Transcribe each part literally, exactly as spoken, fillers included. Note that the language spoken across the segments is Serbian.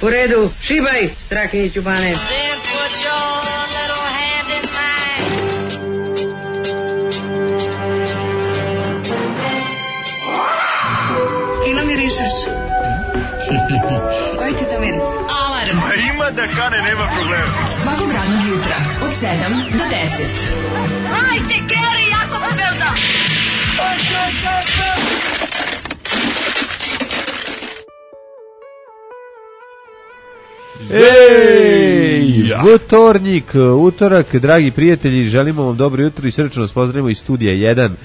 U redu, šibaj, Strahinjiću Bane. Fino mirišeš. Koji ti to miris? Alarm. A ima da kane, nema problema. Svakog radnog jutra od sedam do deset. Hajde, Geri, jako se velda. Ej, utornik, utorak, dragi prijatelji, želimo vam dobro jutro i srčno vas pozdravimo iz studija jedan uh,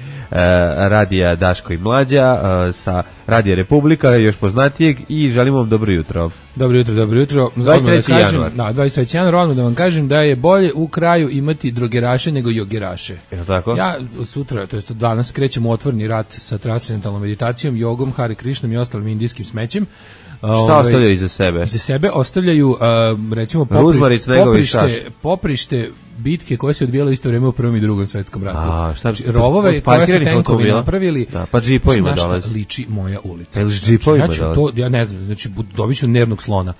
radija Daško i Mlađa, uh, sa Radija Republika, još poznatijeg, i želimo vam dobro jutro. Dobro jutro, dobro jutro. dvadeset treći januar. Da, dvadeset treći januar, odmah da vam kažem da je bolje u kraju imati drogeraše nego jogeraše. Je tako? Ja sutra, to jest danas, krećem u otvorni rat sa transcendentalnom meditacijom, jogom, Hare Krišnom i ostalim indijskim smećem. Šta ostavljaju iza sebe? Iza sebe ostavljaju, uh, recimo, popri, poprište, poprište bitke koje se odvijale u isto vrijeme u Prvom i Drugom svetskom ratu. A, šta, znači, rovove koje su tenkovi napravili, da, pa džipovima dolazi. Liči moja ulica. Jel s džipovima znači, ja, dolazi? to, ja ne znam, znači, dobit ću nervnog slona.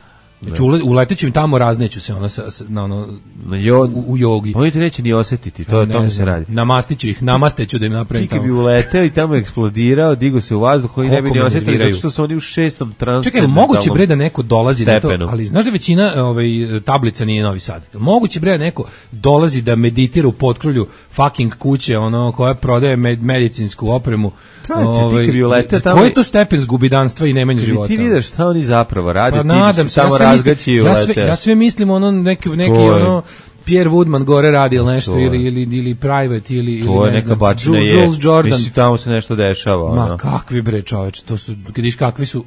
Znači, uleteću im tamo, razneću se ono, sa, sa, na ono na jo, u, u jogi. Oni te neće ni osjetiti, to, ne, tome se radi. Namastiću ih, namasteću da im napravim tamo. Ti bi uleteo i tamo eksplodirao, digo se u vazduh, koji ne bi ni osjetili, zato što su oni u šestom transportu. Čekaj, moguće bre da neko dolazi na to, ali znaš da većina ovaj, tablica nije Novi Sad. Moguće bre da neko dolazi da meditira u potkrulju fucking kuće, ono, koja prodaje med, medicinsku opremu. Ovaj, ti bi uleteo tamo. Koji je to stepen zgubidanstva i nemanja života? Ti vidiš šta oni zapravo rade, pa, ti nadam se tamo razgaći i ja sve, ja sve mislim ono neki, neki ono Pierre Woodman gore radi ili nešto, ili, ili, ili Private, ili, to ili ne znam, Jules, Jules Jordan. Mislim, tamo se nešto dešava. Ma ono. kakvi bre čoveč, to su, vidiš kakvi su.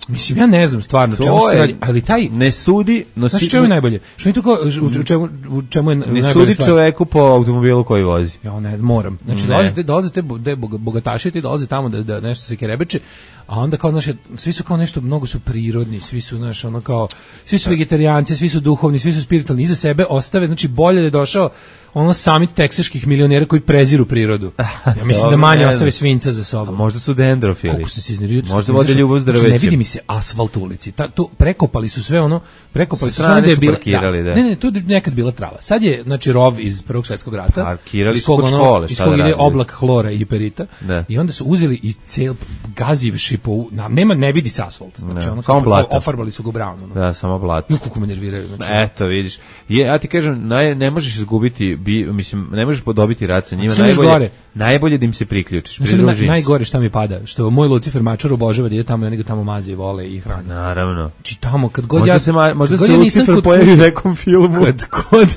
Mislim, ja ne znam stvarno čemu se radi, ali taj ne sudi, no znaš čemu je najbolje? Što je to kao, u čemu, u čemu je ne najbolje sudi stvar? Čoveku po automobilu koji vozi. Ja ne znam, moram. Znači, dolazite, dolazite bogataši, ti dolaze tamo da, da nešto se kerebeče, a onda kao, znaš, svi su kao nešto, mnogo su prirodni, svi su, znaš, ono kao, svi su vegetarijanci, svi su duhovni, svi su spiritualni, iza sebe ostave, znači, bolje da je došao ono samit teksaških milionera koji preziru prirodu. Ja mislim da manje ostave svinca za sobom. A možda su dendrofili. Kako se iznerviraju. Možda vode ljubav zdravećem. Znači, ne vidi mi se asfalt u ulici. Ta, tu prekopali su sve ono, prekopali su sve ono da je bila, da, da. Ne, ne, tu je nekad bila trava. Sad je, znači, rov iz Prvog svjetskog rata. Parkirali su kod škole. Iz kog ide oblak hlora i perita. Da. I onda su uzeli i cel gazivši po, na, nema, ne vidi se asfalt. Znači, ne, ono, samo blato. Ofarbali su ga brown. Ono. Da, samo blato. Kako me nerviraju. Znači, eto, vidiš. Je, ja ti kažem, naj, ne možeš izgubiti, bi, mislim, ne možeš podobiti rad sa njima, najbolje, najbolje da im se priključiš, pridruži na, najgore šta mi pada, što moj Lucifer Mačar obožava da ide tamo i oni ga tamo maze i vole i hrane. Naravno. Či tamo, kad god možda ja... Se ma, možda se ja Lucifer pojavi u nekom filmu. Kad god,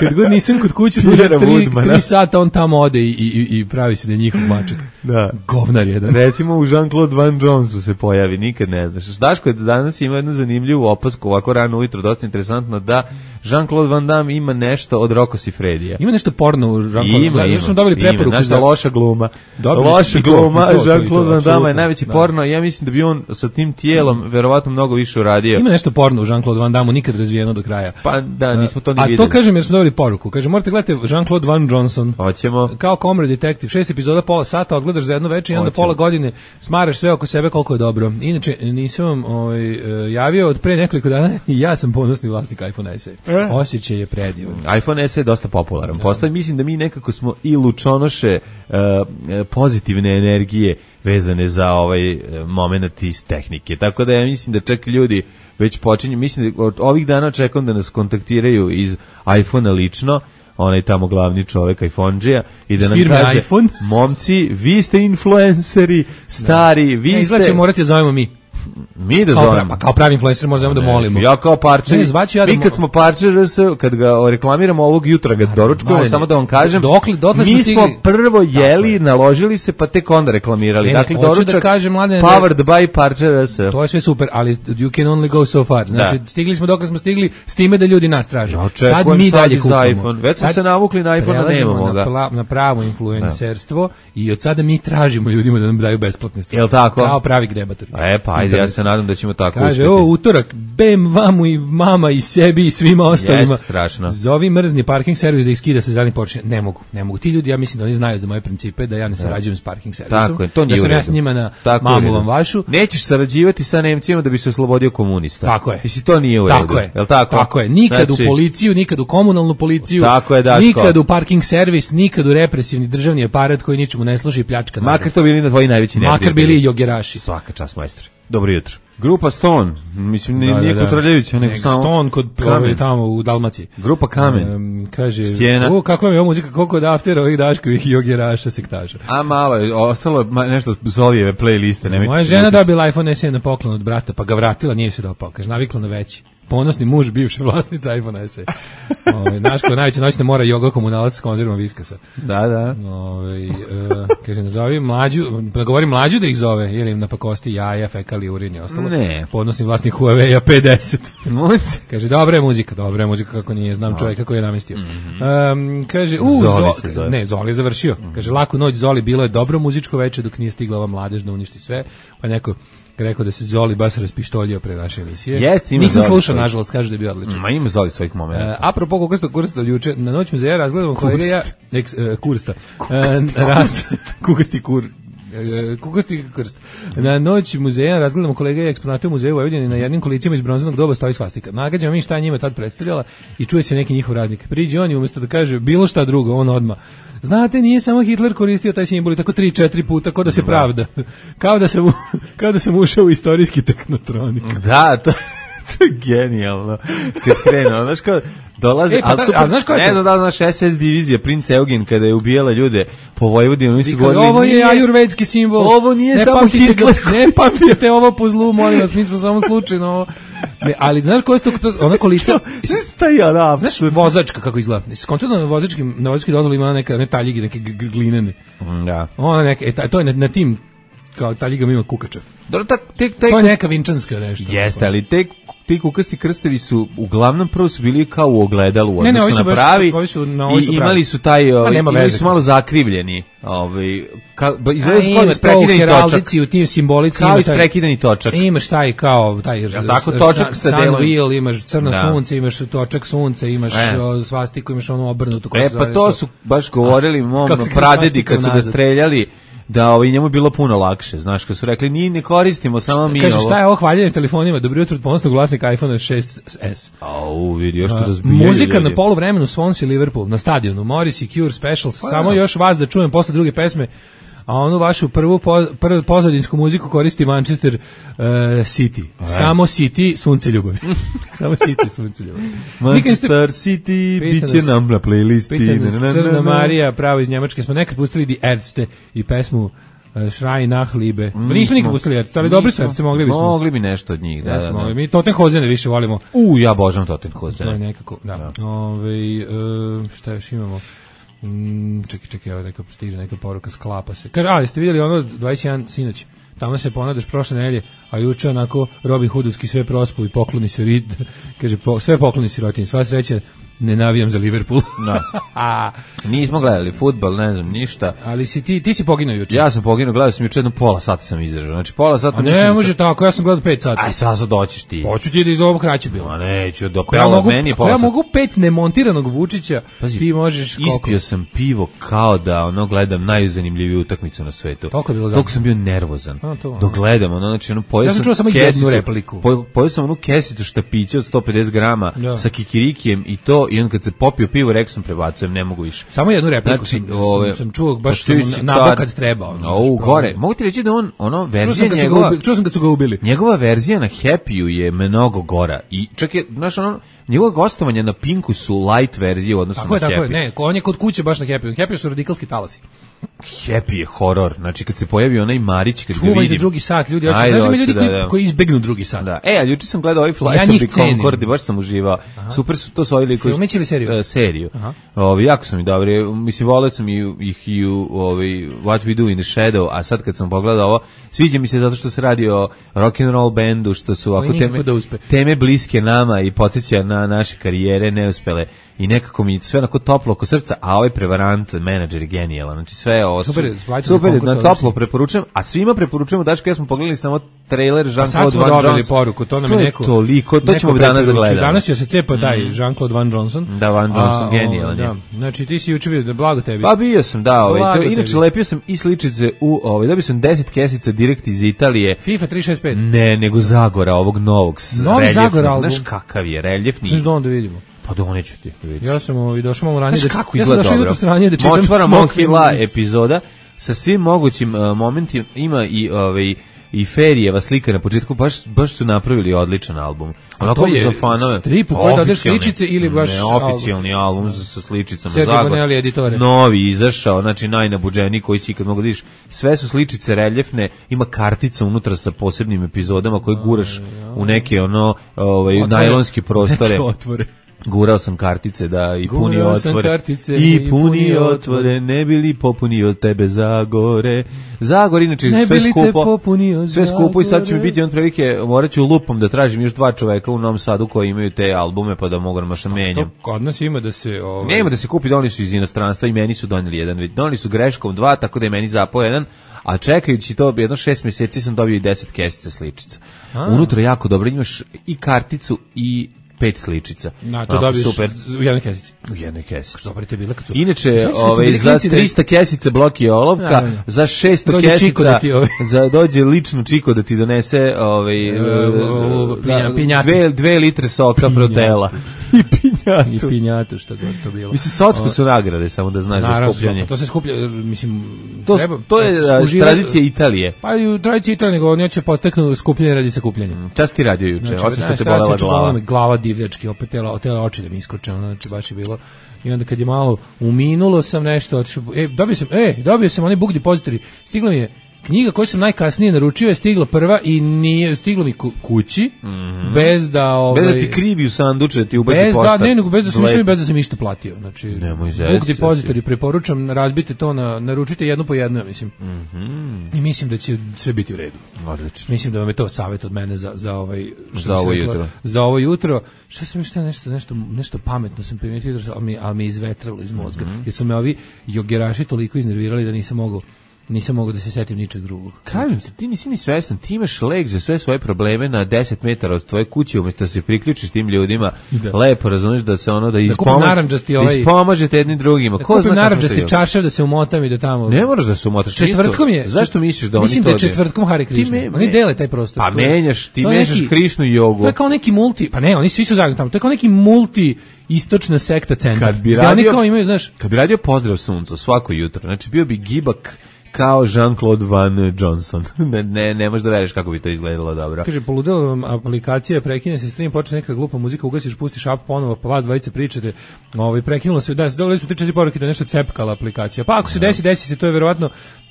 kad god nisam kod kuće, duže tri, tri sata on tamo ode i, i, i pravi se da je njihov mačak. Da. Govnar jedan. Recimo u Jean-Claude Van Jonnesu se pojavi, nikad ne znaš. Daško je danas ima jednu zanimljivu opasku, ovako rano ujutro, dosta interesantno, da Jean-Claude Van Damme ima nešto od Rocco Siffredija. Ima nešto porno u Jean-Claude. Ima, ima. Smo dobili preporuku ima, za loša gluma. Loša gluma, Jean-Claude Van Damme je najveći da. porno. Ja mislim da bi on sa tim tijelom mm. verovatno mnogo više uradio. Ima nešto porno u Jean-Claude Van Damme, nikad razvijeno do kraja. Pa da, nismo to ni A videli. A to kažem jer smo dobili poruku. Kaže, morate gledati Jean-Claude Van Johnson. Hoćemo. Kao Comrade Detective, šest epizoda, pola sata, odgledaš za jedno večer i onda pola godine smaraš sve oko sebe koliko je dobro. Inače, nisam vam ovaj, javio od pre nekoliko dana i ja sam ponosni vlasnik iPhone S E. E? Osjećaj je predivan. iPhone S E je dosta popularan. Da. Postoji, mislim da mi nekako smo i lučonoše uh, pozitivne energije vezane za ovaj moment iz tehnike. Tako da ja mislim da čak ljudi već počinju, mislim da od ovih dana očekujem da nas kontaktiraju iz iPhone-a lično, onaj tamo glavni čovjek iPhone-đija i da nam kaže, iPhone? momci, vi ste influenceri, stari, vi ne, ste... Izlače, morate zovemo mi. Mi da kao zovemo. Pa kao pravi influencer možemo da molimo. Ja kao parčer. Ne, ja mi kad smo parčer, kad ga reklamiramo ovog jutra, ga doručkujemo, samo da vam kažem, dokle, dokle mi smo, smo prvo jeli, naložili se, pa tek onda reklamirali. Ne, dakle, ne, doručak, da kažem, mladene, powered by parčer. To je sve super, ali you can only go so far. Znači, da. stigli smo dokle smo stigli s time da ljudi nas traže. Ja, sad mi sad dalje kupimo. Već smo se navukli na iPhone, nemamo ga. Na, na pravo influencerstvo da. I od sada mi tražimo ljudima da nam daju besplatne stvari. Jel tako? Kao pravi grebatori. E, pa ajde. Ajde, ja se nadam da ćemo tako Kaže, uspjeti. o, utorak, bem vamu i mama i sebi i svima ostalima. Jeste, strašno. Zovi mrzni parking servis da ih skida sa zelenih površina. Ne mogu, ne mogu. Ti ljudi, ja mislim da oni znaju za moje principe, da ja ne sarađujem s parking servisom. Tako je, to nije da u sam redu. ja s njima na Tako mamu vam vašu. Nećeš sarađivati sa Nemcima da bi se oslobodio komunista. Tako je. Mislim, to nije u redu. Tako je. Jel tako? Tako je. Nikad Znači, u policiju, nikad u komunalnu policiju. Tako je, Daško. Nikad u parking servis, nikad u represivni državni aparat koji ničemu ne služi i pljačka. Makar to bili na tvoji najveći neprijatelji. Makar bili i jogeraši. Svaka čast, majstre. Dobro jutro. Grupa Stone, mislim, Da, nije da, kod da. Radljevića, nego Nego samo... Stone kod Kamen. ovaj, tamo u Dalmaciji. Grupa Kamen. Um, kaže, Stijena. o, kakva mi je ovo muzika, koliko od aftera ovih Daškovih jogeraša sektaža. A malo je, ostalo ma- nešto od Zolijeve playliste. nemojte Moja se žena ljutiti. dobila iPhone S E na poklon od brata, pa ga vratila, nije se dopao. Kaže, navikla na veći. Ponosni muž, bivša vlasnica iPhone S E. Ove, Daško, najveća noćna mora joga komunalac s konzervom viskasa. Da, da. Ove, uh, kaže, nazovi mlađu, pa govori mlađu da ih zove, ili im napakosti jaja, fekali, urin i ostalo. Ne. Podnosni vlasnik Huawei-a pedeset. Moć. Kaže, dobra je muzika, dobra je muzika, kako nije, znam čovjeka koji je namestio. Um, kaže, u, Zoli Zo- se zove. ne, Zoli je završio. Kaže, laku noć Zoli, bilo je dobro muzičko veče dok nije stigla ova mladež da uništi sve, pa neko rekao da se Zoli baš raspištoljio pre naše emisije. Jeste, ima Nisam Zoli slušao, svoj. nažalost, kaže da je bio odličan. Ma ima Zoli svojih momenta. Uh, apropo Kukasta Kursta juče, na noć muzeja razgledamo kolega ja, eks, uh, Kursta, uh, raz, Kukasti Kur, uh, Kukasti Krst. Na noć muzeja razgledamo kolega i eksponate u muzeju Vojvodine, na jednim kolicima iz bronzanog doba stoji svastika. Nagađamo mi šta je njima tad predstavljala i čuje se neki njihov raznik. Priđe on i umjesto da kaže bilo šta drugo, on odma. Znate, nije samo Hitler koristio taj simbol i tako tri, četiri puta, kao da se pravda. Kao da sam, u- kao da sam ušao u istorijski teknotronik. Da, to, to je genijalno. Kad krenu, znaš kao, dolaze... E, pa ali da- super- a znaš ko je Ne, to? da, da, naš S S divizija, princ Eugen, kada je ubijala ljude po Vojvodini, oni su Kaže, govorili... ovo je nije- ajurvedski simbol. Ovo nije samo pamtite Hitler ga- Ne pamtite ovo po zlu, molim vas, mi smo samo slučajno ovo. Ne, ali znaš ko je to, to ona kolica? Šta je ona Znaš, apsurd? vozačka kako izgleda. Skontano na vozačkim, na vozački dozvoli ima ona neka ne taljigi, neke g- g- glinene. Da. Ona neka, e, ta- to je na, na tim kao taljigama ima kukača. Dobro, tak, tek, tek, To je neka vinčanska nešto. Jeste, ali te, ti kukasti krstevi su uglavnom prvo su bili kao u ogledalu u Ne, ne, odnosu ovi su na baš- pravi ovi su- na ovi su i pravi. imali su taj, ovaj, nema imali veze. su malo zakrivljeni, ovaj, ka, ba, A izgledaju su kao imaš da to u prekidani točak. heraldici, u tim simbolici. Kao ima iz taj- prekidani točak. Imaš taj kao taj Jel tako, točak sa sun delom? wheel, imaš crno Da. sunce, imaš točak sunca, imaš E. o, svastiku, imaš onu obrnutu. kako E, se pa zove, to što- su baš govorili mom kako se kaže pradedi svastika kad su ga unazad. streljali, da ovaj, njemu je bilo puno lakše, znaš, kad su rekli, ni ne koristimo, samo mi Kaže, ovo. šta je ovo hvaljenje telefonima? Dobro jutro od ponosnog vlasnika iPhone šest S. Au, vidi, još to A, razbijaju Muzika ljudi. na poluvremenu Swans i Liverpool na stadionu Morris i Cure Specials. Samo još vas da čujem posle druge pesme. A onu vašu prvu po, prvu pozadinsku muziku koristi Manchester uh, City. Samo City, sunce ljubavi. Samo City, sunce ljubavi. Nikad ste- Manchester City, Pita bit će nas- nam na playlisti. Pita nas Na, na, na, Crna na. Marija, pravo iz Njemačke. Smo nekad pustili Die Ärzte i pesmu uh, Schrei nach Liebe. Mm, Nismo nikad smo- pustili Ärzte, ali dobri su nismo. Ärzte, mogli bismo. Mogli bi nešto od njih, da, Jeste, da, da. mogli. Mi Tottenhozene više volimo. U, ja božam Totten To je Hozene. nekako, da. Ove, e, šta još imamo? Mm, čekaj, čekaj, evo neka stiže neka poruka, sklapa se. Kaže, a, jeste vidjeli ono dvadeset jedan sinoć? Tamo se ponadaš prošle nedelje, a juče onako Robin Hoodovski sve prospu i pokloni se rid, kaže, po, sve pokloni sirotinji, sva sreća, ne navijam za Liverpool. Da. a, Nismo gledali fudbal, ne znam, ništa. ali si ti, ti si poginuo juče. Ja sam poginuo, gledao sam juče jedno pola sata sam izdržao. Znači pola sata A mislim ne da može sam- tako, ja sam gledao pet sati. Aj, sad sad doćiš ti. Hoću ti da iz ovog kraće bilo. Ma neću, do Ako ja pola mogu, meni ako pola ja sata. mogu pet nemontiranog Vučića, Pazi, ti možeš koliko? Ispio sam pivo kao da ono gledam najzanimljiviju utakmicu na svetu. Toliko je bilo Toliko zanimljivo. sam bio nervozan. A, to, Dok gledam, ono, znači, ono, pojeo Ja sam sam čuo samo kesicu- jednu repliku. po- Pojeo sam onu kesicu štapića od sto pedeset grama Da. sa kikirikijem i to, i on kad se popio pivo, rekao sam prebacujem, ne mogu više. Samo jednu repliku Znači, sam, ove- sam, sam čuo, baš Pa sam ti mu si nabao tad- kad treba. Ono, O, baš gore. problem. Mogu ti reći da on, ono, Čuo verzija sam, kad su ga njegova... ubili, čuo sam kad su ga ubili. Njegova verzija na Happy-u je mnogo gora. I čak je, znaš, ono, njegova gostovanja na Pinku su light verzije u odnosu Tako na je, tako Happy. je, ne, ko- on je kod kuće baš na Happy. Happy su radikalski talasi. Happy je horor. Znači, kad se pojavi onaj Marić, kad ga Čuvaj vidim... za drugi sat, ljudi. Hoće, Ajde, znaš, ima hoću, ljudi da, koji, da. koji izbegnu drugi sat. Da. E, a juče sam gledao ovaj Flight Ja of njih the cenim. Concorde, baš sam uživao. Super su to su ovi likovi. Filmić ili seriju? E, seriju. Aha. Ovi, jako su mi dobri, mislim, voleo sam i, ih i u ovi, What We Do in the Shadow, a sad kad sam pogledao ovo, sviđa mi se zato što se radi o rock'n'roll bendu, što su ako teme, da teme bliske nama i podsjeća na naše karijere neuspele i nekako mi sve onako toplo oko srca, a ovaj prevarant, menadžer je genijalan, znači sve ovo su, super, super na toplo preporučujem, a svima preporučujemo, Daško, ja smo pogledali samo trailer Jean-Claude Van Johnson. Sad smo dobili poruku, to nam je neko... To je toliko, to ćemo danas da gledamo. Danas će se cepa taj mm. Jean-Claude Van Johnson. Da, Van Johnson, genijalan je. Da, znači ti si juče bio, da blago tebi. Pa bio sam, da, ovaj, to, inače lepio sam i sličice u, ovaj, dobio sam deset kesica direkt iz Italije. FIFA tri šest pet. Ne, nego Zagora, ovog novog. Novi Zagora album. Znaš kakav je, reljefni. Znaš da onda vidimo. Pa doneću ti, vidiš. Ja sam ovaj, došao malo ranije. Znaš da, kako ja izgleda dobro? Ja sam došao da čitam Močvara Monkila epizoda sa svim mogućim uh, momentima, ima i ovaj i Ferijeva slika na početku, baš, baš su napravili odličan album. A to je strip u kojoj dodeš sličice ili baš... Ne, oficijalni album, album sa sličicama. Zagor, novi, izašao, znači najnabuđeniji koji si ikad mogu da vidiš. Sve su sličice reljefne, ima kartica unutra sa posebnim epizodama koje guraš u neke ono, ovaj, najlonske prostore. Neke otvore. Gurao sam kartice da i puni Gurao otvore kartice, i, i puni, puni otvore, otvore ne bili popunio od tebe Zagore. Zagor inače ne sve skupo, sve skupo i sad će mi biti on prilike, morat ću lupom da tražim još dva čoveka u Novom Sadu koji imaju te albume pa da mogu da maša menjam. Kod nas ima da se... Ovaj... Nema da se kupi, donali su iz inostranstva i meni su donijeli jedan, donali su greškom dva, tako da je meni zapao jedan, a čekajući to jedno šest mjeseci sam dobio i deset kesica sličica. A. Unutra jako dobro, imaš i karticu i pet sličica. Na, to dobiješ super. U jednoj kesici. U jednoj kesici. Dobro te bila kad su... Inače, ovaj, za trista kesica bloki olovka, da, da. Za šesto dođe kesica, da ti, ovaj. za, dođe lično čiko da ti donese ovaj, e, o, pinja, pinjatu. Dve, dve litre soka frotela. I pinjatu. I pinjatu, što god to bilo. Mislim, socko su nagrade, samo da znaš za skupljanje. To se skuplja, mislim... To, treba, to je skuživa, tradicija Italije. Pa i u tradiciji Italije, nego oni će poteknu skupljanje radi sakupljanja. Šta si ti radio juče? Znači, osim što te bolela glava. Glava divljački, opet tela, tela oči da mi iskoče, znači baš je bilo. I onda kad je malo uminulo sam nešto, otišao, e, dobio sam, e, dobio sam onaj book depository, stigla mi je knjiga koju sam najkasnije naručio, je stigla prva i nije stiglo mi kući, mm -hmm. bez da... Ovaj, bez da ti krivi u sanduče, da ti ubaci bez poštar. Da, ne, nego bez da sam išao, bez da sam išta platio. Znači, nemoj zesi, book depository preporučam, razbite to, na, naručite jedno po jedno, ja mislim. Mm -hmm. I mislim da će sve biti u redu. Odlično. Mislim da vam je to savjet od mene za, za, ovaj, za ovo rekla, jutro. Za ovo jutro. Šta sam još nešto, nešto, nešto pametno sam primijetio, ali mi, ali mi izvetralo iz mozga. Mm -hmm. Jer su me ovi jogeraši toliko iznervirali da nisam mogao nisam mogao da se setim ničeg drugog. Kažem ti, ti nisi ni svestan, ti imaš lek za sve svoje probleme na deset metara od tvoje kuće, umjesto da se priključiš tim ljudima, da. Lepo razumiješ da se ono da, ispomaž, da ovaj, ispomažete jednim drugima. Da kupim naranđasti čaršav da se umotam i da tamo... Ne moraš da se umotaš. Četvrtkom je. Zašto misliš da oni mislim to... Mislim da je četvrtkom Hare Krishna. Me, oni dele taj prostor. Pa menjaš, ti menjaš Krišnu i jogu. To je kao neki multi, pa ne, oni svi su zajedno tamo, to je kao neki multi istočna sekta centar. Kad bi radio, kao imaju, znaš, kad bi radio pozdrav suncu svako jutro, znači bio bi gibak kao Jean-Claude Van Johnson. ne, ne, ne možeš da veriš kako bi to izgledalo dobro. Kaže, poludela vam aplikacija, prekine se stream, počne neka glupa muzika, ugasiš, pustiš app ponovo, pa vas dvojice pričate, ovaj, prekinulo se, da, dole smo tri četiri poruke da nešto cepkala aplikacija. Pa ako se desi, desi se, to je verovatno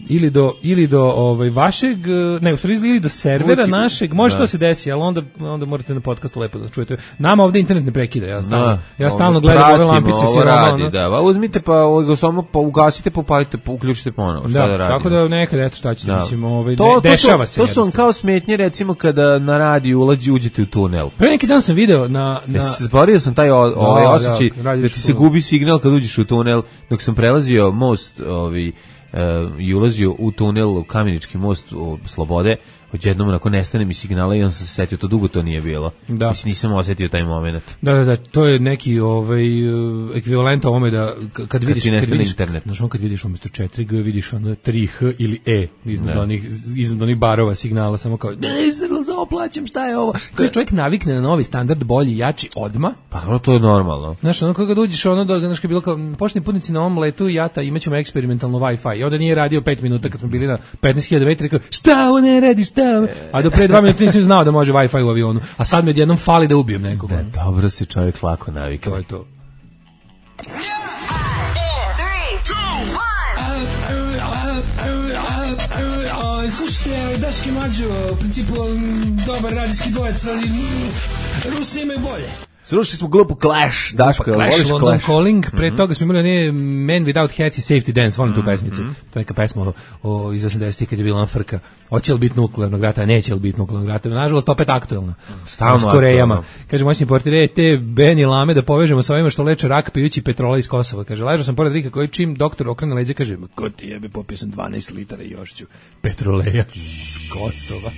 ili do, ili do ovaj, vašeg, ne, u stvari ili do servera Uvijek, našeg, može da. To se desi, ali onda, onda morate na podcastu lepo da čujete. Nama ovde internet ne prekida, ja stalno, da, ja stalno gledam ove lampice. Ovo radi, da, ba, uzmite pa, ovo, samo pa ugasite, popalite, uključite ponovo, šta da, da radi. Tako da nekad, eto šta ćete, mislim, ovaj, to, de, dešava to su, se. To su vam kao smetnje, recimo, kada na radiju ulađi, uđete u tunel. Pre neki dan sam video na... na... Ja se zborio sam taj ovaj osjećaj da, da ti se gubi signal kad uđeš u tunel, dok sam prelazio most ovaj, uh, i ulazio u tunel, u Kamenički most u Slobode, odjednom onako nestane mi signala i on sam se setio, to dugo to nije bilo. Da. Mislim, nisam osjetio taj moment. Da, da, da, to je neki ovaj, ekvivalent ovome da kad, kad vidiš... Kad vidiš, internet. Znaš, on kad vidiš umjesto četiri G, vidiš ono tri H ili E, iznad onih, iznad onih barova signala, samo kao, ne, za oplaćam, šta je ovo? Kad čovjek navikne na novi standard, bolji, jači, odma. Pa ono, to je normalno. Znaš, ono kad uđeš, ono, da, znaš, kad bilo kao, pošteni putnici na ovom letu i jata, imat ćemo eksperimentalno Wi-Fi. I onda nije radio pet minuta kad smo bili na petnaest hiljada metara, rekao, šta ovo ne radi, šta ovo? A do pre dva minuta nisam znao da može Wi-Fi u avionu. A sad mi odjednom fali da ubijem nekoga. Da, dobro si čovjek lako navikao. To je to. Slušajte, Daški Mađo, u principu dobar radijski dvojec, ali Rusi imaju bolje. Slušali smo glupu Clash, Daško, pa, jel Clash, voliš London Clash? Calling, pre mm-hmm. toga smo imali one Man Without Hats i Safety Dance, volim tu pesmicu. Mm-hmm. To je neka pesma o, o, iz osamdesetih kad je bila ona frka. Hoće li biti nuklearnog rata, neće li biti nuklearnog rata. Nažalost, opet aktuelna. Stalno s Korejama. aktuelno. Kaže, moćni portir, e, te Beni Lame da povežemo sa ovima što leče rak pijući petrola iz Kosova. Kaže, ležao sam pored Rika koji čim doktor okrene leđa, kaže, ko ti jebe, popio sam dvanaest litara i još ću petroleja iz Kosova.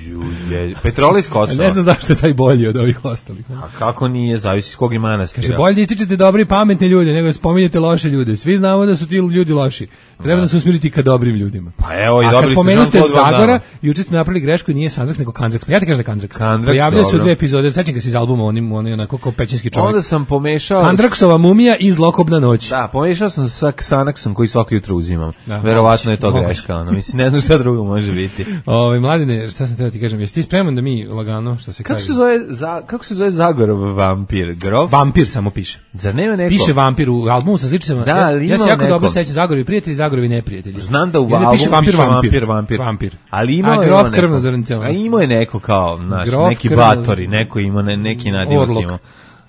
Je, Petrola iz Kosova. Ne znam zašto je taj bolji od ovih ostalih. A kako nije, zavisi s kog i manastira. Kaže, bolje da ističete dobri i pametni ljude, nego da spominjete loše ljude. Svi znamo da su ti ljudi loši. Treba da se usmjeriti ka dobrim ljudima. Pa evo i a dobili kad pomenu ste Jean-Claude Van Zagora, Damme. juče ste napravili grešku i nije Sandraks, nego Kandraks. Ja ti kažem da Kandraks. Kandraks, Pojavljaju se u dobro. dve epizode, sećam ga se iz albuma, onim, onim onako kao pećinski čovjek. Onda sam pomešao... Kandraksova mumija i Zlokobna noć. Da, pomešao sam sa Xanaxom koji svako jutro uzimam. Da, Verovatno je to moguće. greška. Ono. Mislim, ne znam šta drugo može biti. Ove, mladine, šta sam treba ti kažem, jesi ti spreman da mi lagano, što se Kako kaže? se zove, za, kako se zove Zagorov vampir? Grof? Vampir samo piše. Zar nema neko? Piše vampir u albumu sa sličicama. Da, ja, ali ja se ima jako neko. dobro sećam Zagorovi prijatelji, Zagorovi neprijatelji. Znam da u I onda albumu piše vampir, piše vampir, vampir, vampir. vampir. Ali imao A je grof on krvno neko- zrncema. A imao je neko kao, znaš, Grof neki krvno- batori, neko ima ne, neki nadimak Orlok. ima.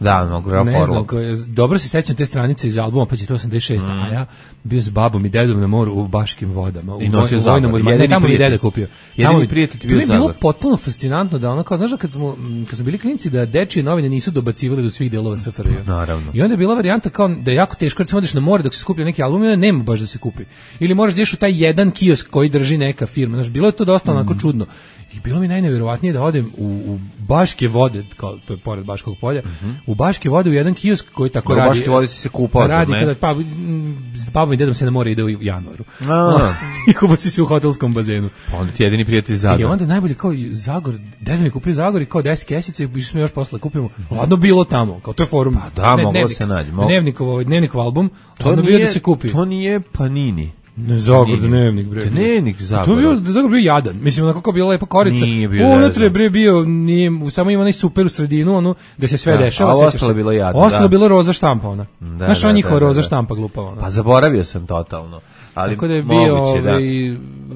Da, no, grof Ne znam, Orlok. ko je, dobro se sećam te stranice iz albuma, pa će to osamdeset šest, a ja bio s babom i dedom na moru u Baškim vodama. U I nosio voj- Zagor. vojnom odmaru. Ne, Jedini tamo mi je prijatelj. deda kupio. Jedini Tamo mi- prijatelj ti to mi bio je bilo Zagor. potpuno fascinantno da ono kao, znaš, da kad smo, m, kad smo bili klinci da dečije novine nisu dobacivali do svih delova S F R J. Naravno. I onda je bila varijanta kao da je jako teško, recimo odeš na more dok se skuplja neki album, i onda nema baš da se kupi. Ili moraš da ideš u taj jedan kiosk koji drži neka firma. Znaš, bilo je to dosta onako čudno. I bilo mi najneverovatnije da odem u, u Baške vode, kao to je pored Baškog polja, u Baške vode u jedan kiosk koji tako U radi. Baške vode si se kupao, zar Radi ne? kada pa m, s babom i dedom se na more ide u januaru. A. I kupao si se u hotelskom bazenu. Pa onda ti jedini prijatelj I Zagor. onda najbolje kao i Zagor, deda mi kupio Zagor i kao deset kesica i išli smo još posle kupimo. Ladno bilo tamo, kao to je forum. Pa da, moglo se naći, moglo. Dnevnikov, ovaj dnevnikov album, To ladno bio nije, da se kupi. to nije Panini. Ne, Zagor, Nije. dnevnik, bre. Dnevnik To je Zagora. bio, da Zagor bio jadan. Mislim, onako kao bila lepa korica. Nije bio Unutra je jadan. bre bio, nije, samo ima onaj super u sredinu, ono, gde se sve Da, dešava. a sećaš ostalo se? je bilo jadno, Ostalo da. je bilo roza štampa, ona. Da, Znaš, da, ona njihova da, da, roza da. štampa glupa, ona. Pa zaboravio sam totalno. Ali Tako da je bio, moguće, da. ovaj,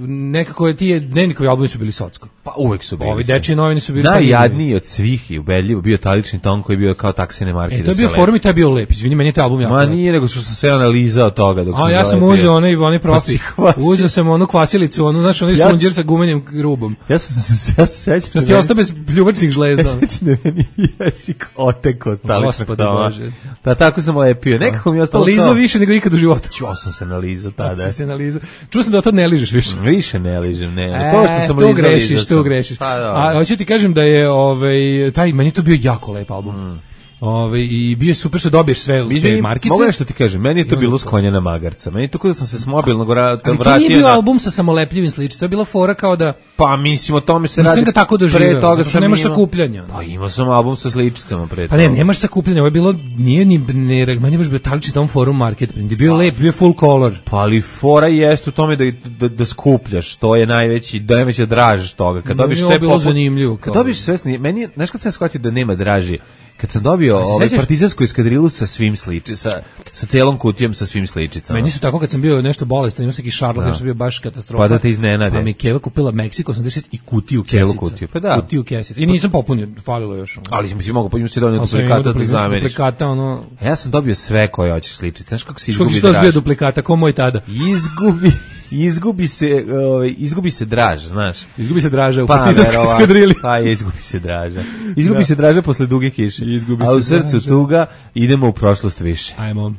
nekako je ti je, dnevnikovi albumi su bili socko. Pa uvek su bili. Ovi sve. dečiji novine su bili Najjadniji od svih i ubedljivo bio talični ton koji je bio kao taksine marke. E, da to je se bio lepi. forum i to je bio lep. Izvini, meni je taj album jako Ma lep. nije, nego što sam se analizao toga dok A sam ja sam zalepio. uzeo onaj, onaj Pa si profi. hvasio. Uzeo sam onu kvasilicu, onu, znaš, onaj Ja- sunđer sa gumenim rubom. Ja sam se ja se sećam. Što da ti meni- ostao bez pljuvačnih Ja žlezda. se sećam da meni jezik oteko od taličnog Gospode tona. Bože. Da, tako sam lepio. Nekako mi je ostalo Lizo kao... više nego ikad u životu. Ćo sam se nalizao tada. Si se nalizao. Čuo sam da to ne ližeš više. Više ne ližem, ne. E, to što sam tu lizao, grešiš, lizao tu sam. grešiš. Pa, da. A hoću ti kažem da je ovaj taj meni je to bio jako lep album. Mm. Ovaj i bio je super što dobiješ sve u te Izvini, markice. mogu nešto ti kažem, meni je to I bilo onda s to. konja na magarca. Meni je to kada sam se s mobilnog vra- Ali to vratio nije bio na... album sa samolepljivim sličicama, to je bila fora kao da Pa mislim, o tome se nisam radi. ga tako doživeo. Pre toga zato što sam nemaš imao- sakupljanja. Pa imao sam album sa sličicama pre Pa ne, toga. nemaš sakupljanja, ovo je bilo, nije ni, ne, meni je baš bio talični tom forum market print, je bio lep, bio je full color. Pa ali fora jeste u tome da, da, da skupljaš, to je najveći, da najveća draž toga. Kad Meni dobiš je ovo sve bilo poput- zanimljivo, Kad kao- dobiš sve, sni- meni, je- znaš kad sam shvatio da nema draži, kad sam dobio ovaj sećaš? partizansku eskadrilu sa svim sliči, sa, sa celom kutijom sa svim sličicama. Meni su tako kad sam bio nešto bolestan, imao sam neki šarlak, nešto bio baš katastrofa. Pa da te iznenade. Pa mi je Keva kupila Meksiko osamdeset šest i kutiju Celu kesica. kutiju, pa da. Kutiju kesica. I nisam popunio, falilo još. ono. Ali mislim mogu pa si donio Ali sam imao duplikata da duplikata, zameniš. duplikata, ono... Ja sam dobio sve koje hoćeš sličice. Znaš kako se Što izgubi si to draž? bio duplikata, ko moj tada? Izgubi, izgubi se, ovaj, izgubi se draž, znaš. Izgubi se draža u Pa, partizanskoj verovatno. eskadrili. Pa je, izgubi se draža. Izgubi Da. se draža posle duge kiše. Izgubi A u se srcu draža. tuga idemo u prošlost više. Ajmo.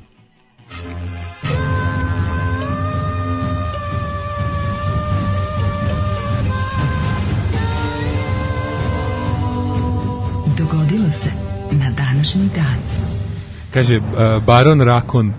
Dogodilo se na današnji dan. Kaže, uh, Baron Rakon.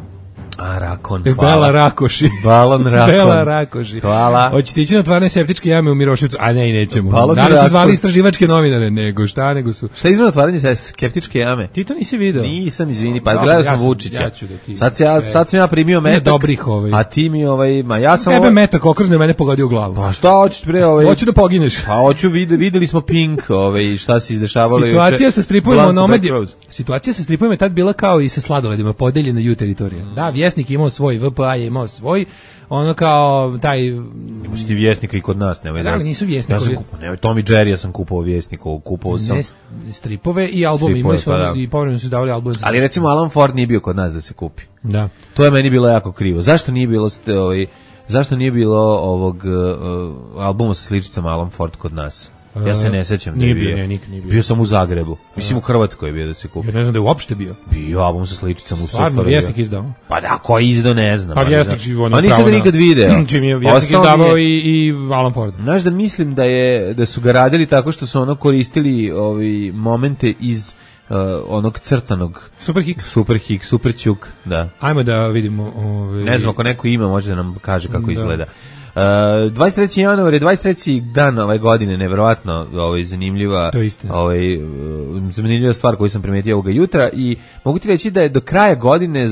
A, Rakon, Bela hvala. Rakoši. Balon Rakon. Bela Rakoši. Hvala. Hoćete ići na otvaranje septičke jame u Miroševcu? A ne, i nećemo. Balon Da li su Rakon. zvali istraživačke novinare? Nego šta, nego su... Šta je izgleda otvaranje sa skeptičke jame? Ti to nisi video? Nisam, izvini, pa Dobro, gledao ja sam sam- Vučića. ja ću da ti- Sad, se ja, sve. sad sam ja primio Ima metak. dobrih, ovaj. A ti mi, ovaj, ma ja sam... Tebe ovaj- metak okrzne mene pogodio u glavu. Pa šta hoćeš bre, ovaj... Hoću da pogineš. Pa hoću, vid, videli smo Pink, ovaj, šta se izdešavalo juče. Situacija sa stripovima Blanco Nomad je, Back Rose. situacija sa stripovima je tad bila kao i sa sladoledima, podeljena ju teritorija. Da, Vjesnik Vjesnik je imao svoj, V P A je imao svoj, ono kao taj... Imaš ti Vjesnika i kod nas, nemoj da. Ali nisu Vjesnikovi. Ja sam kupovao, nemoj, Tom i Jerry, ja sam kupovao Vjesnikov, kupovao sam... Ne, stripove i album, imali su, pa, i povremeno su davali album. Ali recimo Alan Ford nije bio kod nas da se kupi. Da. To je meni bilo jako krivo. Zašto nije bilo ste, ovaj, zašto nije bilo ovog uh, albuma sa sličicama Alan Ford kod nas? Ja se ne sećam da je bio. Nije bio, nije bio. Bio sam u Zagrebu. Mislim u Hrvatskoj je bio da se kupi. Ja ne znam da je uopšte bio. Bio album sa sličicama u Sofaru. Stvarno, Vjesnik izdao. Pa da, ko je izdao ne znam. Pa Vjesnik život. A nisam ga nikad video. Čim je Vjesnik izdavao i, i Alan Ford. Znaš da mislim da je da su ga radili tako što su ono koristili ovi momente iz Uh, onog crtanog Super Hik Super Hik, Super Ćuk, da. Ajmo da vidimo ovaj... Ne znam ako neko ima može da nam kaže kako da. izgleda. Uh, dvadeset treći januar je dvadeset treći dan ove godine, nevjerovatno ovaj, zanimljiva, ovaj, zanimljiva stvar koju sam primetio ovoga jutra i mogu ti reći da je do kraja godine,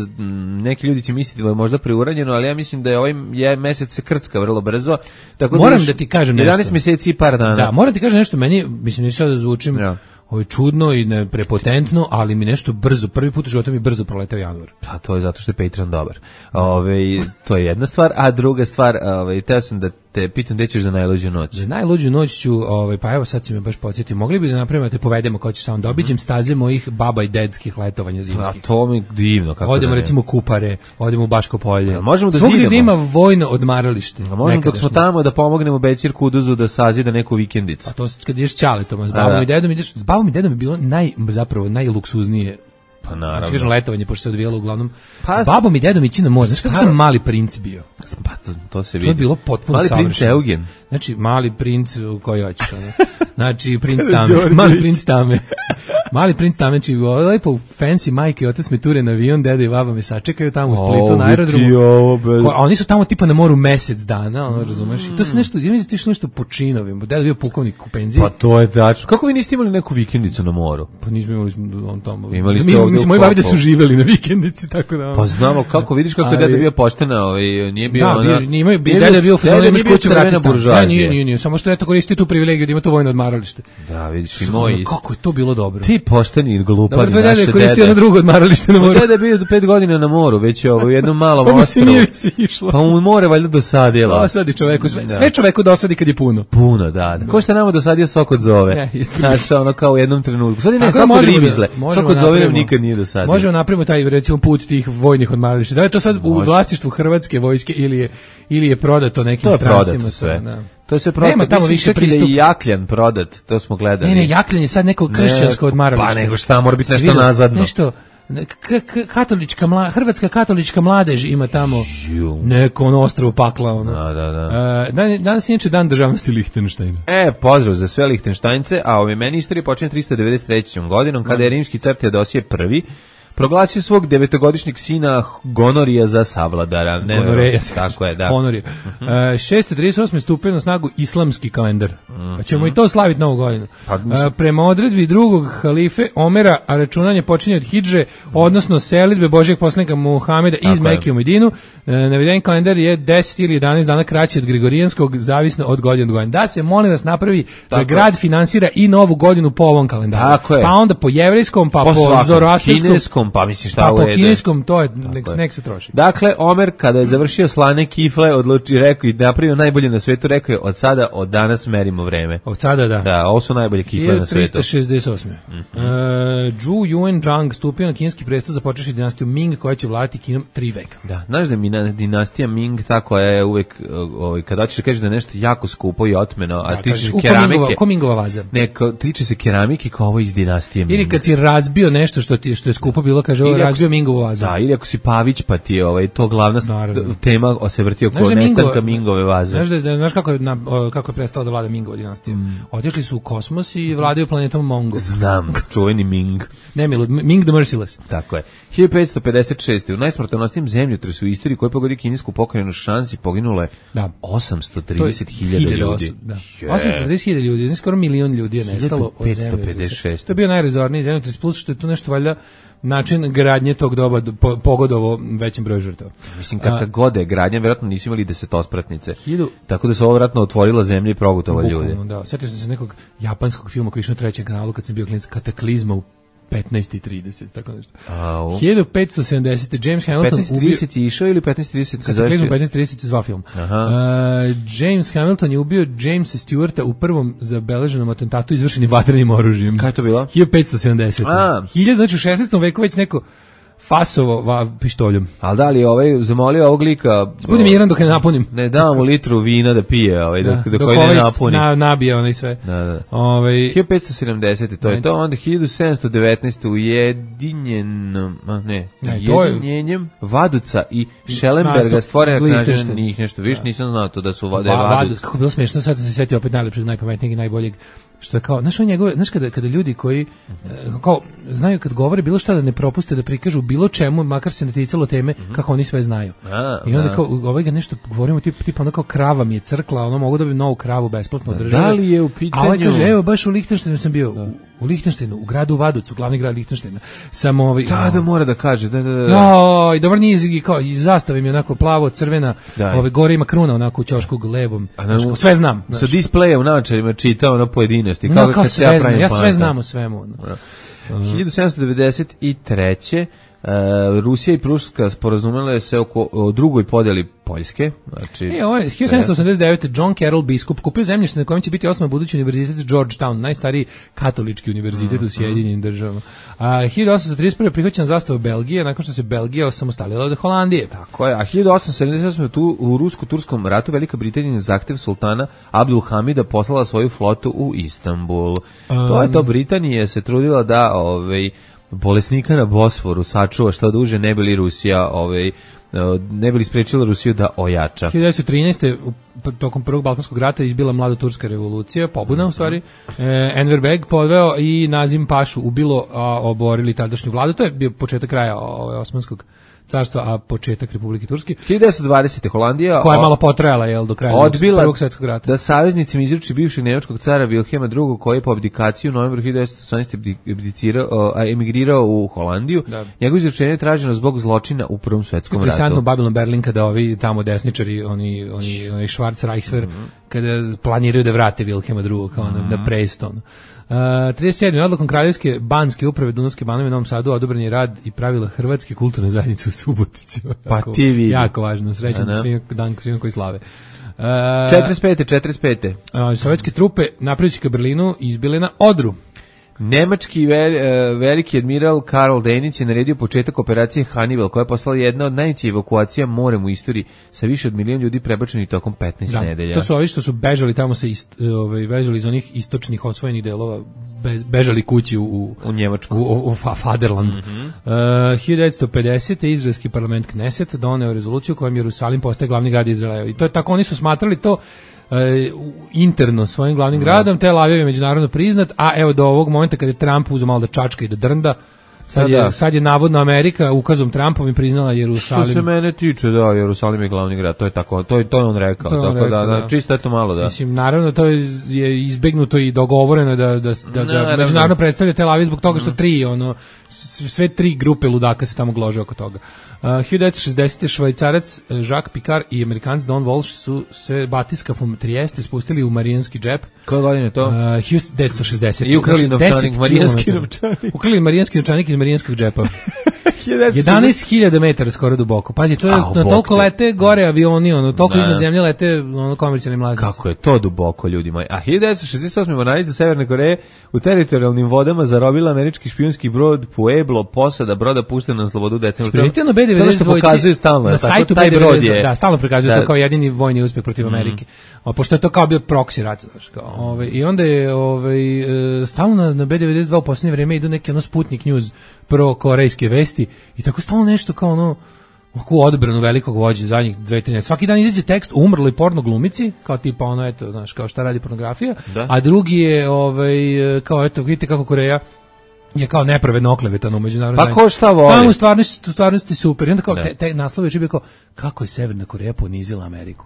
neki ljudi će misliti da je možda preuranjeno, ali ja mislim da je ovaj je mesec se krcka vrlo brzo. Tako moram da, da ti kažem nešto. jedanaest mjeseci i par dana. Da, moram ti kažem nešto, meni, mislim, neću sad da zvučim ja. Ovo je čudno i ne prepotentno, ali mi nešto brzo, prvi put u životu mi brzo proleteo januar. Pa to je zato što je Patreon dobar. Ove, to je jedna stvar, a druga stvar, ove, teo sam da te pitam gde ćeš za najluđu noć. Za najluđu noć ću, ovaj, pa evo sad si me baš podsjetio, mogli bi da napravimo da te povedemo kao ćeš samo da obiđem staze mojih baba i dedskih letovanja zimskih. A to mi divno. Kako odemo da recimo u Kupare, odemo u Baško polje. A možemo da svugdje zidamo. Da ima vojno odmaralište. A možemo dok smo tamo da pomognemo Bećir Kuduzu da sazida neku vikendicu. A to kad ideš ćaletom, s babom i dedom ideš, s babom i dedom je bilo naj, zapravo najluksuznije. Pa naravno. Znači, kažem letovanje, pošto se odvijalo uglavnom pa, s babom i dedom ići na more. Znaš kako sam mali princ bio? Pa to, to se vidi. To je bilo potpuno mali savršeno. Princ Eugen. Znači, mali princ koji hoćeš. Ono. Znači, princ Tame. Mali princ Tame. Mali princ Tame. Znači, lepo fancy majke i otac me ture na avion, deda i baba me sačekaju tamo u Splitu na aerodromu. Ko, a oni su tamo tipa na moru mesec dana, ono, razumeš? I to se nešto, ja mislim, ti nešto po činovima. Deda bio pukovnik u penziji. Pa to je tačno. Kako vi niste imali neku vikendicu na moru? Pa nismo imali on tamo. Imali ste mi, mislim, moji babi da su živeli na vikendici, tako da. Pa znamo kako, vidiš kako je deda bio poštena, ovaj, nije bio da, ona. Nije imao, deda je bio u fazonu, imaš kuću vrati stan. Da, nije, nije, nije, samo što je to koristio tu privilegiju da ima to vojno odmaralište. Da, vidiš, i moj. Kako je to bilo dobro. Ti pošteni i glupani naše dede. Dobro, deda je koristio ono drugo odmaralište na moru. Deda je bio do pet godina na moru, već je ovo jednom malom ostrvu. Pa mu ostrvu. se nije si išlo. Pa mu more valjda dosadila. Dosadi čoveku, sve, sve čoveku dosadi kad je puno. Puno, da. da. Ko što nama dosadio sok od zove. Znaš, ono kao u jednom trenutku. Sad ne, sok od ribizle. Sok od zove nam nikad nije dosadio. Možemo napravimo taj, recimo, put tih vojnih odmarališta. Da je to sad u vlasništvu Hrvatske vojske ili je, ili je prodato nekim strancima? To je prodato sve. To je sve prodato. Nema tamo više pristup. Da je Jakljan prodat, to smo gledali. Ne, ne, Jakljan je sad neko kršćansko odmaralište. Pa nego šta, mora biti nešto nazadno. Nešto, katolička mla, hrvatska katolička mladež ima tamo neko ono ostrvo pakla. Ono. Da, da, da. Uh, danas je inače dan državnosti Lihtenštajna. E, pozdrav za sve Lihtenštajnce, a ove meni istorija počinje tristo devedeset trećom godinom, kada je rimski car Teodosije prvi proglasio svog devetogodišnjeg sina Gonorija za savladara. Ne, Gonoreja. Tako je, da. Gonorija. Uh-huh. uh, šesto trideset osme stupio na snagu islamski kalendar. Uh-huh. Pa ćemo i to slaviti novu godinu. Pa, uh, prema odredbi drugog halife Omera, a računanje počinje od hidže, odnosno selidbe Božijeg poslanika Muhameda iz Mekke u Medinu. Uh, naveden kalendar je deset ili jedanaest dana kraći od Gregorijanskog, zavisno od godine do godine. Da se, molim vas, napravi da grad finansira i novu godinu po ovom kalendaru. Tako je. Pa onda po jevrejskom, pa po, po zoroastirskom, pa mislim šta pa ovo je. Po kineskom to je, nek, nek se troši. Dakle, Omer kada je završio slane kifle, odlučio, rekao i napravio najbolje na svetu, rekao je od sada, od danas merimo vreme. Od sada, da. Da, ovo su najbolje kifle na svetu. tristo šezdeset osme Mm-hmm. Uh, Zhu Yuanzhang stupio na kineski presto, započeši dinastiju Ming koja će vladati Kinom tri veka. Da, znaš da mi dinastija Ming tako je uvek, ovaj, kada hoćeš da kažeš da je nešto jako skupo i otmeno, a da, tiče se keramike. Ko Mingova vaza. Ne, ko, tiče se keramike kao ovo iz dinastije Ming. Ili kad si razbio nešto što, ti, što je skupo bilo, kaže ovo razbio Mingovu vazu. Da, ili ako si Pavić pa ti je ovaj, to glavna Naravno. tema se vrti oko nestanka Mingove vaze. Znaš, da, znaš kako, je, na, kako je prestala da vlada Mingova dinastija? Mm. Otišli su u kosmos i vladaju planetom Mongo. Znam, čuveni Ming. Nemilud, Ming the Merciless. Tako je. hiljadu petsto pedeset šeste u najsmrtonosnijem zemljotresu u istoriji koji pogodio kinesku pokrajinu Šansi poginulo je da. osamsto trideset hiljada ljudi. Da. Yeah. osamsto trideset hiljada ljudi, skoro milion ljudi je nestalo od zemljotresa. hiljadu petsto pedeset šeste To je bio najrazorniji zemljotres, plus što je to nešto valjda način gradnje tog doba po, pogodovo većim broju žrtava. Mislim, kakva god je gradnja, vjerojatno nisu imali desetospratnice. Hiljadu... Tako da se ovo vjerojatno otvorila zemlja i progutala ljude. Da, sjetio sam se nekog japanskog filma koji je išao na trećem kanalu kad sam bio klinac, Kataklizma u petnaest i trideset, tako nešto. Au. hiljadu petsto sedamdesete James Hamilton petnaest i trideset je išao ili petnaest i trideset se Kataklizmu zove? petnaest i trideset se zvao film. Aha. Uh, James Hamilton je ubio Jamesa Stewarta u prvom zabeleženom atentatu izvršenim vatrenim oružjem. Kada je to bilo? hiljadu petsto sedamdesete A. hiljadu, znači u šesnaestom veku već neko fasovo va, pištoljom. Ali da li je ovaj zamolio ovog lika... Budem miran dok ne napunim. Ne dam mu litru vina da pije, ovaj, dok, Da, dok, dok ovaj ovaj ne napuni. na, nabije onaj sve. Da, da. Ovaj hiljadu petsto sedamdesete to je to, onda hiljadu sedamsto devetnaeste ujedinjenom, a ne, Ne, to je- ujedinjenjem Vaduca i Schellenberga Nastup stvorena knažena Lichtenstein. njih nešto, viš, nisam znao to da su da je Va- Vaduc. Vadus, kako je bilo smiješno, sad sam se sjetio opet najlepšeg, najpametnijeg i najboljeg, što je kao, znaš, on njegove, znaš kada, kada ljudi koji, e, kao, znaju kad govore bilo šta da ne propuste da prikažu bilo čemu, makar se ne ticalo teme, kako oni sve znaju. A, I onda da. kao, ovaj ga nešto govorimo, tip, tipa ono kao krava mi je crkla, ono mogu da bi novu kravu besplatno od države. Da li je u A ovaj pitanju- kaže, evo, baš u Lihtenštajnu sam bio, u, u Lihtenštajnu, u gradu Vaducu, glavni grad Lihtenštajna, sam ovaj... Da, da mora da kaže, da, da, da. No, i dobar niz i kao i zastava mi je onako plavo crvena, Da. ove gore ima kruna onako u ćošku levom. A na- Znaš, sve znam. Sa znaš. displeja u naočarima čitao ono pojedinosti. No, Kao, kao kad se ja sve znam, pravim ja sve pametan. znam o svemu. ono. hiljadu sedamsto devedeset treće Uh, Rusija i Pruska sporazumele se oko o drugoj podjeli Poljske, znači E, ovo je hiljadu sedamsto osamdeset devete John Carroll biskup kupio zemljište na kojem će biti osnovan budući univerzitet Georgetown, najstariji katolički univerzitet u Sjedinjenim državama. A hiljadu osamsto trideset prve prihvaćena zastava Belgije nakon što se Belgija osamostalila od Holandije. Tako je, a hiljadu osamsto sedamdeset osme tu u rusko-turskom ratu Velika Britanija na zahtev sultana Abdul Hamida poslala svoju flotu u Istanbul. To je to, Britanija se trudila da ovaj bolesnika na Bosforu sačuva što duže, ne bi li Rusija ovaj ne bi li sprečila Rusiju da ojača. hiljadu devetsto trinaeste u- tokom prvog Balkanskog rata izbila mlada turska revolucija, pobuna u stvari. E, Enver Beg podveo i Nazim Pašu ubilo, a oborili tadašnju vladu. To je bio početak kraja ovaj, Osmanskog carstva, a početak Republike Turske, hiljadu devetsto dvadesete Holandija koja je o- malo potrajala jel, do kraja odbila prvog svjetskog rata. da saveznicima izruči bivšeg nemačkog cara Wilhelma drugog koji je po abdikaciji u novembru hiljadu devetsto osamnaeste abdicirao, a, emigrirao u Holandiju. Da. Njegovo izručenje je traženo zbog zločina u Prvom svetskom Interesantno ratu. Babylon Berlin kada ovi tamo desničari, oni oni oni Schwarz Reichswehr, Mhm. kada planiraju da vrate Wilhelma drugog kao na, na preston. Uh, trideset sedme odlukom Kraljevske banske uprave Dunavske banove u Novom Sadu odobren je rad i pravila Hrvatske kulturne zajednice u Subotici. Pa Jako- ti vidi. Jako važno, srećan Da, da. svima, dan svima koji slave. Uh, četrdeset pete četrdeset pete uh, sovjetske trupe napredujući ka Berlinu izbile na Odru. Nemački vel, e, veliki admiral Karl Denic je naredio početak operacije Hannibal, koja je postala jedna od najvećih evakuacija morem u istoriji sa više od milion ljudi prebačenih tokom petnaest Da, nedelja. to su ovi što su bežali tamo sa ist, ovaj bežali iz onih istočnih osvojenih delova, be, bežali kući u u, U Njemačku. u, u, u fa- Faderland. Mhm. Uh, hiljadu devetsto pedesete izraelski parlament Kneset doneo rezoluciju kojom Jerusalim postaje glavni grad Izraela. I to je tako, oni su smatrali to e, interno svojim glavnim gradom, Tel Aviv je međunarodno priznat, a evo do ovog momenta kada je Trump uzeo malo da čačka i da drnda, sad, Da, je, da. sad je navodno Amerika ukazom Trumpovim priznala Što Jerusalim. se mene tiče, da, Jerusalim je glavni grad, to je tako, to je to je on rekao, To je on tako rekao, da, da, da. čisto eto malo da. Mislim, naravno, to je, je izbegnuto i dogovoreno da, da, da ga Naravno. međunarodno predstavlja Tel Aviv zbog toga što tri, ono, s- sve tri grupe ludaka se tamo glože oko toga. Uh, hiljadu devetsto šezdesete švajcarac uh, Jacques Picard i Amerikanac Don Walsh su se batiskafom Trieste spustili u Marijanski džep. Koje godine je to? Uh, hiljadu devetsto šezdesete I ukrali Znači, novčanik, deset marijanski kilometara. novčanik. Ukrali marijanski novčanik iz marijanskog džepa. hiljadu devetsto šezdeset jedanaest hiljada metara skoro duboko. Pazi, to je, Au, na bog toliko te. lete gore avioni, ono, toliko Da. iznad zemlje lete ono, komercijalni mlaznici. Kako je to duboko, ljudi moji. A hiljadu devetsto šezdeset osme mornarica Severne Koreje u teritorijalnim vodama zarobila američki špijunski brod Pueblo, posada broda puštena na slobodu u decembru. Primetio na B To je ono devedeset što pokazuju stalno, na tako, sajtu taj B brod devedeset je. da, stalno prikazuju Da. to kao jedini vojni uspeh protiv Amerike. A pošto je to kao bio proksi rat, znaš, kao, ovaj i onda je ovaj e, stalno na, na B devedeset dva u poslednje vreme idu neke ono Sputnik News pro korejske vesti i tako stalno nešto kao ono oko odbranu velikog vođe zadnjih dve tri. Svaki dan izađe tekst o umrloj porno glumici, kao tipa ono eto, znaš, kao šta radi pornografija, Da. a drugi je ovaj kao eto vidite kako Koreja je kao nepravedno oklevetano u međunarodnoj Pa ko šta voli? Tamo u stvarnosti, u stvarnosti super. I onda kao Da. te, te naslovi je bio kao kako je Severna Koreja ponizila Ameriku.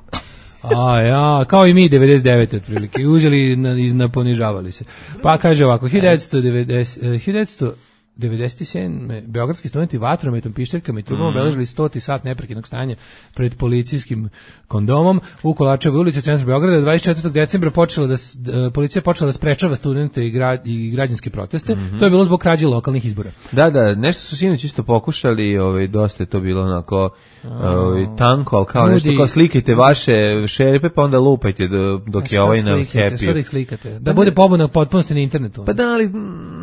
A ja, kao i mi devedeset devete otprilike. I uzeli na, iz- na ponižavali se. Pa kaže ovako, hiljadu devetsto devedeset, eh, hiljadu devetsto devedeset sedme beogradski studenti vatrometom, pištaljkama i trubama Mm. obeležili stoti sat neprekidnog stanja pred policijskim kondomom u Kolačevoj ulici u centru Beograda. dvadeset četvrtog decembra počela da s- d- policija počela da sprečava studente i, gra, i građanske proteste. Mhm. To je bilo zbog krađe lokalnih izbora. Da, da, nešto su sinoć isto pokušali, ovaj, dosta je to bilo onako ovaj, tanko, ali kao nešto Ljudi- kao slikajte vaše šerife, pa onda lupajte do- dok je Šta ovaj na slikate, šta da happy. ih slikate? Da bude pobuna potpunosti na internetu. Pa da, ali...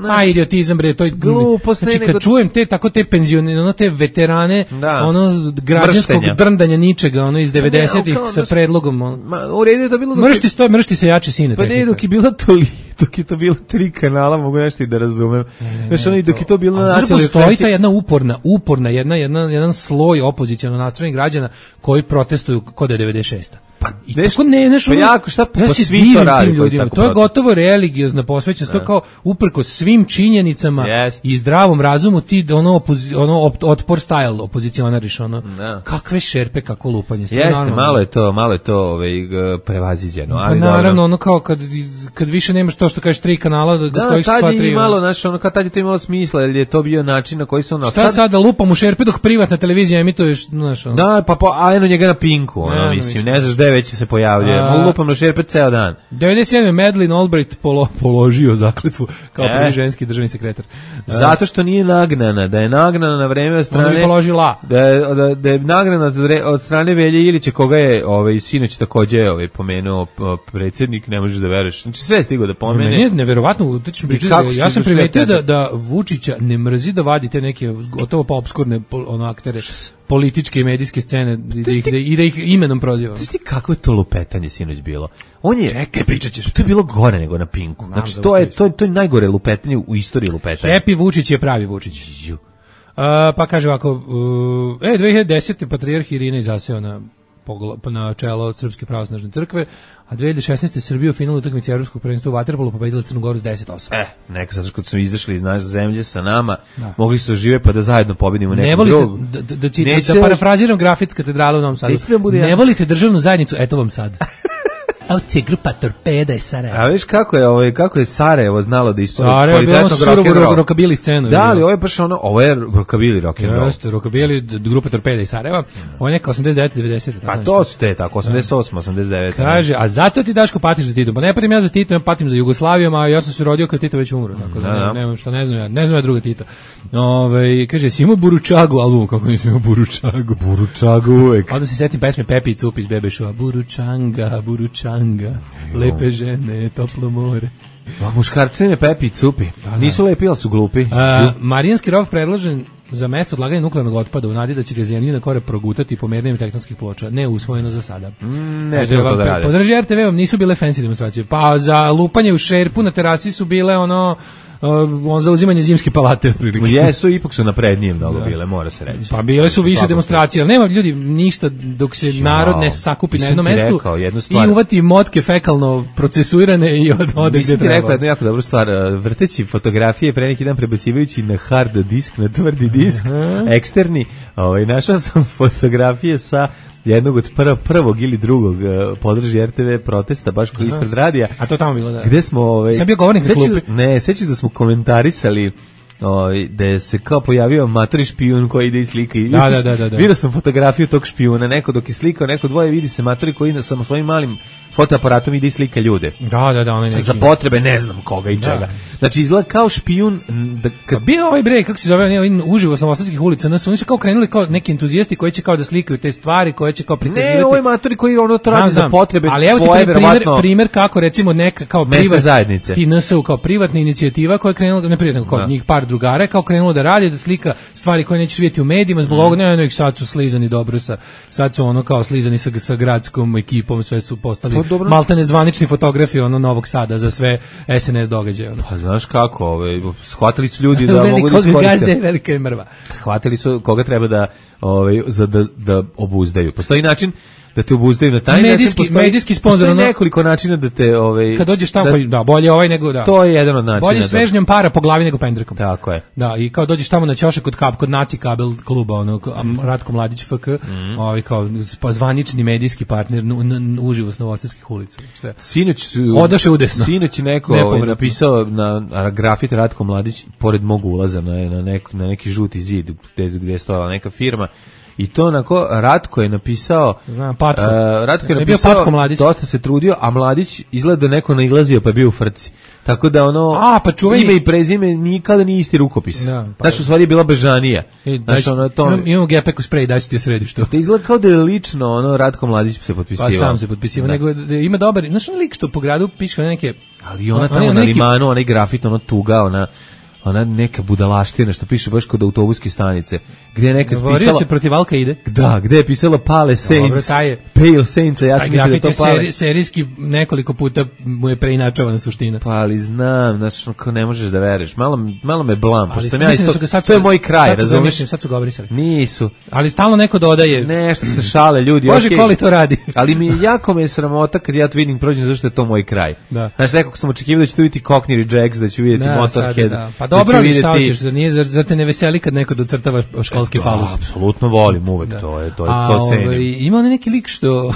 Pa idiotizam bre, to je Glupost, ne, znači kad nego- čujem te tako te penzione, ono te veterane, Da. ono građanskog Mrštenja. drndanja ničega, ono iz devedesetih kao sa da su- predlogom. Ono. Ma, u redu je to bilo... dok je- Mršti sto, mršti se jači sine. Pa ne, tehnika. dok je bilo toli, dok je to bilo tri kanala, mogu nešto i da razumem. Znaš, ono i dok je to bilo A na znaš da nacionalnoj postoji frekvenciji- ta jedna uporna, uporna, jedna, jedna, jedan sloj opoziciono nastrojenih građana koji protestuju kod je devedeset šesta. Pa, I neš- tako ne, neš, pa ono- jako, šta, ja pa se svi to divim rade tim koji ljudima. tako To je protestuju. gotovo religiozna posvećenost, to je kao uprko svim činjenicama Jest. i zdravom razumu ti ono, opozi, ono op- otpor style opozicionariš, ono, Da. kakve šerpe, kako lupanje. stvarno Jeste, normalno. malo je to, malo je to ovaj, g- prevaziđeno. Pa Ali naravno, dobro. ono kao kad, kad više nemaš to što kažeš tri kanala, da, Da, kojih su tad sva je tri. imalo, ono. znaš, ono, kad tad je to imalo smisla, jer je to bio način na koji se ono... Šta sad, da lupam u šerpe dok privatna televizija emituješ, znaš, ono. Da, pa, pa a eno njega na Pinku, ono, Ne, ne mislim, mislim. ne znaš gde već se pojavljuje. A- Mogu lupam na šerpe ceo dan. devedeset sedme Madeleine Albright polo, položio zakletvu kao E. prvi ženski državni sekretar. Zato što nije nagnana, da je nagnana na vreme od Onda bi strane... položila. Da je, da, da je nagrana od, vre- od strane Velje Ilića, koga je ovaj, sinoć takođe ovaj, pomenuo p- predsjednik, ne možeš da veruješ. Znači sve je stigo da pomene. Meni je neverovatno, to ću pričati, kako da- si ja sam došao primetio da, tada? da Vučića ne mrzi da vadi te neke gotovo pa obskurne pol- ono, aktere političke i medijske scene i da ih, da, i da ih imenom proziva. Znaš ti kako je to lupetanje sinoć bilo? On je, Čekaj, pričat ćeš. To je bilo gore nego na Pinku. Znam Znači, da to je, uspeli to, je, to je najgore lupetanje u istoriji lupetanja. Happy Vučić je pravi Vučić. Ju. A, pa kaže ovako, uh, e, dve hiljade desete patrijarh Irina zaseo na, pogla- na čelo Srpske pravoslavne crkve, a dve hiljade šesnaeste Srbija u finalu utakmice Evropskog prvenstva u vaterpolu pobedila Crnu Goru s deset osam. E, neka zato što kad su izašli iz naše zemlje sa nama, mogli su da žive pa da zajedno pobedimo Ne nekog volite, drugog. da, da, da, čitam, Neće- da parafraziram grafit katedrale u Novom Sadu. Nećete da bude Ne ja- volite državnu zajednicu, eto vam sad. Evo ti je grupa Torpeda i Sarajevo. A viš kako je, ovaj, kako je Sarajevo znalo da ispori Sarajevo je bilo kvalitetnog surovo rock'n'roll. rokabili scenu. Da, ali ovo je baš ono, ovo je rockabilly rock'n'roll. Jeste, rokabili, d- grupa Torpeda i Sarajeva. Ovo je neka osamdeset devete devedesete. Pa to su te tako, osamdeset osam, osamdeset devet. Kaže, a zato ti Daško patiš za Titom. Pa ne patim ja za Titom, ja patim za Jugoslavijom, a ja sam se rodio kad Tito već umro. Tako da, Da, da. ne, nemam šta, ne znam ja, ne znam ja druga Tita. Ove, kaže, si imao Buručagu album, kako nisam imao Buručagu. Buručagu uvek. Onda se setim pesme Pepi i Cupi iz Bebe Showa. Buručanga, Buručanga, lepe žene, toplo more. A muškarci ne Pepi i Cupi. Nisu lepi, ali su glupi. A, Marijanski rov predložen za mesto odlaganja nuklearnog otpada u nadi da će ga zemljina kore progutati pomernjem tektonskih ploča. Ne usvojeno za sada. ne Kaže, treba to da pa, rade. podrži er te ve vam nisu bile fancy demonstracije. Pa za lupanje u šerpu na terasi su bile ono uh, on za uzimanje zimske palate otprilike. Jesu, ipak su naprednije mnogo bile, mora se reći. Pa bile su više Svakako. demonstracije, ali nema ljudi ništa dok se narod ne sakupi na nisam jednom ti mestu rekao jednu stvar. i uvati motke fekalno procesuirane i od, ode Mislim gde ti rekao treba. jednu jako dobru stvar, uh, vrteći fotografije pre neki dan prebacivajući na hard disk, na tvrdi disk, eksterni, ovaj, našao sam fotografije sa jednog od prv, prvog ili drugog uh, podrži er te ve protesta, baš koji ispred radija, A to tamo bilo, da. gde smo... Ovaj, Sam bio govornik na sećaš- klupi. Ne, sećaš da smo komentarisali ovaj, da je se kao pojavio matori špijun koji ide i slika. I Da, da, da, da, da. Vidio sam fotografiju tog špijuna, neko dok je slikao, neko dvoje vidi se matori koji na samo svojim malim fotoaparatom ide i slika ljude. Da, da, da, onaj neki. Za potrebe ne znam koga i čega. Znači izgleda kao špijun m, da kad Bio ovaj bre, kako se zove, ne, ovaj uživo s novosadskih ulica, nas oni su kao krenuli kao neki entuzijasti koji će kao da slikaju te stvari, koje će kao prikazivati. ne, ovo je matori koji ono to radi Znam, za znam. potrebe ali evo ti svoje, pri- primer, verovatno. primer kako recimo neka kao Mesne privat, zajednice. ti en es u kao privatna inicijativa koja je krenula, ne privatna, kao Da. njih par drugara, kao krenulo da radi, da slika stvari koje nećeš vidjeti u medijima, zbog ovoga, ne, ne, ih sad su slizani dobro sa, sad su ono kao slizani sa, sa gradskom ekipom, sve su postali Pa dobro. maltene zvanični fotografi ono Novog Sada za sve es en es događaje. Ono. Pa znaš kako, ovaj, shvatili su ljudi da mogu da Velikog iskoriste. gazde je velika je mrva. Hvatili su koga treba da ovaj za da, da obuzdaju. Postoji način da te obuzdaju na taj medijski, način. Postoji, medijski sponzor, postoji ono, nekoliko načina da te... Ovaj, kad dođeš tamo, da, pa, da, bolje ovaj nego da. To je jedan od načina. Bolje svežnjom para po glavi nego pendrekom. Tako je. Da, i kao dođeš tamo na ćošak kod kap, kod Naci kabel kluba, ono, Ratko Mladić F K, mm. ovaj, kao zvanični medijski partner, n, n, n, uživo s Novosadskih ulica. Sve. Sinoć su... Odaše udesno. Sinoć je neko ovaj, napisao na grafit Ratko Mladić, pored mog ulaza na, na, nek, na neki žuti zid, gde, gde je stojala neka firma. I to onako, Ratko je napisao... Znam, Patko. Uh, Ratko je ne napisao, Patko Mladić. Dosta se trudio, a Mladić izgleda da neko nailazio pa je bio u frci. Tako da ono, a, pa čuveni... ime i prezime nikada nije isti rukopis. Da, pa... Znaš, u stvari je bila Bežanija. E, Znaš, ono, to... Imam, imam gepeku sprej, daj ću ti je središ to. Da izgleda kao da je lično, ono, Ratko Mladić se potpisivao. Pa sam se potpisivao, da. Nego da ima dobar, znaš, on lik što po gradu piše neke... Ali ona tamo on, na neki... limanu, onaj grafit, ono tuga, ona... ona neka budalaština što piše baš kod autobuske stanice, gdje je nekad Govorio pisala... se protiv Alka ide? Da, gdje je pisala Pale Saints, Dobro, taj je, Pale Saints, ja sam mislio da to Pale. Seri, serijski nekoliko puta mu je preinačavana suština. Pa ali znam, znači, ko ne možeš da veruješ, malo, malo me blam, pošto sam ja isto, isto, sad to je moj kraj, razumiješ? Sad su ga obrisali. Nisu. Ali stalno neko dodaje. Nešto se šale, ljudi. Bože, okay. Koli to radi. Ali mi jako me je sramota kad ja to vidim prođem, zašto je to moj kraj. Da. Znači, nekako sam očekivao da ću tu vidjeti Cockney Rejects, da ću vidjeti da, Motorhead. Da. Pa dobro, ali šta hoćeš, zar, nije, zar, zar te ne veseli kad neko docrtava školski da, falus? Apsolutno volim uvek, da. to je, to je, A, to cenim. Ovaj, ima on neki lik što...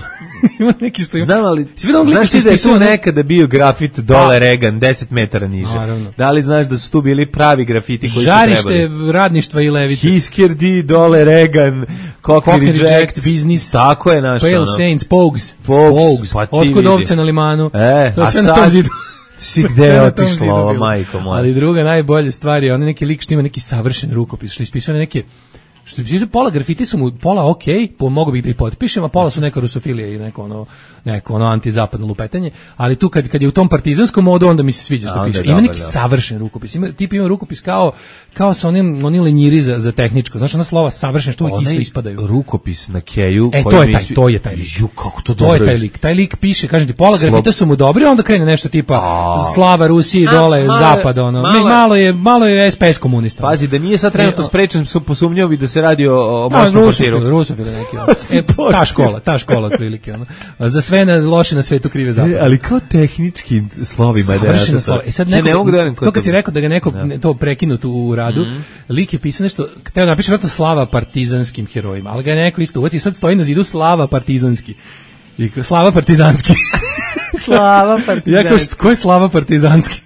ima neki što... Znam, ali, znaš ti da je tu nekada bio grafit dole Reagan, deset metara niže. Naravno. Da li znaš da su tu bili pravi grafiti koji Žarište su trebali? Žarište radništva i levice. Hiskerdi, dole Reagan, Cockney Rejects, Business. Tako je naš. Pale ono. Saints, Pogues. Pogues, Pogues. pa Otkud ovce na limanu. E, to a sve sad... na tom zidu. Si gde je otišla ova majko moja. Ali druga najbolja stvar je on neki lik što ima neki savršen rukopis, što ispisuje neke što ispisuje pola grafiti su mu pola okej, okay, po mogu bih da ih potpišem, a pola su neka rusofilija i neko ono neko ono antizapadno lupetanje, ali tu kad kad je u tom partizanskom modu onda mi se sviđa što piše. Ima neki savršen rukopis. Ima tip ima rukopis kao kao sa onim oni lenjiri za za tehničko. Znaš, ona slova savršen što uvijek isto ispadaju. Rukopis na keju e, koji to je taj, to je taj. Ju, kako to dobro. To je taj lik. Taj lik piše, kažem ti, pola grafita su mu dobri, onda krene nešto tipa a, slava Rusiji dole, a, zapad ono. Malo, malo je malo je S P S komunista. Pazi, da nije sad trenutno sprečen, su posumnjao bi da se radi o, o mosnom pasiru. Rusofil neki. E, ta škola, ta škola otprilike ono. Za sve na loše na svetu krive zapad. Ali kao tehnički slovima da je slova. E sad neko, ne mogu da to kad ti rekao da ga neko da. to prekinut u radu, mm. lik je pisao nešto, hteo napiše vrlo slava partizanskim herojima, ali ga je neko isto uvati, sad stoji na zidu slava partizanski. I slava partizanski. Slava partizanski. Ja kao, ko je slava partizanski?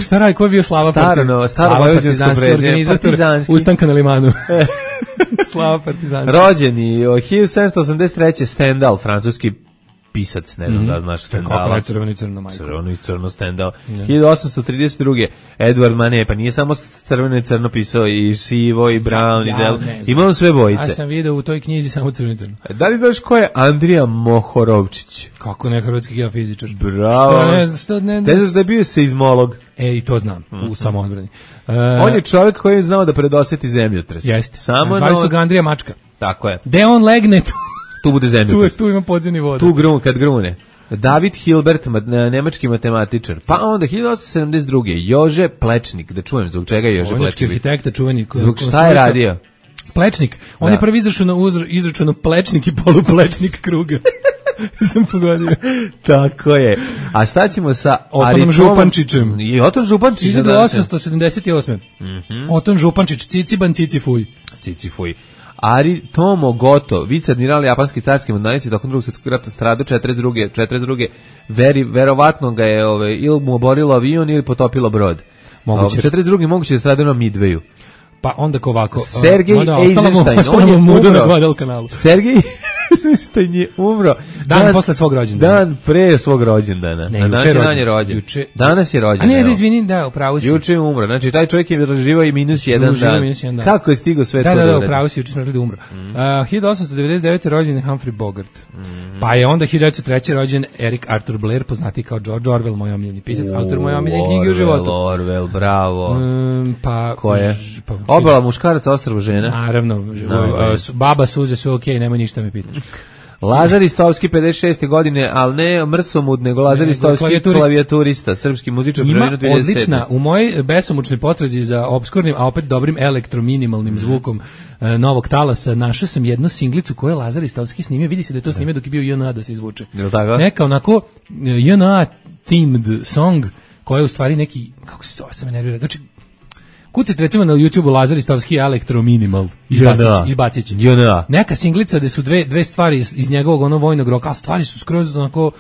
Šta radi, ko je bio slava partizanski? Staro partizanski organizator ustanka na limanu. Slava partizanski. Rođeni hiljadu sedamsto osamdeset treće Stendhal, francuski pisac, ne znam mm -hmm. da znaš Stendhala. Kako je crveno i crno, majko. Crveno i crno Stendhal. Yeah. hiljadu osamsto trideset druge Edward Manet, pa nije samo crveno i crno pisao, i sivo, i brown, ja, i zel. Imao sve bojice. Ja sam vidio u toj knjizi samo crveno i crno. Da li znaš ko je Andrija Mohorovčić? Kako ne, hrvatski geofizičar. Bravo. Što ne, što ne, ne znaš da je bio seizmolog? E, i to znam, mm -hmm. u samoodbrani. Uh, On je čovjek koji je znao da predosjeti zemljotres. Jeste. Samo zvali su ga Andrija Mačka. Tako je. De on legne tu. Tu bude zemljotres. Tu, tu ima podzemni voda. Tu grun, kad grune. David Hilbert, nemački matematičar. Pa onda hiljadu osamsto sedamdeset druge Jože Plečnik, da čujem zbog čega je Jože Plečnik. Vojnički arhitekta čuveni. Zbog šta je radio? Plečnik. On da. je prvi izračunao izračunao plečnik i poluplečnik kruga. Sam pogodio. Tako je. A šta ćemo sa Otonom Župančićem? I Oton Župančić. hiljadu osamsto sedamdeset osme Mm -hmm. Oton Župančić, Ciciban Cicifuj. Cicifuj. Ari Tomo Goto, viceadmiral japanski carski mornarici tokom Drugog svjetskog rata stradao četrdeset druge četrdeset druge Veri, verovatno ga je ove, ili mu oborilo avion ili potopilo brod. Moguće. četrdeset druge moguće da stradao na Midwayu. Pa onda ko ovako. Sergej Eisenstein, on je umro. Sergej Eisenstein je umro. Dan, dan posle svog rođendana. Dan pre svog rođendana. Ne, na juče dan je rođen. Juče. Danas je rođen. A ne, da izvini, da, upravo si. Juče je umro. Znači taj čovjek je razživao i minus jedan dan. Minus jedan dan. Kako je stigao sve da, to? Da, da, da, upravo si, juče smo rekli da umro. Mm. Uh, hiljadu osamsto devedeset devete rođen je Humphrey Bogart. Mm. Pa je onda hiljadu devetsto treće rođen Eric Arthur Blair, poznati kao George Orwell, moj omiljeni pisac, uh, autor moje omiljene knjige u životu. Orwell, bravo. Um, pa ko je? Pa, Obala muškaraca, ostrvo žena. Naravno, no, baba suze su okej, okay, nemoj ništa me pitaš. Lazar Istovski pedeset šeste godine, ali ne mrsomud, nego Lazar Ne, Istovski klavijaturist. klavijaturista, srpski muzičar. Ima prvenstveno dvadeset sedme. odlična, u mojoj besomučnoj potrazi za obskurnim, a opet dobrim elektrominimalnim zvukom e, novog talasa, našao sam jednu singlicu koju je Lazar Istovski snimio, vidi se da je to snimio dok je bio J N A da se izvuče. Je li tako? Neka onako e, J N A themed song, koja je u stvari neki, kako se zove, sam me nervira, znači, kucite recimo na YouTubeu Lazar Istovski elektrominimal, izbacit će. J N A. Neka singlica gde su dve, dve stvari iz, iz njegovog ono vojnog roka, a stvari su skroz onako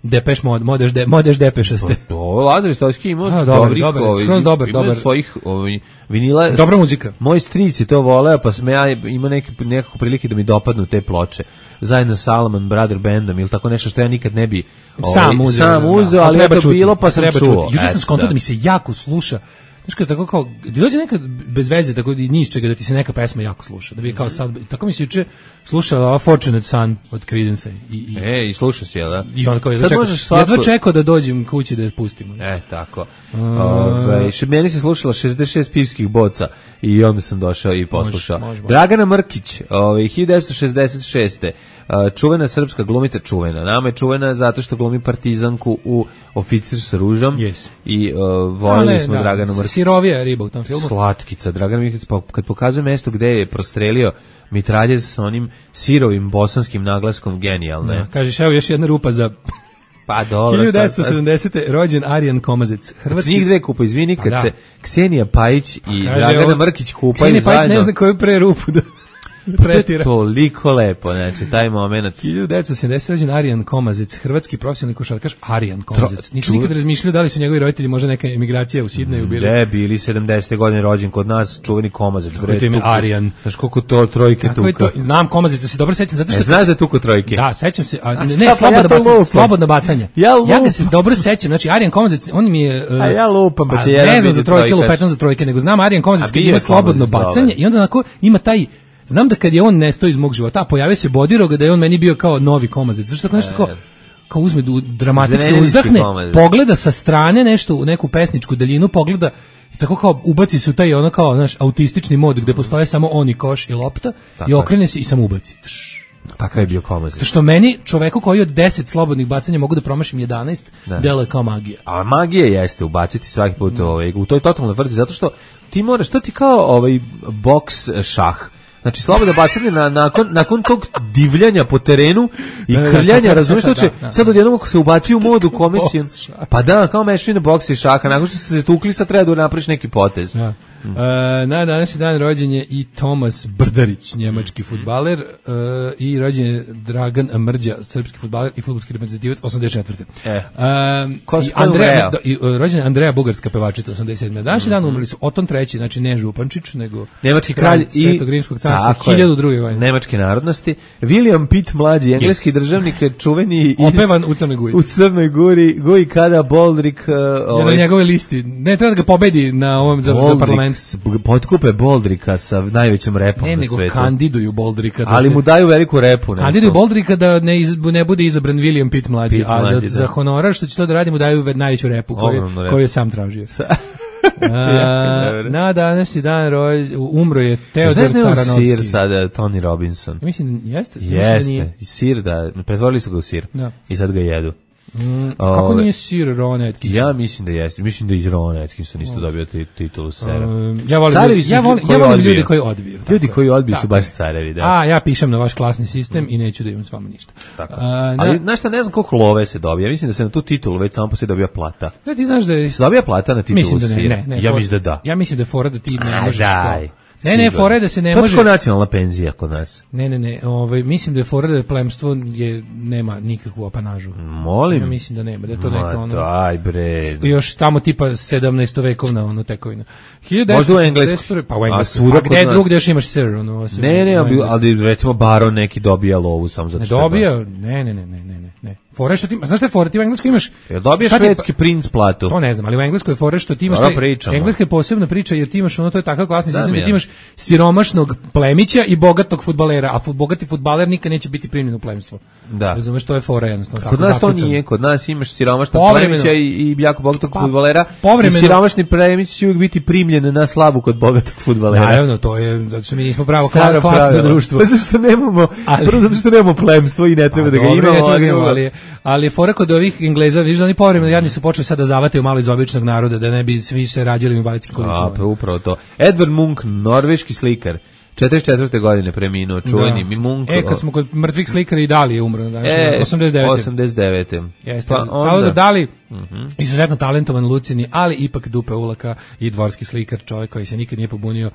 Depeš mod, modeš, de, modeš depešaste. Ovo Lazar Istovski ima A, dobar, dobrih, dobar, ovaj, skroz dobar, ima dobar. svojih ovaj, vinila. Dobra muzika. Moj stric je to voleo, pa sam ja ima neke, nekako prilike da mi dopadnu te ploče. Zajedno sa Salomon Brother Bandom ili tako nešto što ja nikad ne bi ovaj, Sam uzeo, sam da, uzeo da. ali Treba je to čuti, bilo pa sam treba čuo. čuti. Juče sam Eto, skontao da. da mi se jako sluša. Znaš kada tako kao, ti dođe nekad bez veze, tako da ni iz čega da ti se neka pesma jako sluša. Da bi kao sad, tako mi se juče slušala ova Fortunate Son od Creedence i, i, E, i slušao si, jel da? i on kao jedva Sad čekao, možeš svako- jedva čekao da dođem kući da je pustimo. E, tako. Ove, še, meni se slušala šezdeset šest pivskih boca i onda sam došao i poslušao. Može, može, može. Dragana Mrkić, ove, hiljadu devetsto šezdeset šeste. a, čuvena srpska glumica, čuvena. Nama je čuvena zato što glumi partizanku u Oficir sa ružom. Yes. I uh, voljeli Ale, smo da, Draganu Mrkić. Sirovija riba u tom filmu. Slatkica. Dragana Mrkić, pa kad pokazuje mesto gde je prostrelio mitraljez sa onim sirovim bosanskim naglaskom, genijalno je. Da, kažeš, evo još jedna rupa za Pa dobro. hiljadu šta devetsto sad? sedamdesete rođen Arjan Komazec. Hrvatski njih dve kupa, izvini, kad Pa da. se Ksenija Pajić i Kaže, Dragana ovo- Mrkić kupaju Ksenija Pajić zajedno. ne zna koju pre rupu da To je tretira. toliko lepo, znači, taj moment. hiljadu devetsto sedamdesete rođen Arjan Komazec, hrvatski profesionalni košarkaš Arjan Komazec. Nisam ču- nikad razmišljao da li su njegovi roditelji možda neka emigracija u Sidneju bili. Ne, bili sedamdesete godine rođen kod nas, čuveni Komazec. Kako je to ime? tuku. Arjan. Znaš koliko to trojke Kako je tuka. to? Znam Komazeca, se dobro sećam zato što E, znaš da je tuko trojke? Da, sećam se, a, A ne, šta, ne pa slobodno ja to bacanje, lupam. slobodno bacanje. Ja ja ga lupam. se dobro sećam, znači Arjan Komazec, on mi je uh, A ja lupam, pa a će jedan ne znam biti za trojke, trojkaš. lupetam za trojke, nego znam Arjan Komazec A kad bio ima je slobodno Komazec, bacanje dobar. i onda onako ima taj. Znam da kad je on nestao iz mog života, a pojavio se Bodiroga, da je on meni bio kao novi Komazec. Zašto tako nešto kao, kao uzme du, dramatično Zrenjaninski uzdahne, Komazec. pogleda sa strane nešto u neku pesničku daljinu, pogleda i tako kao ubaci se u taj ono kao, znaš, autistični mod gde postoje samo on i koš i lopta Tako i je. okrene se i samo ubaci. Tš. Takav je bio Komazec. Zato što meni, čoveku koji od deset slobodnih bacanja mogu da promašim jedanaest, Da. deluje kao magija. A magija jeste ubaciti svaki put ovaj, u toj totalnoj vrti, zato što ti moraš, to ti kao ovaj boks šah. Znači, slobodno bacanje na, nakon, nakon tog divljanja po terenu i Da, da, krljanja, kako razumiješ sad, to će, da, da. sad odjednom ako se ubaci u modu kome si, Boks šah. pa da, kao mešavina boksa i šaha, nakon što ste se tukli, sad treba da napraviš neki potez. Da. E, na današnji dan rođen je i Tomas Brdarić, njemački fudbaler, e, i rođen je Dragan Mrđa, srpski fudbaler i fudbalski reprezentativac, osamdeset četvrte. E. E, Ko i se spomenu Andreja, Real? da, i, e, rođen je Andreja, bugarska pevačica, osamdeset sedme. Današnji dan umrli su Oton treći, znači ne Župančić, nego Nemački kralj i Svetog Rimskog carstva, tako je, hiljadu druge godine. nemačke narodnosti. William Pitt mlađi, engleski državnik, čuveni iz, Opevan u Crnoj Gori. u Crnoj Gori, Guj kada Boldrik uh, Je na ovaj, njegove listi. Ne treba da ga pobedi na ovom za, za Boldrik, parlament. s- potkupe Boldrika sa najvećim repom Ne, na nego svetu. kandiduju Boldrika. Da Ali se, mu daju veliku repu. neku. kandiduju Boldrika da ne, iz, ne bude izabran William Pitt mlađi, Pitt a mlađi, za, da. za honorar što će to da radi mu daju ve- najveću repu koju, Ogromnu repu. koju je sam tražio. A, Jako dobro. na današnji dan roj, umro je Teodor Znaš da je on Taranovski. sir sada, Tony Robinson? Ja mislim, jeste. Mislim da nije. Jeste, sir da, pretvorili su ga u sir Da. i sad ga jedu. Mm, kako Ove, nije sir Ron Atkinson? Ja mislim da jeste, mislim da i Ron Atkinson isto dobio ti- titulu sera. Um, ja volim, Carevi ljudi, su ja ljudi volim, koji ja volim odbiju. ljude koji odbiju. Ljudi tako koji je. odbiju su Tako baš je. carevi, da. A, ja pišem na vaš klasni sistem i neću da imam s vama ništa. Tako. A, na- Ali, znaš šta, ne znam koliko love se dobija. Ja mislim da se na tu titulu već samo poslije dobija plata. Da, ti znaš da je... Se dobija plata na titulu Mislim da ne, sira? ne, ne. Ja for- mislim da da. Ja mislim da je fora da ti ne A, možeš... daj. to- Ne, ne, Sigurno. fora je da se ne To je može... kao nacionalna penzija kod nas. Ne, ne, ne, ovaj, mislim da je fora da plemstvo je, nema nikakvu apanažu. Molim. Ja mislim da nema, da je to Ma neka ono... daj bre. Još tamo tipa sedamnaestovekovna ono tekovina. Možda u Engleskoj. hiljadu devetsto četrdeset prve. Pa u A Engleskoj. svuda A kod gde nas. drugde još imaš sir, ono, osim Ne, ne, u ali, Engleskoj. ali recimo baron neki dobija lovu samo zato Ne što je dobija, ne, ne, ne, ne, ne, ne, ne. Fore što ti, znaš šta je fore, ti u Engleskoj imaš... Jel dobiješ švedski princ platu? To ne znam, ali u Engleskoj je fore što ti imaš... Taj, Engleska je posebna priča jer ti imaš ono, to je takav klasni sistem da ti imaš siromašnog plemića i bogatog fudbalera, a bogati fudbaler nikad neće biti primljen u plemstvo. Da. Razumeš, to je fora jednostavno. Kod nas zaključan. To nije, kod nas imaš siromašnog plemića i, i jako bogatog pa, fudbalera i siromašni plemić će uvijek biti primljen na slavu kod bogatog fudbalera. Naravno, to je, zato što mi nismo pravo klasno društvo. Zato što nemamo, ali, prvo zato što nemamo plemstvo i ne treba a, da ga dobro, imamo. Ali, ali, ali fora kod ovih Engleza, vidiš da oni povremeno jadni su počeli sad da zavataju malo iz običnog naroda, da ne bi svi se rađali u invalidskim kolicama. A, upravo to. Edvard Munch, norveški slikar, četrdeset četvrte godine preminuo, čuveni mi Munch. E, kad smo kod mrtvih slikara i Dali je umro, znači e, osamdeset devete. osamdeset devete. Jeste, pa Salvador Dali, uh-huh. izuzetno talentovan, lucidni, ali ipak dupe ulaka i dvorski slikar, čovjek koji se nikad nije pobunio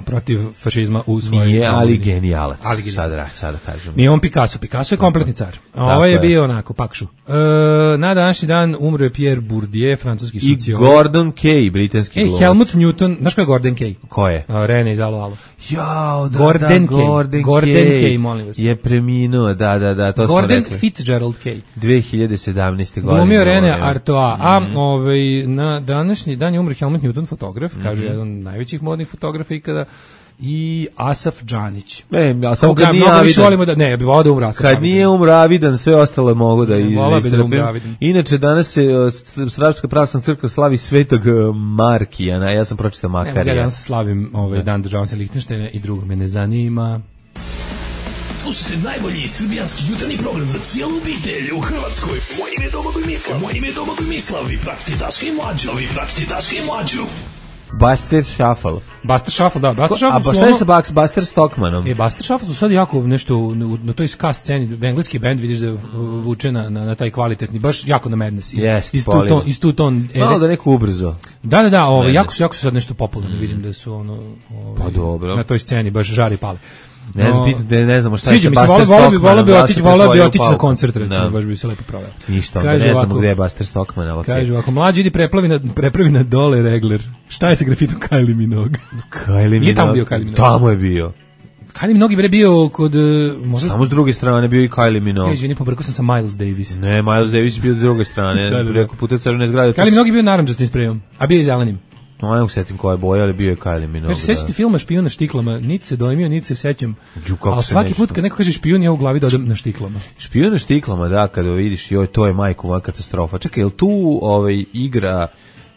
protiv fašizma u svojoj... Nije, ali genijalac. Ali genijalac. Sada, sada kažem. Nije on Picasso. Picasso je kompletni car. A ovaj je bio onako, pakšu. E, na današnji dan umro je Pierre Bourdieu, francuski sociolog. I Gordon Kay, britanski glumac. E, Helmut Newton, znaš ko je Gordon Kay? Ko je? A, Rene iz Alo Alo. Jao, da, Gordon da, Kay. Gordon, Gordon Kay, Kay, molim vas. Je preminuo, da, da, da, to Gordon smo rekli. Fitzgerald Kay. dve hiljade sedamnaeste. godine. Glumio Rene Artois. A mm. ovaj, na današnji dan je umro Helmut Newton, fotograf, mm-hmm. kaže jedan od najvećih modnih fotografa ikada. I Asaf Džanić. E, a samo kad nije avidan. Da, ne, ja bih volao da umra Asaf. Kad nije umro avidan, sve ostalo mogu da istrpim. Inače, danas se Srpska pravoslavna crkva slavi Svetog Markijana, ja sam pročitao Makarija. Ne, ja danas slavim ovaj dan državnosti Lihtenštajna i drugog me ne zanima. Slušajte najbolji srbijanski jutarnji program za cijelu obitelj u Hrvatskoj. Moje ime je Domagoj Mislav. Moje ime je Domagoj Mislav. Vi pratite Daška i Mlađu. Vi pratite Daška i Mlađu. Buster Shuffle. Buster Shuffle, da. Buster Shuffle. A pa šta je sa Buster, Buster Stockmanom? E, Buster Shuffle su sad jako nešto na, na toj ska sceni. Engleski bend, vidiš da vuče na, na, na taj kvalitetni, baš jako na Madness. Iz, yes, iz tu ton, iz tu ton. Malo da neko ubrzo. Da, da, da, ovo, jako su, jako su sad nešto popularni, mm. vidim da su ono, ovo, pa dobro. na toj sceni baš žari pale. Ne znam, ne, ne znamo šta je sa Buster Stockmanom. Volio bi otići, volio bi otići na koncert, recimo, baš bi se lepo proveo. Ništa, onda ne znamo gde je Buster Stockman. Kaže ovako, mlađi idi preplavi na, prepravi na dole regler. Šta je sa grafitom Kylie Minogue? Kylie Minogue? Nije tamo bio Kylie Minogue. Tamo je bio. Kylie Minogue je bio kod... Možda... Samo s druge strane bio i Kylie Minogue. Ne, izvini, pobrkao sam sa Miles Davis. Ne, Miles Davis je bio s druge strane. da, da, da. Preko puta crvene zgrade. Kylie Minogue je bio naranđastim sprejom, a bio i zelenim. No, ja sećam koja je boja, ali bio je Kylie Minogue. Kaže, sećate filma Špijun na štiklama, niti se dojmio, niti se sećam. Ju, ali svaki nešto. Put kad neko kaže špijun, ja u glavi dodam na štiklama. Špijun na štiklama, da, kada vidiš, joj, to je majko moja katastrofa. Čekaj, je li tu ovaj, igra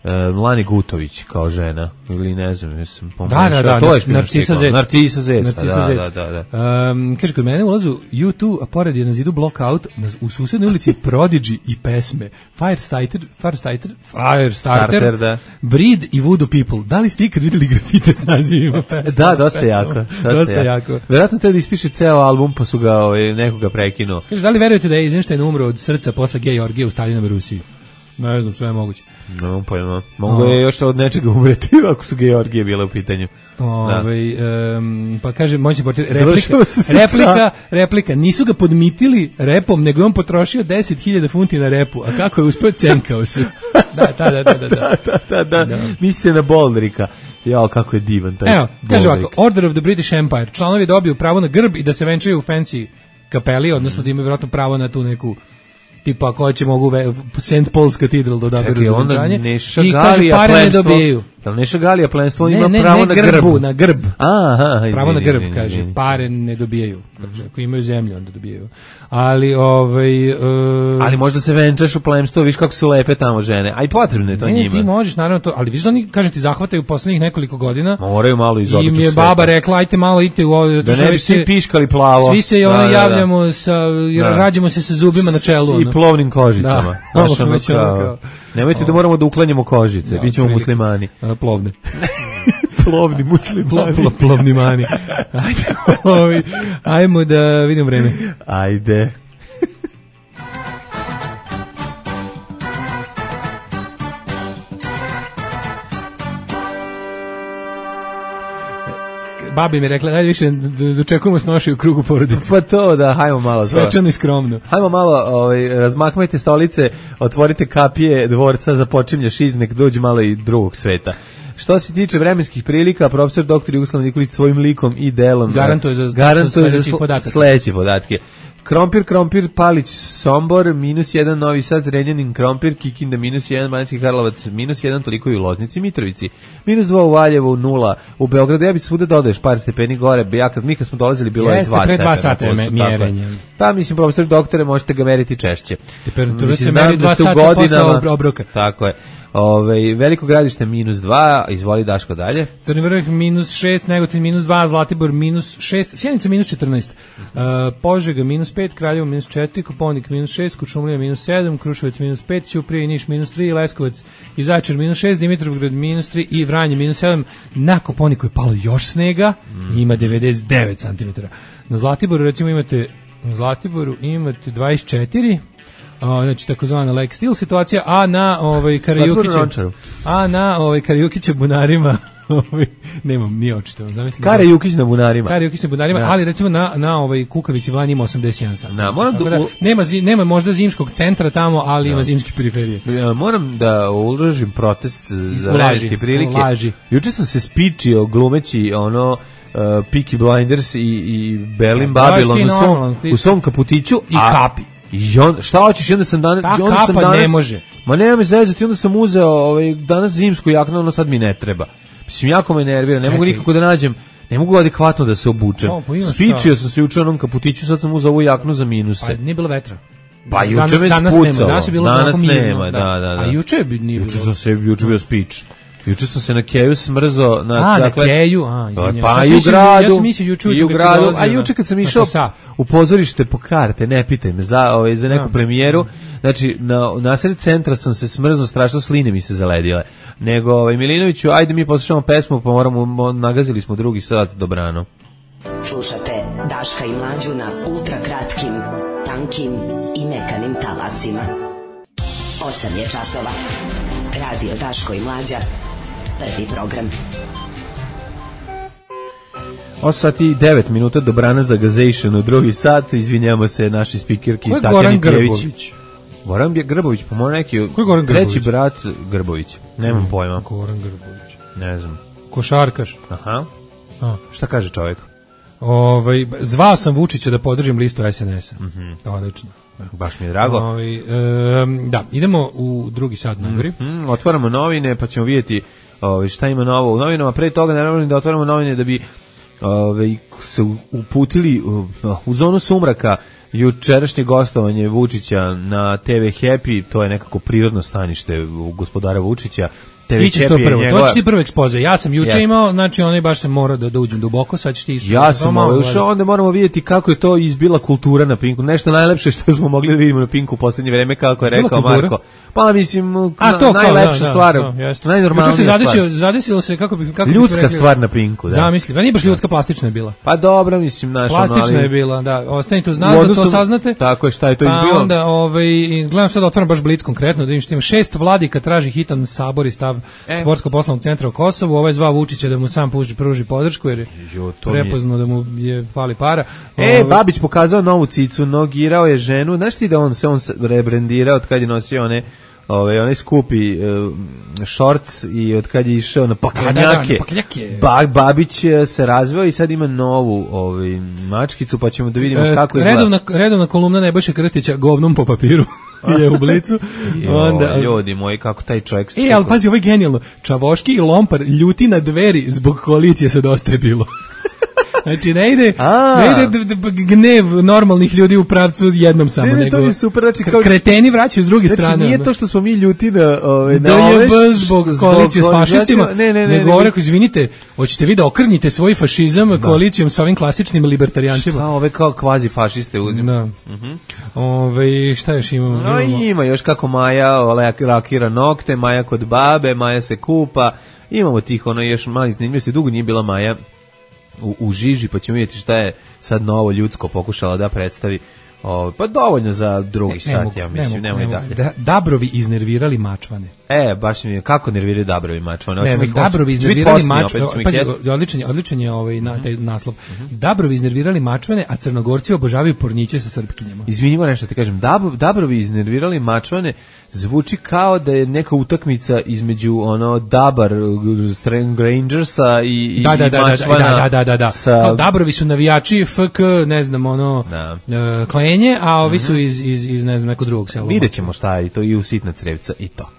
uh, Lani Gutović kao žena? Ili ne znam, jesam pomešao. Da, da, da, to je Narcisa Zec. Narcisa Zec, Narcisa Zec. Da, da, da. Um, kaže, kod mene ulazu U dva, a pored je na zidu Blockout, u susednoj ulici Prodigy i pesme Firestarter, Firestarter, Firestarter, da. Breed i Voodoo People. Da li ste ikad vidjeli grafite s nazivima pesma? Da, dosta pesma. jako. Dosta, dosta jako. jako. Verovatno treba da ispiše ceo album, pa su ga ovaj, nekoga prekinuo. Kaže, da li verujete da je Eisenstein umro od srca posle gej orgije u Stalinove Rusiji? Ne znam, sve je moguće. No, pojma. Mogu je još od nečega umreti ako su georgije bile u pitanju. Ove, um, pa kaže, moći portir, replika, replika, replika, nisu ga podmitili repom, nego je on potrošio deset hiljada funti na repu, a kako je uspio, cenkao se. Da, da, da, da, da. da, da, da, da. Misli na Boldrika. Jao, kako je divan taj Evo, kaže ovako, Order of the British Empire, članovi dobiju pravo na grb i da se venčaju u fancy kapeli, odnosno da imaju vjerojatno pravo na tu neku tipa ako će mogu Saint Paul's Cathedral da odaberu za venčanje i kaže pare ne dobijaju. Jel Neša Galija plenstvo ne, ima ne, pravo ne, na grbu, grb? na grb. Aha, izvini, pravo na grb, izvini, kaže, izvini. pare ne dobijaju. Kaže, ako imaju zemlju, onda dobijaju. Ali, ovaj... Uh, ali možda se venčaš u plemstvo, viš kako su lepe tamo žene. A i potrebno je to ne, njima. Ne, ti možeš, naravno to, ali viš da oni, kažem ti, zahvataju poslednjih nekoliko godina. Moraju malo iz običnog sveta. Im je baba rekla, ajte malo, idite u ovo. Da ne bi svi piškali plavo. Svi se ono da, javljamo, da. Sa, jer da. rađamo se sa zubima na čelu. Ono. I plovnim kožicama. Da, Znaš, ono kao, kao, nemojte da moramo da uklanjamo kožice, da, bit ćemo muslimani. A, plovne. Plovni muslimani. Plo, plovni mani. Ajde, ovi, ajmo da vidim vreme. Ajde. Babi mi rekla, ajde više dočekujemo snoši u krugu porodice. Pa to da, hajmo malo. Svečano i skromno. Hajmo malo, ovaj, razmakmajte stolice, otvorite kapije dvorca za počimlja šiz, nek dođe malo i drugog sveta. Što se tiče vremenskih prilika, profesor doktor Jugoslav Nikolić svojim likom i delom garantuje za, garantuje za sl- sledeće podatke. Krompir, Krompir, Palić, Sombor, minus jedan, Novi Sad, Zrenjanin, Krompir, Kikinda, minus jedan, Banacki Karlovac, minus jedan, toliko i u Loznici, Mitrovici, minus dva u Valjevu, nula, u Beogradu, ja bih svuda dodaješ par stepeni gore, ja kad mi kad smo dolazili bilo je dva stepena. Jeste, pre dva sata mjerenje. Pa mislim, profesor doktore, možete ga meriti češće. Temperatura se meri dva sata posle obroka. Tako je. Ove, Veliko Gradište minus dva, izvoli Daško dalje. Crni Vrh minus šest, Negotin minus dva, Zlatibor minus šest, Sjenica minus četrnaest, uh, Požega minus pet, Kraljevo minus četiri, Koponik minus šest, Kuršumlija minus sedam, Kruševac minus pet, Ćuprija i Niš minus tri, Leskovac i Zaječar minus šest, Dimitrovgrad minus tri i Vranje minus sedam. Na Koponiku je palo još snega, mm. ima devedeset devet centimetara. Na Zlatiboru recimo imate, na Zlatiboru imate dvadeset četiri, O, znači takozvana like still situacija, a na ovaj Karajukićem, a na ovaj Karajukićem bunarima, ovaj nemam ni očito, zamislim. Karajukić na bunarima. Karajukić na bunarima, da. Ali recimo na na ovaj Kukavici Vlanji ima osamdeset jedan sat. Da, moram da, nema zi, nema možda zimskog centra tamo, ali da. Ima zimske periferije. Ja, moram da uložim protest za vremenske prilike. Ulaži. Juče sam se spičio glumeći ono uh, Peaky Blinders i i Berlin Babylon u svom, u svom kaputiću i a, kapi. I on, šta hoćeš, onda sam danas... Ta onda kapa sam danas, ne može. Ma nema me zezati, onda sam uzeo ovaj, danas zimsku jaknu, ono sad mi ne treba. Mislim, jako me nervira, ne Čekaj. mogu nikako da nađem, ne mogu adekvatno da se obučem. O, pa Spičio sam se juče onom kaputiću, sad sam uzeo ovu jaknu za minuse. Pa nije bilo vetra. Pa juče danas, me danas spucalo. Nema, danas je bilo danas mirno, nema, da, da, da. A juče bi nije juče bilo. Sam se, juče bio spič. Juče sam se na keju smrzo na a, dakle na keju, a izvinjavam. Pa i u gradu, ja sam mislio juče i u gradu, a juče kad sam išao u pozorište po karte, ne pitaj me za ovaj za neku premijeru, znači na nasred centra sam se smrzno, strašno sline mi se zaledile. Nego ovaj Milinoviću, ajde mi poslušamo pesmu, pa moramo nagazili smo drugi sat, dobrano. Slušate Daška i Mlađu na ultra kratkim, tankim i mekanim talasima. osam je časova. Radio Daško i Mlađa. Prvi program. osam sati i devet minuta, dobrana za Gazation u drugi sat, izvinjamo se naši spikerki Tatjani Goran Grbović. Goran Grbović, pa mora neki treći brat Grbović, nemam mm, pojma. Goran Grbović. Ne znam. Košarkaš. Aha. A. Šta kaže čovjek? Ovaj, zvao sam Vučića da podržim listu es en es a. Mm-hmm. Odlično. Baš mi je drago. Ovaj, e, da, idemo u drugi sat najgori. Mm-hmm. Otvaramo novine pa ćemo vidjeti ovaj, šta ima novo u novinama. Pre toga naravno da otvaramo novine da bi ovaj, se uputili u, u zonu sumraka jučerašnje gostovanje Vučića na te ve Happy, to je nekako prirodno stanište u gospodara Vučića. Ti ćeš to prvo, njegova... to će ti prvo ekspoze. Ja sam juče yes. imao, znači onaj baš se mora da, da uđem duboko, sad ćeš ti isto. Ja sam ovaj ušao, onda moramo vidjeti kako je to izbila kultura na Pinku. Nešto najlepše što smo mogli da vidimo na Pinku u poslednje vreme, kako je rekao kultura? Marko. Pa mislim, A, to, najlepša kao, stvar, da, da, najnormalnija se stvar. Zadesilo, zadesilo se, kako bi... Kako ljudska rekli, stvar na Pinku, da. Zamisli, pa nije baš ljudska, plastična je bila. Pa dobro, mislim, naša... Plastična je bila, da. Ostanite uz nas da to saznate. Tako je, šta je to pa izbilo? Onda, ovaj, gledam sad da otvaram baš Blic konkretno, da vidim što ima šest vladika traži hitan sabor i stav e. sportsko poslovnog centra u Kosovu, ovaj zva Vučića da mu sam pruži, pruži podršku jer je jo, prepoznao da mu je fali para. E, ovaj, Babić pokazao novu cicu, nogirao je ženu, znaš ti da on se on rebrendirao od kad je nosio one Ove, onaj skupi uh, shorts i od kad je išao na paklenjake, ba, Babić se razveo i sad ima novu ovaj, mačkicu, pa ćemo da vidimo e, kako izgleda. Redovna, redovna kolumna Nebojše Krstića govnom po papiru je u Blicu. Onda, ljudi moji, kako taj čovjek... E, ali pazi, ovo je genijalno. Čavoški i Lompar ljuti na dveri zbog koalicije sa Dosta je bilo. Znači ne ide, ne ide d- d- gnev normalnih ljudi u pravcu jednom samo, ne, ne, nego to je super, znači, kao, kreteni vraćaju s druge znači, strane. Znači nije to što smo mi ljuti na, ove, da na je bez zbog koalicije s fašistima, znači, ne, ne, ne, nego govore, izvinite, hoćete vi da okrnite svoj fašizam da. koalicijom sa ovim klasičnim libertarijancima. Šta ove kao kvazi fašiste uzim? Da. Uh-huh. Ove, šta još imamo? No, imamo? Ima još kako Maja lakira nokte, Maja kod babe, Maja se kupa, imamo tih ono još mali zanimljivosti, dugo nije bila Maja U, u žiži, pa ćemo vidjeti šta je sad novo ljudsko pokušala da predstavi. O, pa dovoljno za drugi ne, sat, ne mogu, ja mislim, ne nemoj ne dalje. Da, Dabrovi iznervirali Mačvane. E, baš mi je, kako nerviraju Dabrovi mačvane? Ne, Hoćemo ih- Dabrovi hoće biti iznervirali posljednji, mačvane. opet ćemo ih Pazi, jesti. odličan je, odličan je ovaj na taj naslov. Dabrovi iznervirali mačvane, a Crnogorci obožavaju porniće sa Srpkinjama. Izvini, moram nešto ti kažem, Dab, Dabrovi iznervirali mačvane zvuči kao da je neka utakmica između ono Dabar Strang Rangersa i, i Da, da, da, da, mačvana da, da, da, da. sa... Kao Dabrovi su navijači F K, ne znam, ono, Da. e, Klenje, a ovi su iz, iz, iz, ne znam, nekog drugog sela. Vidjet ćemo šta je i to i u sitna crevca i to.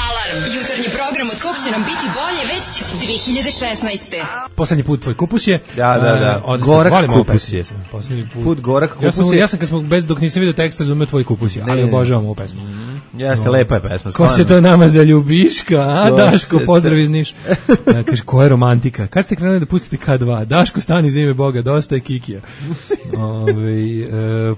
Alarm. Jutarnji program od kog će nam biti bolje već dve hiljade šesnaeste. Poslednji put tvoj kupus je. Da, da, da. E, od- Gorak volim ovu kupus pesmicu. je. Poslednji put. Put Gorak Ja sam, kupus je. ja sam kad smo bez dok nisam vidio tekst razumeo tvoj kupus je, ali Ne. obožavam ovu pesmu. Jeste, lepa je pesma. Ko se stvarno. to nama zaljubiška, a Ko Daško, se pozdrav to- iz Niša. Ja, kaže, ko je romantika? Kad ste krenuli da pustite K dva? Daško, stani za ime Boga, dosta je Kikija. Ove, e,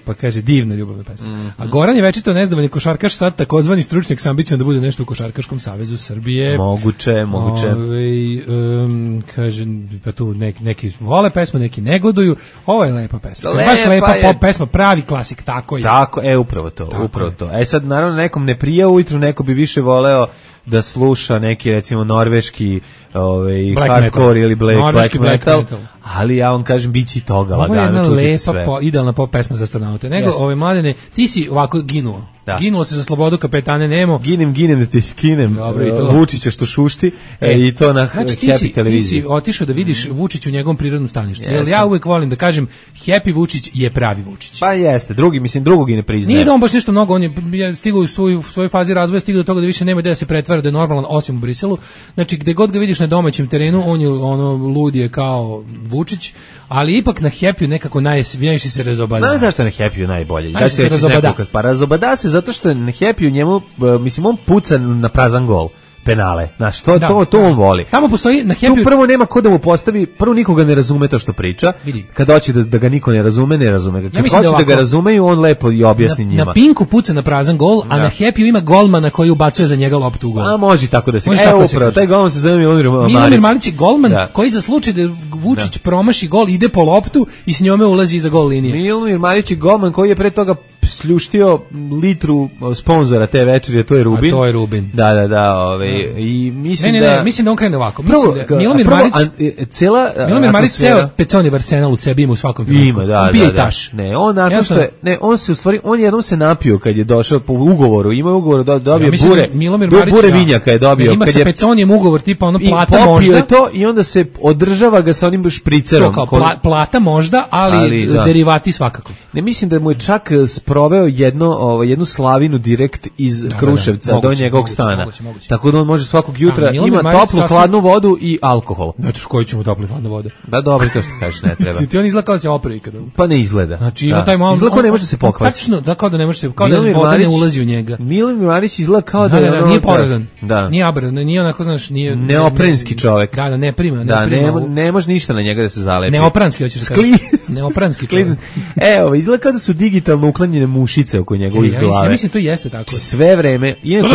pa kaže, divna ljubavna pesma. A Goran je večito nezadovoljni košarkaš, sad takozvani stručnjak sa ambicijom da bude nešto u Košarkaškom savezu Srbije. Moguće, moguće. Ove, um, kaže, pa tu neki, neki vole pesmu, neki negoduju. Ovo je lepa pesma. Lepa Baš lepa je. pop pesma, pravi klasik, tako je. Tako, e, upravo to, Tako upravo je. to. E sad, naravno, nekom ne prija ujutru, neko bi više voleo da sluša neki, recimo, norveški ovaj, Black hardcore metal. ili black, Norveški black, black metal, metal. ali ja vam kažem, bit će i toga Ovo je lagano, jedna čućete lepa, sve. po, idealna pop pesma za astronaute. Nego, Jeste. ove mladene, ti si ovako ginuo. Da. Ginulo se za slobodu kapetane Nemo. Ginem, ginem da ti skinem Dobro, i to. uh, Vučića što šušti e, i to na Znači, ti Happy si, ti televiziji. si otišao da vidiš Vučić u njegovom prirodnom staništu. Jer ja Jesam. uvek volim da kažem, Happy Vučić je pravi Vučić. Pa jeste, drugi, mislim, drugog i ne priznaje. Nije da on baš nešto mnogo, on je, je stigao u svoju, u svojoj fazi razvoja, stigao do toga da više nema gde da se pretvara, da je normalan osim u Briselu. Znači, gde god ga vidiš na domaćem terenu, on je ono lud je kao Vučić, ali ipak na Happy nekako najviše se razobada. Znaš zašto je na Happy najbolje? Znaš, se razobada. Pa razobada se zato što je na Happy u njemu, uh, mislim, on puca na prazan gol. Penale. Znaš, to, Da, to, to da. on voli. Tamo postoji na Tu Happy prvo nema ko da mu postavi, prvo nikoga ne razume to što priča. Vidi. Kad hoće da, da ga niko ne razume, ne razume ga. Kad mislim hoće da da, ga ovako- razumeju, on lepo i objasni na, njima. na Pinku puca na prazan gol, a Da. na Happy ima golmana koji ubacuje za njega loptu u gol. A može tako da se. Može Evo tako da se upravo, kaže. taj golman se zove Milomir Marić. Milomir Marić je golman Da. koji za slučaj da Vučić promaši gol ide po loptu i s njome ulazi iza gol linije. Milomir Marić je golman koji je pre toga sljuštio litru sponzora te večeri, a to je Rubin. A to je Rubin. Da, da, da, ovaj i mislim Ne, ne, da ne, mislim da on krene ovako. Prvo, Mislim da Milomir prvo, Marić, a, e, cela Milomir Marić atmosfera- ceo Peconi Arsenal u sebi ima u svakom trenutku. Ima, da, On pije da, i da. taš. Ne, on nakon što Jednostavno- je, ne, on se u stvari, on jednom se napio kad je došao po ugovoru, ima ugovor, do, dobio Ja mislim bure, da Milomir do, Marić, bure da. vinjaka je dobio. Ima kad sa je, Peconijem ugovor tipa ono i plata popio možda. je to i onda se održava ga sa onim špricerom. To kao ko- pla- plata možda, ali, Ali, da. derivati svakako. Ne mislim da mu je čak eh, sproveo jedno, ovaj, jednu slavinu direkt iz da, Kruševca moguće, do njegovog moguće, stana. moguće, moguće. Tako da on može svakog jutra, Milomir ima Marić toplu, sasvim- hladnu vodu i alkohol. Znate što koji ćemo topli hladna voda. Da, dobro, to što kažeš, ne treba. Si ti on izgleda kao da se opre ikada. Pa ne izgleda. Znači ima Da. taj malo. Izgleda kao on- ne može da se on pokvasi. Tačno, da kao da ne može se, kao da Milomir voda ne Marić- ulazi u njega. Milomir Marić izgleda kao da, Da, je da, da, ono- nije porazan. Da. Nije abran, nije onako, znaš, nije... Neoprenski čovek. Da, da, ne prima, ne Da, prima. ne, u- ne može ništa na njega da se zalepi. Neopranski, hoćeš da Skli... kažeš. Neopranski Sklizn. Evo, izgleda kao da su digitalno uklanjene mušice oko E, njegovih ja, mislim, glave. ja mislim to jeste tako. Sve vreme, iako,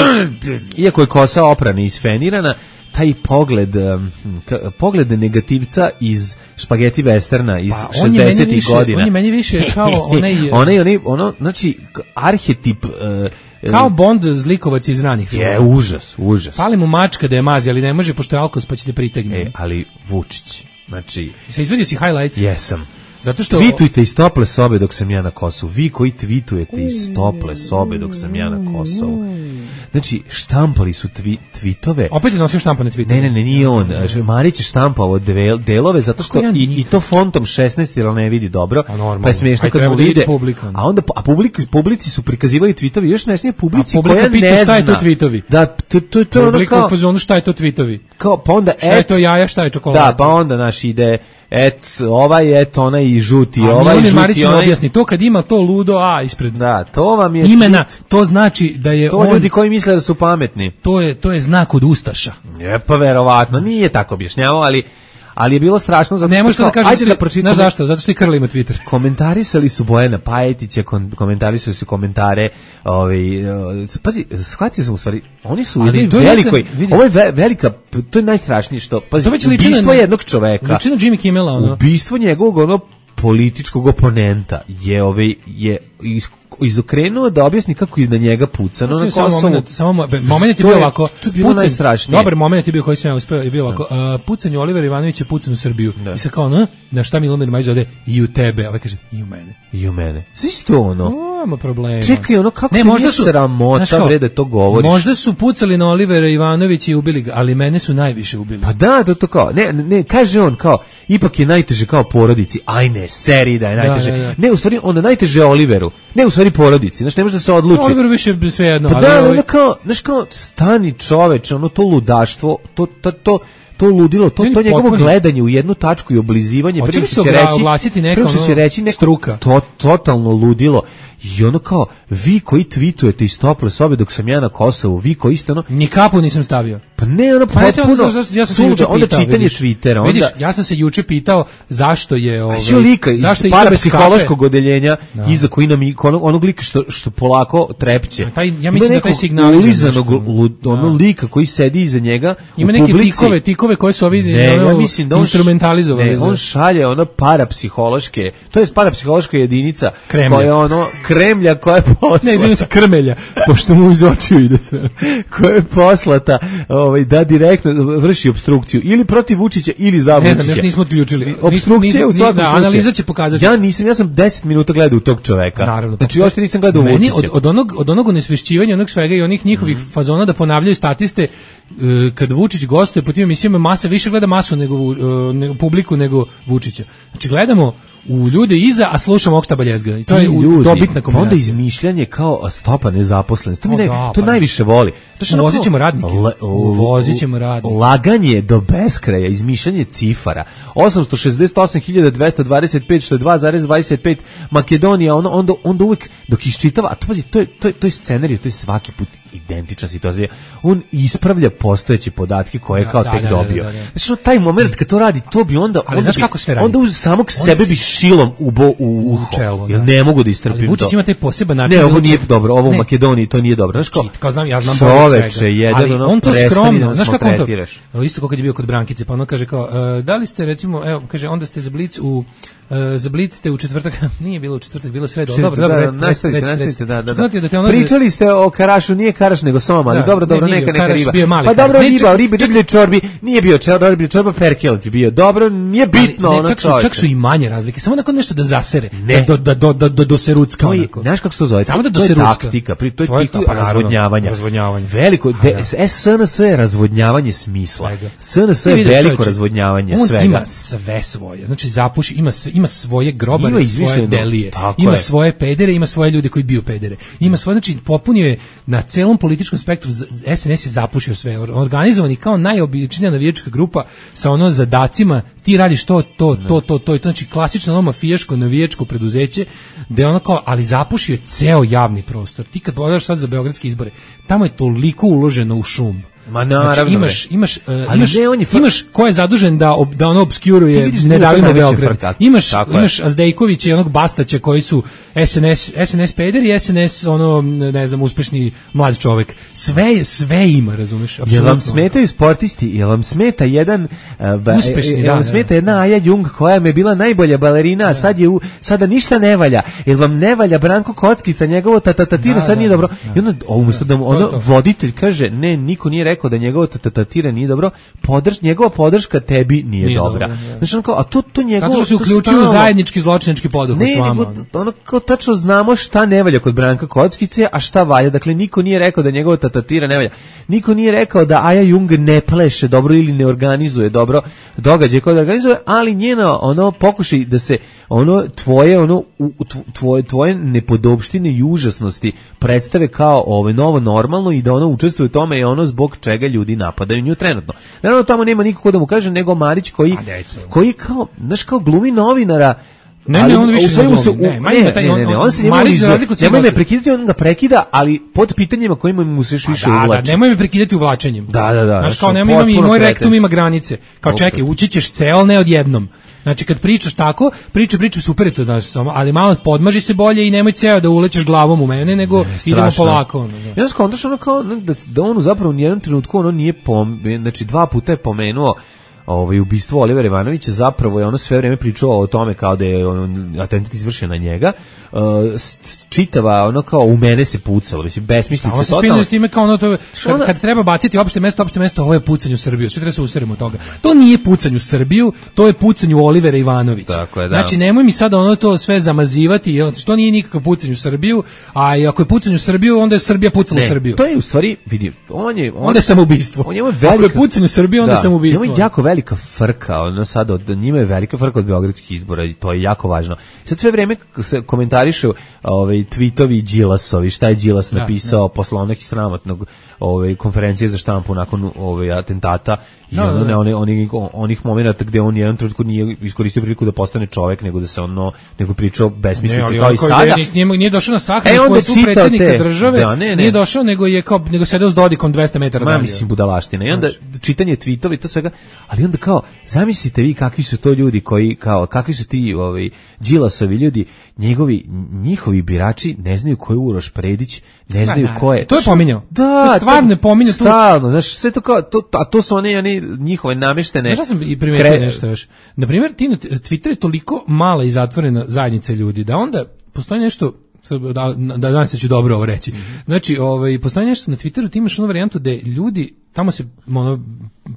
iako je kosa oprana i isfenirana, taj pogled, um, ka- pogled negativca iz špageti westerna iz Pa, on je meni šezdesetih više- godina. on je meni više kao onaj- onaj, onaj, ono, znači, k- arhetip... Uh, Kao Bond zlikovac iz ranih filmova. je užas, užas. Pali mu mačka da je mazi, ali ne može pošto je alkos pa će te pritegne. E, ali Vučić, znači, Se izvadio si highlights? jesam. Zato što... Tweetujte iz tople sobe dok sam ja na Kosovu. Vi koji tweetujete iz tople sobe dok sam ja na Kosovu. Znači, štampali su tvi, tweetove. Opet je nosio štampane tweetove. Ne, ne, ne, nije on. Marić je štampao del, delove zato što Kako ja i, i nikad- to fontom šesnaest jer ne vidi dobro. A normalno. Pa je smiješno Aj, kad treba mu da vidi vide. publika. A onda a publik, publici su prikazivali tweetove još nešto publici A publika koja pita ne šta je zna. to tweetovi. Da, to, to, to je ono Publika kao, u fazonu šta je to tweetovi? kao, pa onda Šta je et, to jaja, šta je čokolada? da, pa onda naš ide et, ovaj, et, onaj i žuti, A ovaj, Milomir Marić žuti, im onaj. objasni, to kad ima to ludo A ispred Da, to vam je imena, tweet. to znači da je To on, ljudi koji misle da su pametni. to je, to je znak od ustaša. Je pa verovatno, nije tako objašnjavao, ali ali je bilo strašno zato Ne što možeš to da kao, kažeš, ajde da pročitamo. znaš zašto? Zato što i Krla ima Twitter. Komentarisali su Bojana Pajetića, kon, komentarisali su komentare, ovaj, uh, pazi, shvatio sam u stvari, oni su u Ali jednoj to je velikoj, neka- vidi. ovo je ve, velika, to je najstrašnije što, pazi, To već liči na- ubistvo jednog čoveka, Liči na Jimmy Kimmela, ono. ubistvo njegovog ono političkog oponenta je ovaj je is, izokrenuo da objasni kako je na njega pucano na Kosovu. Moment, samo moment je bio ovako. To je bilo najstrašnije. Dobar moment je bio koji sam ja uspeo, je bio ovako. Uh, pucanje Olivera Ivanovića pucan u Srbiju. Da. I sad kao, na, na šta Milomir Majić ode i u tebe. Ovaj kaže, i u mene. I u mene. Svi to ono. Nema problema. Čekaj, ono kako ne, ti možda nije su, sramota bre da to govoriš. Možda su pucali na Olivera Ivanovića i ubili ga, ali mene su najviše ubili. Pa da, to to kao. Ne, ne, kaže on kao, ipak je najteže kao porodici. Aj ne, seri da je najteže. Da, da, da. Ne, u stvari, onda najteže je Oliveru. Ne, u stvari porodici. Znaš, ne može da se odluči. Oliveru više sve jedno. Pa ali da, ovaj... ono kao, znaš kao, stani čoveče, ono to ludaštvo, to, to, to, to ludilo, to, to njegovo potpuni. Gledanje u jednu tačku i oblizivanje, prvo što će reći, prvo što će reći neko struka. To, totalno ludilo. I ono kao, vi koji tweetujete iz tople sobe dok sam ja na Kosovu, vi koji ste ono... Ni kapu nisam stavio. Pa ne, ono pa potpuno... Ja, ja sam se juče onda pitao, čitanje vidiš, Twittera, onda... Vidiš, ja sam se juče pitao zašto je... Ovaj, a lika, zašto je parapsihološkog odeljenja, no. Iza koji nam, onog, onog lika što, što polako trepće. Taj, ja mislim da taj signal... Ulizanog ono lika koji sedi iza njega ima neke tikove, tikove koje su ovi ne, ono, ja mislim da on instrumentalizovali. Ne, on šalje ono parapsihološke, to je parapsihološka jedinica Kremlja. koja je ono Kremlja koja je poslata. Ne, izvijem se Krmelja, pošto mu iz očiju ide sve. Koja je poslata ovaj, da direktno vrši opstrukciju ili protiv Vučića ili za Vučića. Ne znam, još nismo odključili. Opstrukcija u svakom slučaju. Analiza će pokazati. Ja nisam, ja sam deset minuta gledao u tog čoveka. Naravno. Znači, još nisam gledao u Vučića. Od, od, onog, od onog onesvešćivanja, onog svega i onih njihovih mm. fazona da ponavljaju statiste, kad Vučić gostuje po tim emisijama, masa više gleda masu nego, nego publiku nego Vučića. Znači, gledamo u ljude iza, a slušamo Oksta Baljezga. I to je ljudi, dobitna kombinacija. Onda izmišljanje kao stopa nezaposlenosti. To mi ne, to pa najviše voli. Uvozit ćemo radnike. Uvozit ćemo radnike. Laganje do beskraja, izmišljanje cifara. osamsto šezdeset osam hiljada dvesta dvadeset pet, što je dva zarez dvadeset pet. Makedonija, ono, onda, onda uvijek dok iščitava, a to, pazi, to je, to je, to je scenarij, to je svaki put identična situacija. On ispravlja postojeće podatke koje je kao da, tek da, dobio. Da, da, da. Znači, taj moment kad to radi, to bi onda... Ali onda znaš bi, kako sve radi? Onda uz samog on sebe bi šilom ubo u uho. Čelo, jer ne mogu da istrpim to. Ali Vučić ima taj poseban način. Ne, ovo nije dobro, ovo u Makedoniji to nije dobro. Znaš kao, kao znam, ja znam čoveče, jedan ali ono, on to skromno, znaš kako on to, evo, isto kako kad je bio kod Brankice, pa ono kaže kao, uh, da li ste recimo, evo, kaže, onda ste za Blic u, uh, za Blic ste u četvrtak, nije bilo u četvrtak, bilo sredo, ali dobro, dobro, recite, nastavite, nastavite, da, da, da. Da ono, pričali ste o Karašu, nije Karaš, nego Soma, ali da, dobro, dobro, ne, neka, neka Karaš riba. Pa dobro, riba, riba, riblje čorbi, nije bio čorbi, čorba perkelet je bio, dobro, nije bitno, ali, ne, ono čak su, čak su i manje razlike, samo nakon nešto da zasere, ne. da, da, da, da, da doserucka. Znaš kako se to zove? Samo da to je taktika, to je taktika razvodnjavanja. Razvodnjavanje. Veliko, S N S je razvodnjavanje smisla. S N S je veliko razvodnjavanje svega. On ima sve svoje, znači zapuši, ima, ima svoje grobare, ima svoje delije, ima je. svoje pedere, ima svoje ljude koji biju pedere. Ima svoje, znači popunio je na celom političkom spektru, S N S je zapušio sve, organizovani kao najobičnija navijačka grupa sa ono zadacima, ti radiš to, to, to, to, to, i to, znači klasično ono mafijaško navijačko preduzeće, gde ono kao, ali zapušio je ceo javni prostor. Ti kad pogledaš sad za beogradske izbore, tamo je toliko uloženo u šum. Ma naravno. Znači, imaš imaš uh, ali imaš, ne, on je fr... imaš ko je zadužen da ob, da ono obskuruje ne davimo Beograd. Imaš imaš Azdejkovića i onog Bastaća koji su S N S S N S peder i S N S ono ne znam uspešni mlad čovjek. Sve sve ima, razumeš? Jel vam smetaju sportisti? Jel vam smeta jedan uh, ba, uspešni, jel vam da, smeta da. jedna Aja Jung koja mi je bila najbolja balerina, a sad je u, sada ništa ne valja. Jel vam ne valja Branko Kockica, njegovo tatatira sad nije dobro. I onda umjesto da mu ono voditelj kaže ne, niko nije rekao da njegovo tatatira nije dobro, podrž, njegova podrška tebi nije, nije dobra. Dobro, znači, ono kao, a to, to njegovo... Zato što se uključuju u zajednički zločinački poduhvat s vama. Ne, nego, ono kao tačno znamo šta ne valja kod Branka Kockice, a šta valja. Dakle, niko nije rekao da njegova tatatira ne valja. Niko nije rekao da Aja Jung ne pleše dobro ili ne organizuje dobro događaj koje organizuje, ali njeno ono pokušaj da se ono tvoje ono tvoje tvoje nepodopštine i užasnosti predstave kao ovo novo normalno i da ono učestvuje u tome je ono zbog čega ljudi napadaju nju trenutno. Naravno tamo nema nikako da mu kaže nego Marić koji koji kao znaš kao glumi novinara. Ne, ali, ne, on više ne, su, ne, ne, ne, ne, ne, ne, on se njemu nemoj me prekidati, on ga prekida, ali pod pitanjima kojima mu se još više uvlači. Da, da, nemoj me prekidati uvlačenjem. Da, da, da. Znaš, kao nemoj imam i moj rektum ima granice. Kao čekaj, ući ćeš ceo, ne odjednom. Znači, kad pričaš tako, priča, priča, super je to, da, ali malo podmaži se bolje i nemoj ceo da ulećeš glavom u mene, nego ne, idemo polako. Ono, da. Ja skontaš ono kao, da, da on zapravo u nijednom trenutku ono nije pom, znači dva puta je pomenuo ovaj ubistvo Olivera Ivanovića, zapravo je ono sve vreme pričao o tome kao da je on, atentat izvršen na njega. Uh, čitava ono kao u mene se pucalo, mislim besmislice totalno. Se spinuje s time kao ono to kad, kad treba baciti opšte mesto, opšte mesto, ovo je pucanje u Srbiju. Sve treba se userimo od toga. To nije pucanje u Srbiju, to je pucanje u Olivera Ivanovića. Tako je, da. Znači nemoj mi sada ono to sve zamazivati, to nije nikakav pucanje u Srbiju, a i ako je pucanje u Srbiju, onda je Srbija pucala u Srbiju. To je u stvari, vidi, on je on, onda je samoubistvo. On je velika, ako je pucanje u Srbiju, onda da, je samoubistvo. Ima jako velika frka, ono sad od njima je velika frka od beogradskih izbora i to je jako važno. Sad sve vreme se komentarišu ovaj tvitovi Đilasovi, šta je Đilas napisao da, da. posle onog sramotnog ovaj konferencije za štampu nakon ovaj atentata i da, ono, da, da. ne, onih onih momenata gde on jedan trenutku nije iskoristio priliku da postane čovjek, nego da se ono nego pričao besmislice kao i sada. Nije, nije došao na sahranu e, svoj predsjednika te. države, da, ne, ne. nije došao, nego je kao nego sedeo s Dodikom dvesta metara dalje. Ma mislim budalaština. I onda znači. čitanje tvitovi to svega, ali onda kao zamislite vi kakvi su to ljudi koji kao kakvi su ti ovaj Đilasovi ljudi, njegovi njihovi birači ne znaju ko je Uroš Predić, ne znaju ko je. To je pominjao. Da, to stvarno je pominjao tu. Stalno, znaš, sve to kao to, a to su one one njihove nameštene. Znaš, sam i primetio kre... nešto još. Na primjer, ti na Twitteru je toliko mala i zatvorena zajednica ljudi da onda postoji nešto da da danas ću dobro ovo reći. Znači, ovaj postoji nešto na Twitteru, ti imaš onu varijantu da ljudi tamo se ono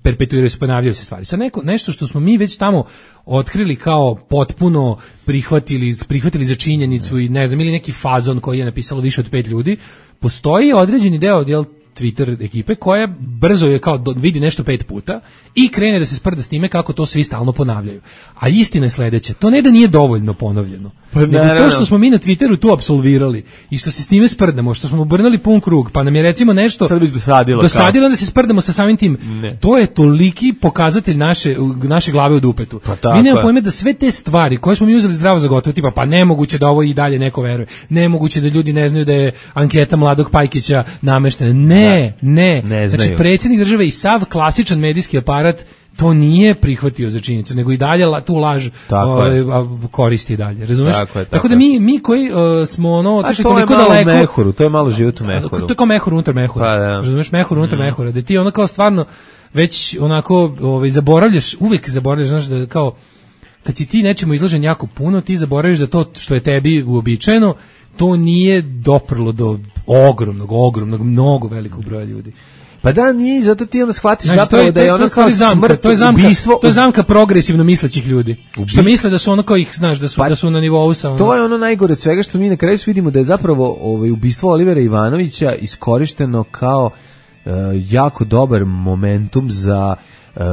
perpetuiraju, se ponavljaju se stvari. Sa neko nešto što smo mi već tamo otkrili kao potpuno prihvatili, prihvatili za činjenicu i ne znam, ili neki fazon koji je napisalo više od pet ljudi, postoji određeni deo jel Twitter ekipe koja brzo je kao do, vidi nešto pet puta i krene da se sprda s time kako to svi stalno ponavljaju. A istina je sledeća, to ne da nije dovoljno ponovljeno, pa, nego ne, to što smo mi na Twitteru tu apsolvirali i što se s time sprdamo, što smo obrnuli pun krug, pa nam je recimo nešto sad bi dosadilo, dosadilo da se sprdamo sa samim tim, ne. To je toliki pokazatelj naše, naše glave u dupetu. Pa, mi nemamo pojma da sve te stvari koje smo mi uzeli zdravo za gotovo, tipa pa nemoguće da ovo i dalje neko veruje, nemoguće da ljudi ne znaju da je anketa Mladog Pajkića nameštena, ne Ne, ne, ne znači predsjednik države i sav klasičan medijski aparat to nije prihvatio za činjenicu, nego i dalje tu laž o, koristi i dalje, razumeš? Tako, je, tako, tako da mi, mi koji uh, smo ono otišli toliko daleko... Mehuru, to je malo život u mehuru. To je kao mehur unutar mehura, pa, da. Razumeš, mehur unutar mm. mehura, da ti ono kao stvarno već onako ovaj, zaboravljaš, uvijek zaboravljaš, znaš, da kao kad si ti nečemu izložen jako puno, ti zaboraviš da to što je tebi uobičajeno, to nije doprlo do ogromnog, ogromnog, mnogo velikog broja ljudi. Pa da, nije, zato ti onda shvatiš znači, zapravo je, da je ono kao smrt, to je zamka, ubistvo. To je zamka progresivno mislećih ljudi. Ubi... Što misle da su ono kao ih, znaš, da su, pa, da su na nivou sa ono. To je ono najgore od svega što mi na kraju vidimo da je zapravo ovaj, ubistvo Olivera Ivanovića iskorišteno kao uh, jako dobar momentum za Uh,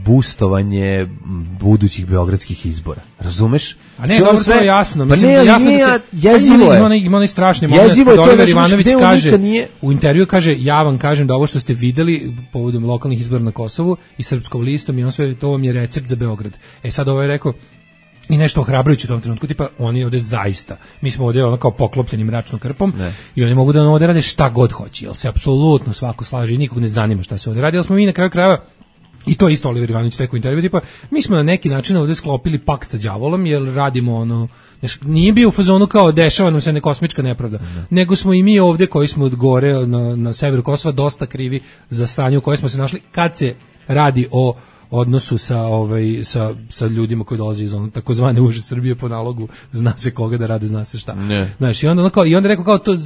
boostovanje budućih beogradskih izbora. Razumeš? A ne, dobro, to je jasno. Mislim, pa ne, jasno nije, da se, jezivo je. Ima onaj, ima onaj strašni moment kad Oliver Ivanović kaže, nije... u intervju kaže, ja vam kažem da ovo što ste videli povodom lokalnih izbora na Kosovu i Srpskom listom i on sve, to vam je recept za Beograd. E sad ovo je rekao, i nešto ohrabrujuće u tom trenutku, tipa oni ovde zaista, mi smo ovde ono kao poklopljeni mračnom krpom ne. I oni mogu da nam ovde rade šta god hoće, jer se apsolutno svako slaže i nikog ne zanima šta se ovde radi, ali smo mi na kraju krajeva. I to isto Oliver Ivanović rekao u intervju, tipa, mi smo na neki način ovdje sklopili pakt sa đavolom, jer radimo ono, znaš, nije bio u fazonu kao dešava nam se ne kosmička nepravda, ne. Nego smo i mi ovdje koji smo od gore na, na severu Kosova dosta krivi za stanje u kojoj smo se našli kad se radi o odnosu sa ovaj sa sa ljudima koji dolaze iz onog takozvane uže Srbije po nalogu zna se koga da rade, zna se šta. Ne. Znaš, i onda ono kao, i onda rekao kao to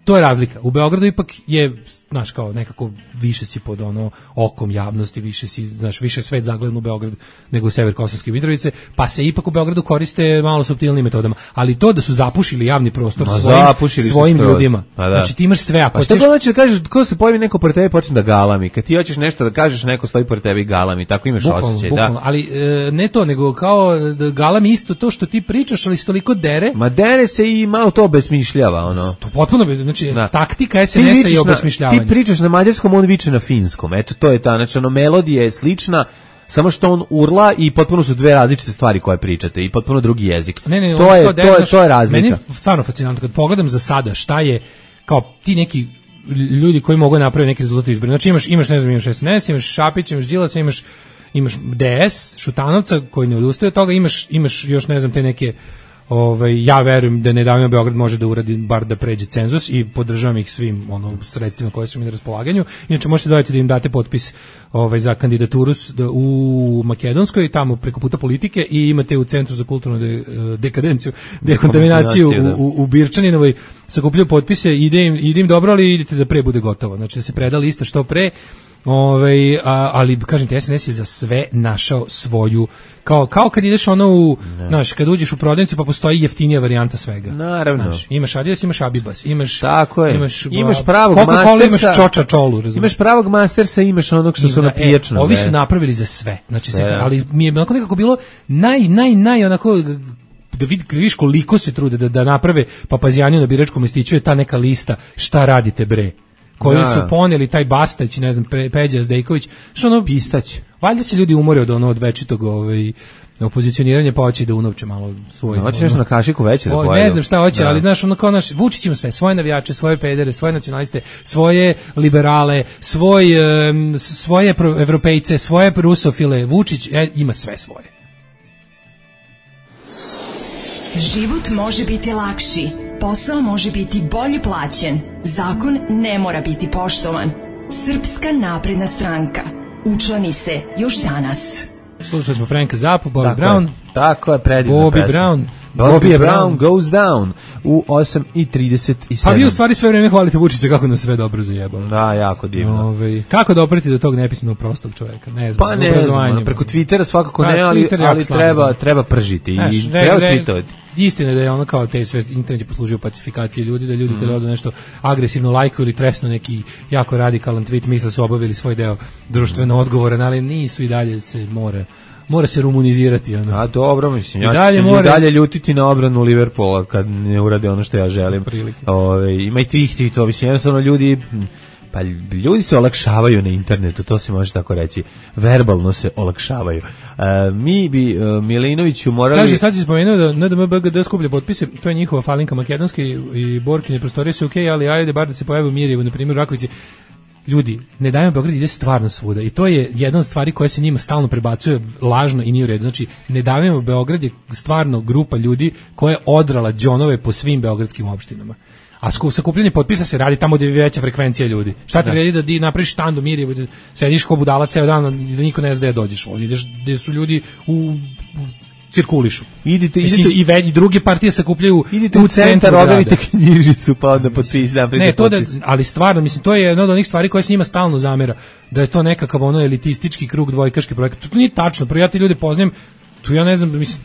to je razlika. U Beogradu ipak je, znaš, kao nekako više si pod ono okom javnosti, više si, znaš, više svet zagledan u Beograd nego u sever Kosovske Mitrovice, pa se ipak u Beogradu koriste malo suptilnim metodama, ali to da su zapušili javni prostor no, svojim svojim ljudima. Da. Znači ti imaš sve, ako pa što ćeš... hoćeš da kažeš, ko se pojavi neko pored tebe počne da galami. Kad ti hoćeš nešto da kažeš, neko stoji pored tebe i galami, tako imaš osjećaj, da. Ali e, ne to, nego kao da galami isto to što ti pričaš, ali se toliko dere. Ma dere se i malo to obesmišljava, ono. To potpuno, znači da. Taktika es en es-a i obesmišljavanje. Ti pričaš na mađarskom, on viče na finskom. Eto, to je ta, znači, ono, melodija je slična, samo što on urla i potpuno su dve različite stvari koje pričate i potpuno drugi jezik. Ne, ne, to, je, to, to, je, to je razlika. Meni je stvarno fascinantno kad pogledam za sada šta je kao ti neki ljudi koji mogu napraviti neki rezultat izbora. Znači imaš, imaš ne znam, imaš es en es, imaš Šapić, imaš Đilasa, imaš imaš de es, Šutanovca koji ne odustaje od toga, imaš, imaš još ne znam te neke Ovaj, ja verujem da Ne davimo Beograd može da uradi bar da pređe cenzus i podržavam ih svim ono sredstvima koje su mi na raspolaganju. Inače možete dodati da im date potpis ovaj za kandidaturu u Makedonskoj tamo preko puta politike i imate u Centru za kulturnu de, dekadenciju, dekontaminaciju u, u, u Birčaninovoj sakupljaju potpise, ide im, ide im dobro, ali idete da pre bude gotovo. Znači da se preda lista što pre. Ove, a, ali kažem ti, S N S je za sve našao svoju, kao, kao kad ideš ono u, znaš, kad uđeš u prodavnicu pa postoji jeftinija varijanta svega. Naravno. Znaš, imaš Adidas, imaš Abibas, imaš, tako je. imaš, imaš pravog Coca-Cola, Mastersa, imaš Čoča Čolu, razumiješ? Imaš pravog Mastersa, imaš onog što su na pijačno. E, ovi su napravili za sve, znači, se, ali mi je onako nekako bilo naj, naj, naj, onako, da vidiš koliko se trude da, da naprave Papazijaniju na biračkom listiću je ta neka lista šta radite bre, koju su poneli taj Bastać, ne znam, Peđa Zdejković, što ono Pistać. Valjda se ljudi umore od ono od večitog ovaj opozicioniranja, pa hoće da unovče malo svoj. No, hoće nešto na kašiku veće da pojedu. Ne znam šta hoće, da. Ali znaš, ono kao naš Vučić ima sve, svoje navijače, svoje pedere, svoje nacionaliste, svoje liberale, svoj um, svoje evropejce, svoje rusofile. Vučić e, ima sve svoje. Život može biti lakši, posao može biti bolje plaćen, zakon ne mora biti poštovan. Srpska napredna stranka. Učlani se još danas. Slušali smo Franka Zappu, Bobby tako Brown. Je, tako je, predivna Bobby pesma. Brown. Bobby, Bobby Brown goes down u osam i trideset sedam. Pa vi u stvari sve vreme hvalite Vučića kako nas sve dobro zajebalo. Da, jako divno. Ove, kako da opreti do tog nepismenog prostog čoveka? Ne znam, pa ne znam, preko Twittera svakako ne, ali, ali treba, treba pržiti Znaš, i re, treba re, tweetovati. Istina je da je ono kao te sve internet je poslužio pacifikaciji ljudi, da ljudi mm. kada odu nešto agresivno lajkuju ili tresnu neki jako radikalan tweet, misle su obavili svoj deo društveno odgovoran, ali nisu i dalje se mora mora se rumunizirati. Ono. A dobro, mislim, ja dalje ću more... dalje ljutiti na obranu Liverpoola kad ne urade ono što ja želim. Ove, ima i tih tweetova, mislim, jednostavno ljudi... Pa ljudi se olakšavaju na internetu, to se može tako reći. Verbalno se olakšavaju. E, mi bi uh, Milinoviću morali... Kaže, sad si spomenuo da N D M B G D skuplja potpise, to je njihova falinka makedonske i Borkine prostorije su okej, okay, ali ajde bar da se pojavi u Mirjevu, na primjer u Rakovici. Ljudi, Ne davimo Beograd ide stvarno svuda i to je jedna od stvari koja se njima stalno prebacuje lažno i nije u redu. Znači, Ne davimo Beograd je stvarno grupa ljudi koja je odrala džonove po svim beogradskim opštinama. A sakupljanje potpisa se radi tamo gdje je veća frekvencija ljudi. Šta ti vredi da ti napraviš štand u Mirjevu, da sediš ko budala ceo dan i da niko ne zna gde dođeš. Ovdje ideš gdje su ljudi u, u cirkulišu. Idite, idite Mislim, i, ve, i druge partije sakupljaju idite u centar, obavite knjižicu pa onda potpis, da, ne, to da, ali stvarno, mislim, to je jedna od onih stvari koje se njima stalno zamera, da je to nekakav ono elitistički krug dvojkaški projekat. To nije tačno, prvo ja ti ljude poznajem, tu ja ne znam, mislim,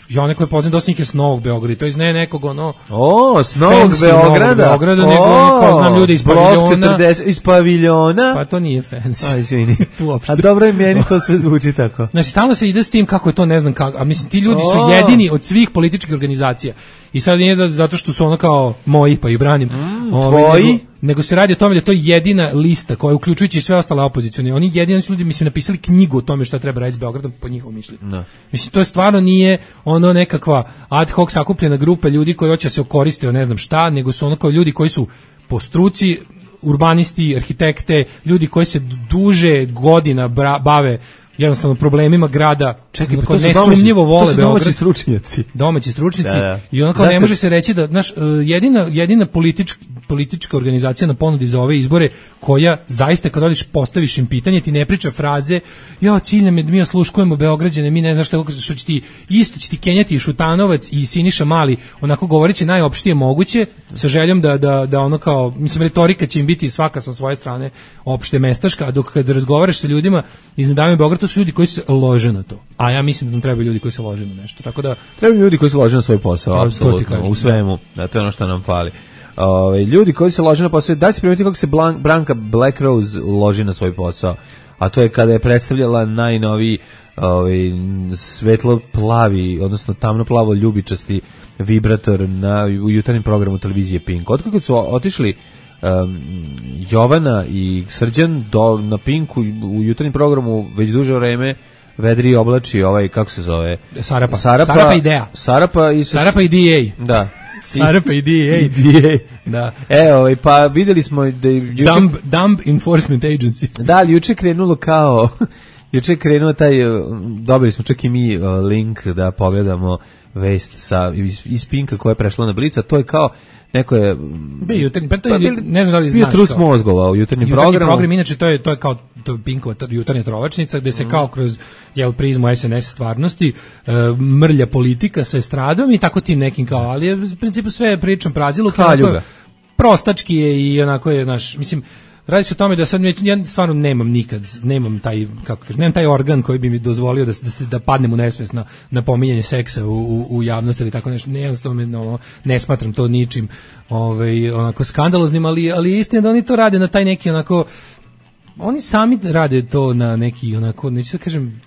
ja neko je poznam dosta njih je s Novog Beograda, to iz ne nekog ono... O, s Novog Beograda? Beograda, nego ono kao znam ljude iz paviljona. četrdeset iz paviljona? Pa to nije fancy. Aj, izvini. A dobro i meni to sve zvuči tako. Znači, stalno se ide s tim kako je to, ne znam kako, a mislim, ti ljudi su jedini od svih političkih organizacija. I sad nije zato što su ono kao moji, pa i branim. Mm, ove, tvoji? Nego, nego se radi o tome da je to jedina lista koja, uključujući sve ostale opozicione, oni jedini su ljudi, mislim, napisali knjigu o tome šta treba raditi s Beogradom po njihovom mišljenju. No. Mislim, to je stvarno nije ono nekakva ad hoc sakupljena grupa ljudi koji hoće se okoriste o ne znam šta, nego su ono kao ljudi koji su po struci urbanisti, arhitekte, ljudi koji se duže godina bra, bave jednostavno problemima grada. Čekaj, pa to su nesumnjivo vole Beograd. Domaći stručnjaci. Domaći stručnjaci. Da, da. I onako ne može se reći da, znaš, jedina, jedina politička, politička organizacija na ponudi za ove izbore koja zaista kad odiš postaviš im pitanje, ti ne priča fraze, ja cilj nam je da mi osluškujemo Beograđane, mi ne znaš što, što će ti, isto će ti kenjati i Šutanovac i Siniša Mali, onako govoreći najopštije moguće, sa željom da, da, da ono kao, mislim, retorika će im biti svaka sa svoje strane opšte mestaška, a dok kad razgovaraš sa ljudima iz Ne davimo Beograd, to su ljudi koji se lože na to. A ja mislim da nam trebaju ljudi koji se lože na nešto. Tako da trebaju ljudi koji se lože na svoj posao, apsolutno, u svemu. Da, to je ono što nam fali. Ove, ljudi koji se lože na posao, da se primetiti kako se Blan, Branka Black Rose loži na svoj posao. A to je kada je predstavljala najnoviji ovaj svetlo plavi, odnosno tamno plavo ljubičasti vibrator na u jutarnjem programu televizije Pink. Otkako su otišli um, Jovana i Srđan do, na Pinku u jutarnjem programu već duže vreme vedri oblači ovaj, kako se zove? Sarapa. Sarapa, Sarapa Ideja. Sarapa i Sarapa i D A. Da. Sarapa i D A. I D A. Da. E, ovaj, pa videli smo da juče... Dumb, dumb Enforcement Agency. Da, ali juče krenulo kao... juče je krenuo taj, uh, dobili smo čak i mi uh, link da pogledamo vest sa, iz, iz Pinka koja je prešla na Blic, a to je kao neko je Bio jutarnji, pa to je, ne znam da li znaš. Bio trus mozgova u jutarnjem jutarnji programu. program, inače to je to je kao to Pinkova jutarnja trovačnica gde se mm. kao kroz jel prizmu es en es stvarnosti uh, mrlja politika sa estradom i tako tim nekim kao, ali je u principu sve pričam prazilo kao prostački je i onako je naš, mislim, radi se o tome da sad ja stvarno nemam nikad, nemam taj, kako kažem, nemam taj organ koji bi mi dozvolio da da se da padnem u nesvest na, na pominjanje seksa u, u, u javnosti ili tako nešto. Jednostavno no, ne smatram to ničim ovaj onako skandaloznim, ali ali istina da oni to rade na taj neki onako, oni sami rade to na neki onako, neću da kažem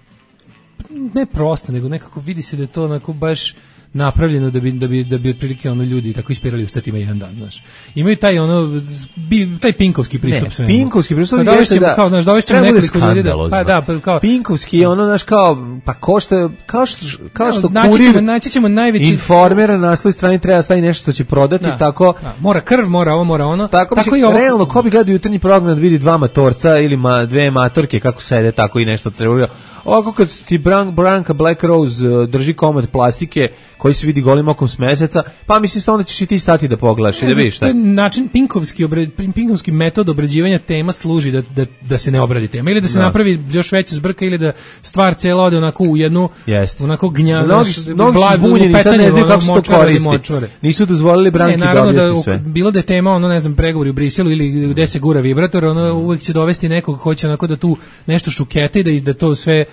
ne prosto, nego nekako vidi se da je to onako baš napravljeno da bi da bi da bi otprilike ono ljudi tako ispirali u statima jedan dan, znaš. Imaju taj ono bi taj pinkovski pristup svemu. Pinkovski pristup pa jeste da kao znaš, dovešćemo nekoliko ljudi da pa da pa kao pinkovski je ono znaš kao pa ko što kao što kao što naći ćemo naći ćemo najveći informer na naslovnoj strani treba staviti nešto što će prodati da, tako da, mora krv, mora ovo, mora ono. Tako, tako i ovo realno ko bi gledao jutarnji program da vidi dva matorca ili ma dve matorke kako sede tako i nešto treba. Ovako kad ti Bran, Branka Black Rose uh, drži komad plastike koji se vidi golim okom s meseca, pa mislim da onda ćeš i ti stati da pogledaš i da vidiš šta. To je način pinkovski, obred, pinkovski metod obrađivanja tema služi da, da, da se ne obradi tema ili da se no. napravi još veća zbrka ili da stvar cela ode onako u jednu Jest. onako gnja. Mnogi su zbunjeni, sad ne znaju kako se to koristi. Nisu dozvolili Branki da objasni sve. Bilo da je tema, ono ne znam, pregovori u Briselu ili gde se gura vibrator, ono uvek će dovesti nekog ko hoće onako da tu nešto šukete i da, da to sve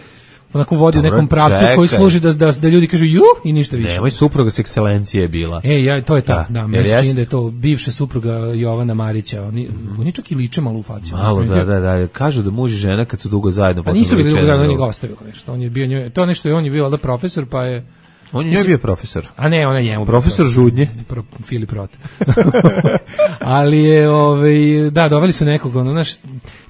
onako vodi u nekom pravcu čekaj. Koji služi da, da, da ljudi kažu ju i ništa više. Nemoj, supruga s ekscelencije je bila. E, ja, to je ta, da, da meni se čini da je to bivša supruga Jovana Marića. Oni, mm. oni čak i liče malo u faciju. Malo, da, da, da. Kažu da muž i žena kad su dugo zajedno. Pa nisu bili dugo zajedno, on je ga ostavila nešto. On je bio njoj, to nešto je, on je bio da profesor, pa je... On je bio profesor. A ne, ona je njemu. Profesor Žudnje. Pro, Filip Rot. Ali je, ovaj, da, doveli su nekog, ono, naš,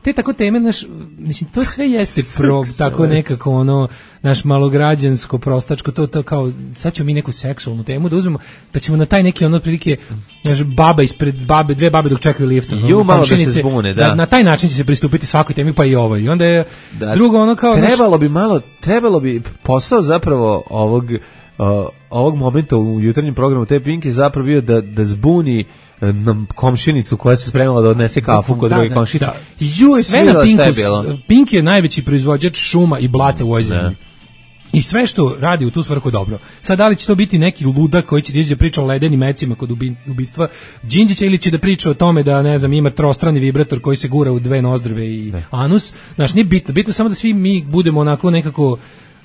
te tako teme, naš, mislim, to sve jeste pro, tako nekako, ono, naš malograđansko, prostačko, to, to kao, sad ćemo mi neku seksualnu temu da uzmemo, pa ćemo na taj neki, ono, prilike, naš, baba ispred babe, dve babe dok čekaju lifta. Ju, malo da se zbune, da. da. Na taj način će se pristupiti svakoj temi, pa i ovoj. I onda je da, drugo, ono, kao... Trebalo naš, bi malo, trebalo bi posao zapravo ovog... Uh, ovog momenta u jutarnjem programu te Pink je zapravo bio da, da zbuni nam komšinicu koja se spremala da odnese kafu kod da, druge komšinice. Da. Ju, sve na Pinku, Pink je najveći proizvođač šuma i blate u ovoj zemlji. I sve što radi u tu svrhu dobro. Sad da li će to biti neki ludak koji će da iđe priča o ledenim mecima kod ubistva Đinđića ili će da priča o tome da ne znam ima trostrani vibrator koji se gura u dve nozdrve i ne. Anus. Znaš, nije bitno. Bitno samo da svi mi budemo onako nekako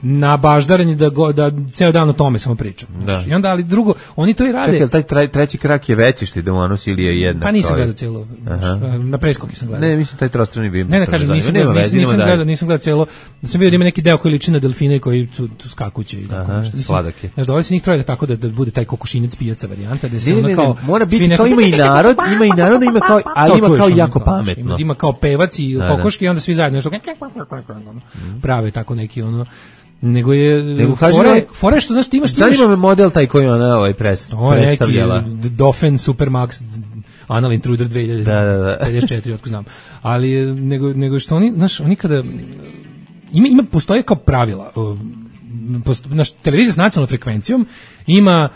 na baždarenje da go, da ceo dan o tome samo pričamo. Da. I onda ali drugo, oni to i rade. Čekaj, taj tre, treći krak je veći što ide u anus ili je jednak? Pa nisam gledao celo. Na preskoku sam gledao. Ne, mislim taj trostrani vibrator. Ne, ne kažem, nisam gledao, nisam, nisam gledao, nisam gledao celo. Sam vidio da ima neki deo koji liči na delfine koji su tu skakuće i tako nešto. Sladak je. Znaš, doveli se njih troje da tako da, da bude taj kokošinac pijaca varijanta da se ono kao mora biti to ima i narod, ima i narod, ima kao ali ima kao jako pametno. Ima kao pevac i kokoške i onda svi zajedno nešto prave tako neki ono nego je nego fore, fore što znaš ti imaš zanima me model taj koji ona ovaj pres, predstavljala Dauphin Supermax Anal Intruder dve hiljade pedeset četiri otko znam ali nego, nego što oni znaš oni kada ima, ima postoje kao pravila posto, naš televizija s nacionalnom frekvencijom ima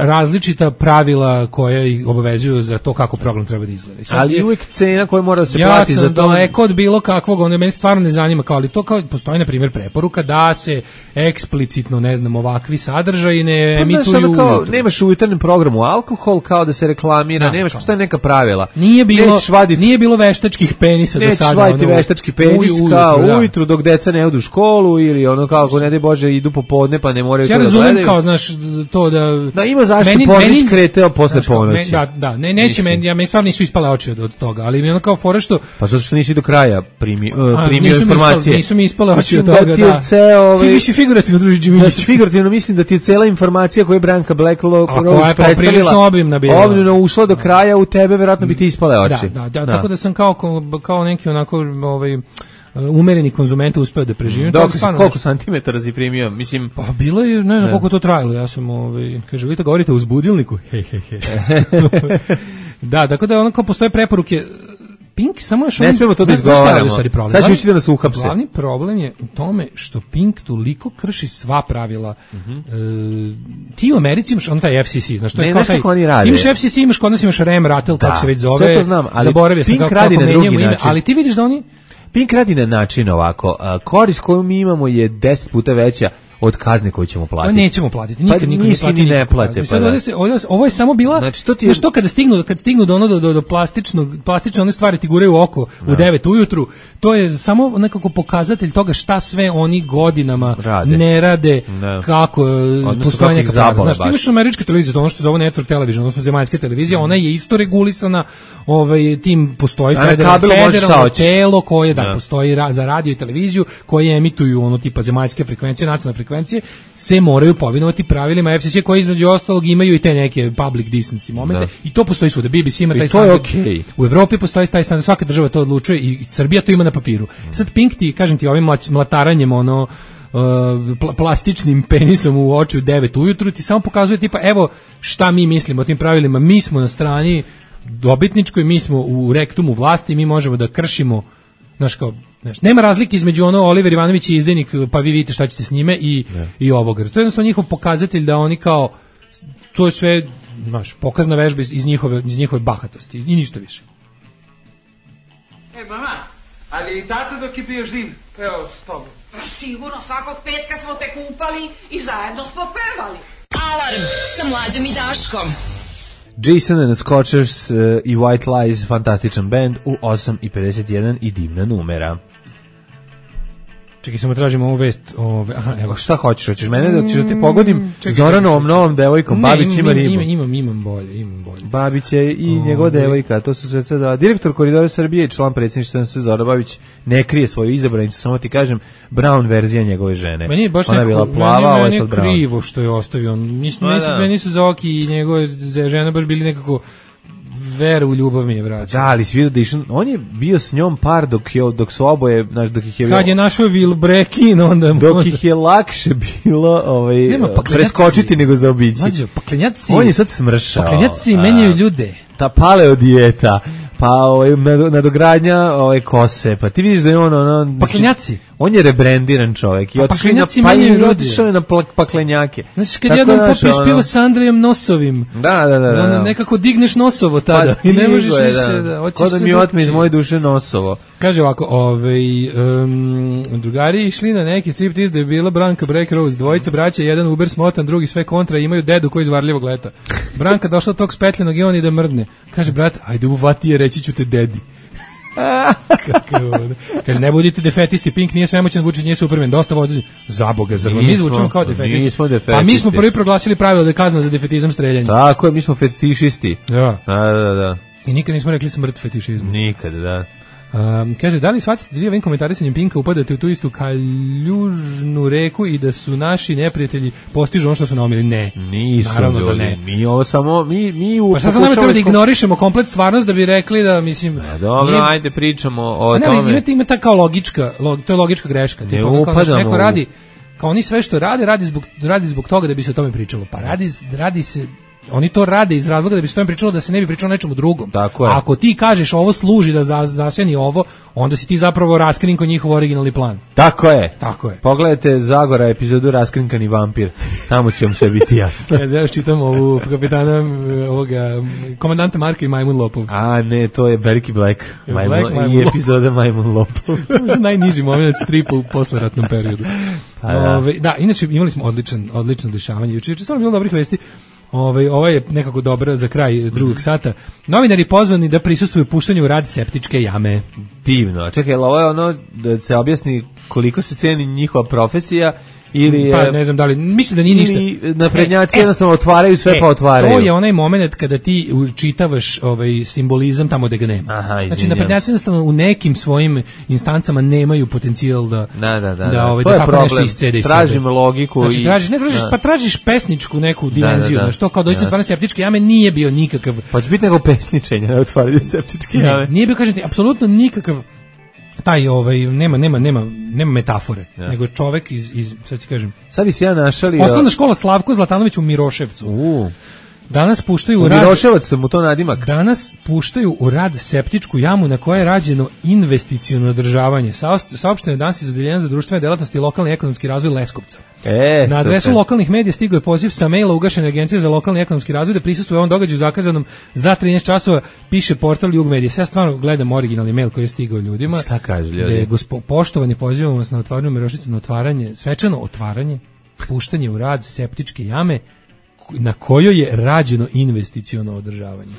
različita pravila koja ih obavezuju za to kako program treba da izgleda. Ali je uvijek cena koja mora da se ja plati za to. Ja sam daleko od bilo kakvog, ono meni stvarno ne zanima kao, ali to kao postoji na primjer preporuka da se eksplicitno, ne znam, ovakvi sadržaji ne pa, emituju. Znaš, kao, ujutru. Nemaš u jutarnjem programu alkohol kao da se reklamira, da, nemaš, postoje neka pravila. Nije bilo, vadit, nije bilo veštačkih penisa do sada. Nećeš vaditi ono, veštački penis uj, kao ujutru, da. ujutru dok deca ne odu u školu ili ono kao ako ne daj Bože idu popodne pa ne moraju to da gledaju. Ja razumem kao, znaš, to da... Da ima zašto Pornić kreteo posle ponoći. Da, da, ne, neće meni, ja, meni stvarno nisu ispale oči od, od toga, ali mi ono kao fore što... Pa zato što nisi do kraja primi, uh, primio informacije. Nisu mi ispale oči od toga, da. Ceo, ovaj, ti misli figurativno, druži Đimić. Da, figurativno mislim da ti je cela informacija koju je Branka Black Rose predstavila, obimna bila. Obimno ušla do kraja u tebe, verovatno bi ti ispale oči. Da, da, da, da. Tako da sam kao, kao neki onako... Ovaj, umereni konzument uspeo da preživim. Dok si koliko santimetara si primio? Mislim, pa bilo je, ne znam koliko to trajalo. Ja sam, ovaj, kaže, vi to govorite u uzbudilniku? He, he, he. Da, tako da onako postoje preporuke Pink samo još... Ne smemo to da izgovaramo. Sad ću ući da nas uhapse. Glavni problem je u tome što Pink toliko krši sva pravila. Mm-hmm. E, ti u Americi imaš on taj F C C, znaš, to je ne, kao taj... Oni rade. Imaš F C C, imaš kod nas imaš Rem Rattle, kako se već zove. Sve to znam, ali zaboravio Pink sam kako, radi kako na drugi ime, način. ali ti vidiš da oni... Pink radi na način ovako, korist koju mi imamo je deset puta veća od kazne koju ćemo platiti. Pa nećemo platiti, nikad pa niko ne plati. Ni ne plate, pa da. Se, ovo, ovo je samo bila, znači, to ti je... znaš, to kada stignu, kad stignu do, ono, do, do, do plastičnog, plastične one stvari ti guraju u oko da. u devet ujutru, to je samo nekako pokazatelj toga šta sve oni godinama rade. ne rade, da. kako odnosno postoje neka pravila. Znaš, ti imaš američke televizije, ono što zove network television, odnosno zemaljska televizija, mm. ona je isto regulisana, ovaj, tim postoji federal, federalno telo koje da, da. postoji ra, za radio i televiziju, koje emituju ono tipa zemaljske frekvencije, nacionalne frekvencije, se moraju povinovati pravilima F C C koji između ostalog imaju i te neke public decency momente da. I to postoji svuda. B B C ima taj standard. Okay. U Evropi postoji taj standard, svaka država to odlučuje i Srbija to ima na papiru. Mm. Sad Pink ti, kažem ti, ovim mlataranjem ono uh, pl- plastičnim penisom u oči u devet ujutru ti samo pokazuje tipa evo šta mi mislimo o tim pravilima. Mi smo na strani dobitničkoj, mi smo u rektumu vlasti, mi možemo da kršimo, znaš kao, znaš, nema razlike između ono Oliver Ivanović i izdajnik, pa vi vidite šta ćete s njime i, ne. i ovoga. To je jednostavno njihov pokazatelj da oni kao, to je sve, znaš, pokazna vežba iz, iz, njihove, iz njihove bahatosti i ništa više. E, mama, ali i tata dok je bio živ, peo s tobom. Sigurno, svakog petka smo te kupali i zajedno smo pevali. Alarm sa Mlađom i Daškom. Jason and the Scotchers uh, i White Lies, fantastičan band u osam i pedeset jedan i divna numera. Čekaj, samo tražimo ovu vest. Ove, aha, evo. Šta hoćeš? Hoćeš mene da ćeš da ti pogodim Zoranovom novom devojkom? Ne, Babić ima ribu. Imam, imam, imam bolje, imam bolje. Babić je i Ove. njegova devojka, to su sve sada. Direktor Koridora Srbije i član predsjedništva S Zoran Babić ne krije svoju izabranicu, samo ti kažem, Brown verzija njegove žene. Meni je baš Ona neko, bila plava, meni, ovo je sad Brown. Krivo što je ostavio. Mislim, no, da. Meni su Zoki i njegove žene baš bili nekako veru u ljubav mi je vraćao. Da, ali svi da išao, on je bio s njom par dok je dok su oboje, znaš, dok ih je kad je našao Vilbrekin, onda dok onda... ih je lakše bilo, ovaj Nema, preskočiti nego zaobići. Mađo, paklenjaci. On je sad smršao. Paklenjaci menjaju ljude. Ta paleo dijeta, pa ovaj nadogradnja ovaj kose, pa ti vidiš da je on ono paklenjaci. On je rebrendiran čovjek i pa otišao na pa i otišao je na paklenjake. Znači kad jednom popiješ ono... pivo s Andrejom Nosovim. Da, da, da, da. Ono, nekako digneš Nosovo tada pa, i ne možeš više da. da hoćeš. Ko da mi otme iz moje duše Nosovo. Kaže ovako, ovaj um, drugari išli na neki striptiz da je bila Branka Break Rose, dvojica braća, jedan Uber smotan, drugi sve kontra, imaju dedu koji iz Varljevog leta. Branka došla tog spetljenog i on i da mrdne. Kaže brat, ajde uvati je, reći ću te dedi. Kaže, ne budite defetisti, Pink nije svemoćan, Vučić nije Superman, dosta vozi za Boga, zar mi zvučimo kao defetisti? Nismo defetisti. Pa mi smo prvi proglasili pravilo da je kazna za defetizam streljanje. Tako je, mi smo fetišisti. Da. Da, da, da. I nikad nismo rekli smrt fetišizmu. Nikad, da. Um, kaže, da li shvatite da vi ovim komentarisanjem Pinka upadate u tu istu kaljužnu reku i da su naši neprijatelji postižu ono što su naumili? Ne. Nisu, naravno ljudi, da ne. Mi ovo samo, mi, mi u... Pa sad sam nam treba da ignorišemo komplet stvarnost da bi rekli da, mislim... A dobro, nije... ajde pričamo o ne, tome. Ima, ima ta kao logička, log, to je logička greška. Ne tipa, upadamo. Neko radi, kao oni sve što rade, radi zbog, radi zbog toga da bi se o tome pričalo. Pa radi, radi se... Oni to rade iz razloga da bi se tome pričalo da se ne bi pričalo nečemu drugom. Tako je. A ako ti kažeš ovo služi da za, zaseni ovo, onda si ti zapravo raskrinko njihov originalni plan. Tako je. Tako je. Pogledajte Zagora epizodu Raskrinkani vampir. Tamo će vam sve biti jasno. Ja zajedno čitam ovu kapitana ovoga, komandanta Marka i Majmun Lopov. A ne, to je Berky Black. Majmun, Black Majmun i epizoda Majmun Lopov. Najniži moment stripa u posleratnom periodu. Pa da. Ove, da, inače imali smo odličan, odlično dešavanje. Juče je stvarno bilo dobrih vesti. Ovaj ovaj je nekako dobra za kraj drugog sata. Novinari pozvani da prisustvuju puštanju u rad septičke jame. Divno. Čekaj, ovo je ono da se objasni koliko se ceni njihova profesija ili pa ne znam da li mislim da nije ništa. Naprednjaci e, jednostavno otvaraju sve e, pa otvaraju. To je onaj momenat kada ti učitavaš ovaj simbolizam tamo gde ga nema. Aha, znači naprednjaci jednostavno u nekim svojim instancama nemaju potencijal da da da da. da ovaj to da je tako problem. Nešto iscede iz Tražimo logiku znači, i tražiš, ne tražiš, da. Pa tražiš pesničku neku dimenziju, da, da, da. što kao doista otvaranje septičke jame nije bio nikakav. Pa će biti nego pesničenje na otvaranju septičke ne, jame. Nije bio, kažem ti, apsolutno nikakav taj ovaj nema nema nema nema metafore, ja. Nego čovek iz iz sad ti kažem. Sad bi se ja našalio. Osnovna škola Slavko Zlatanović u Miroševcu. U. Danas puštaju u rad... Miloševac sam mu to nadimak. Danas puštaju u rad septičku jamu na kojoj je rađeno investiciono održavanje. Saopšteno je danas iz Odeljenja za društvene delatnosti i lokalni ekonomski razvoj Leskovca. E, na adresu super. lokalnih medija stigao je poziv sa maila ugašene agencije za lokalni ekonomski razvoj da prisustvuje ovom događaju zakazanom za trinaest časova, piše portal Jug Medija. Ja stvarno gledam originalni mail koji je stigao ljudima. Šta kaže ljudi? Da je gospo, poštovani, pozivamo vas na otvaranje Mirošicu, na otvaranje, svečano otvaranje, puštanje u rad septičke jame na kojoj je rađeno investiciono održavanje.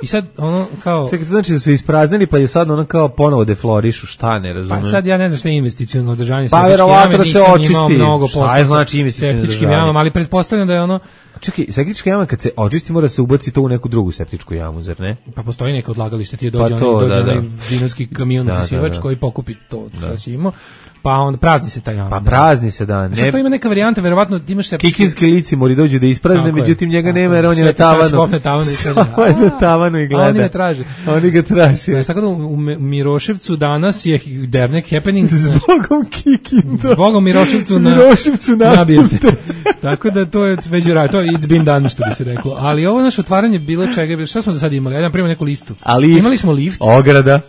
I sad ono kao... Čekaj, to znači da su ispraznili pa je sad ono kao ponovo deflorišu, šta ne razumem? Pa sad ja ne znam šta je investiciono održavanje pa, septičke jame, da nisam očisti. Imao mnogo posla. Šta je znači investiciono septičkim jamama, ali pretpostavljam da je ono... Čekaj, septička jama kad se očisti mora se ubaci to u neku drugu septičku jamu, zar ne? Pa postoji neko odlagalište, ti je dođe, pa to, onaj, dođe da, onaj da. džinovski kamion da, zasivač da, da. koji pokupi to što si imao, pa onda prazni se ta jama. Pa prazni se, da. Ne... Sad to ima neka varijanta, verovatno ti imaš septički... Kikinski lici mori dođu da isprazne, međutim njega nema jer on je na tavanu. Na tavanu i kaže, a, na tavanu i gleda. A oni me traže. Oni ga traže. Znaš, tako da u Miroševcu danas je Dernek happening. Zbogom Kikinda. Zbogom Miroševcu na... Miroševcu nabijete. Tako da to je već rad, to je it's been done, što bi se reklo. Ali ovo naše otvaranje bilo čega, šta smo za sad imali? Ja nam primam neku listu. Imali smo lift. Ograda.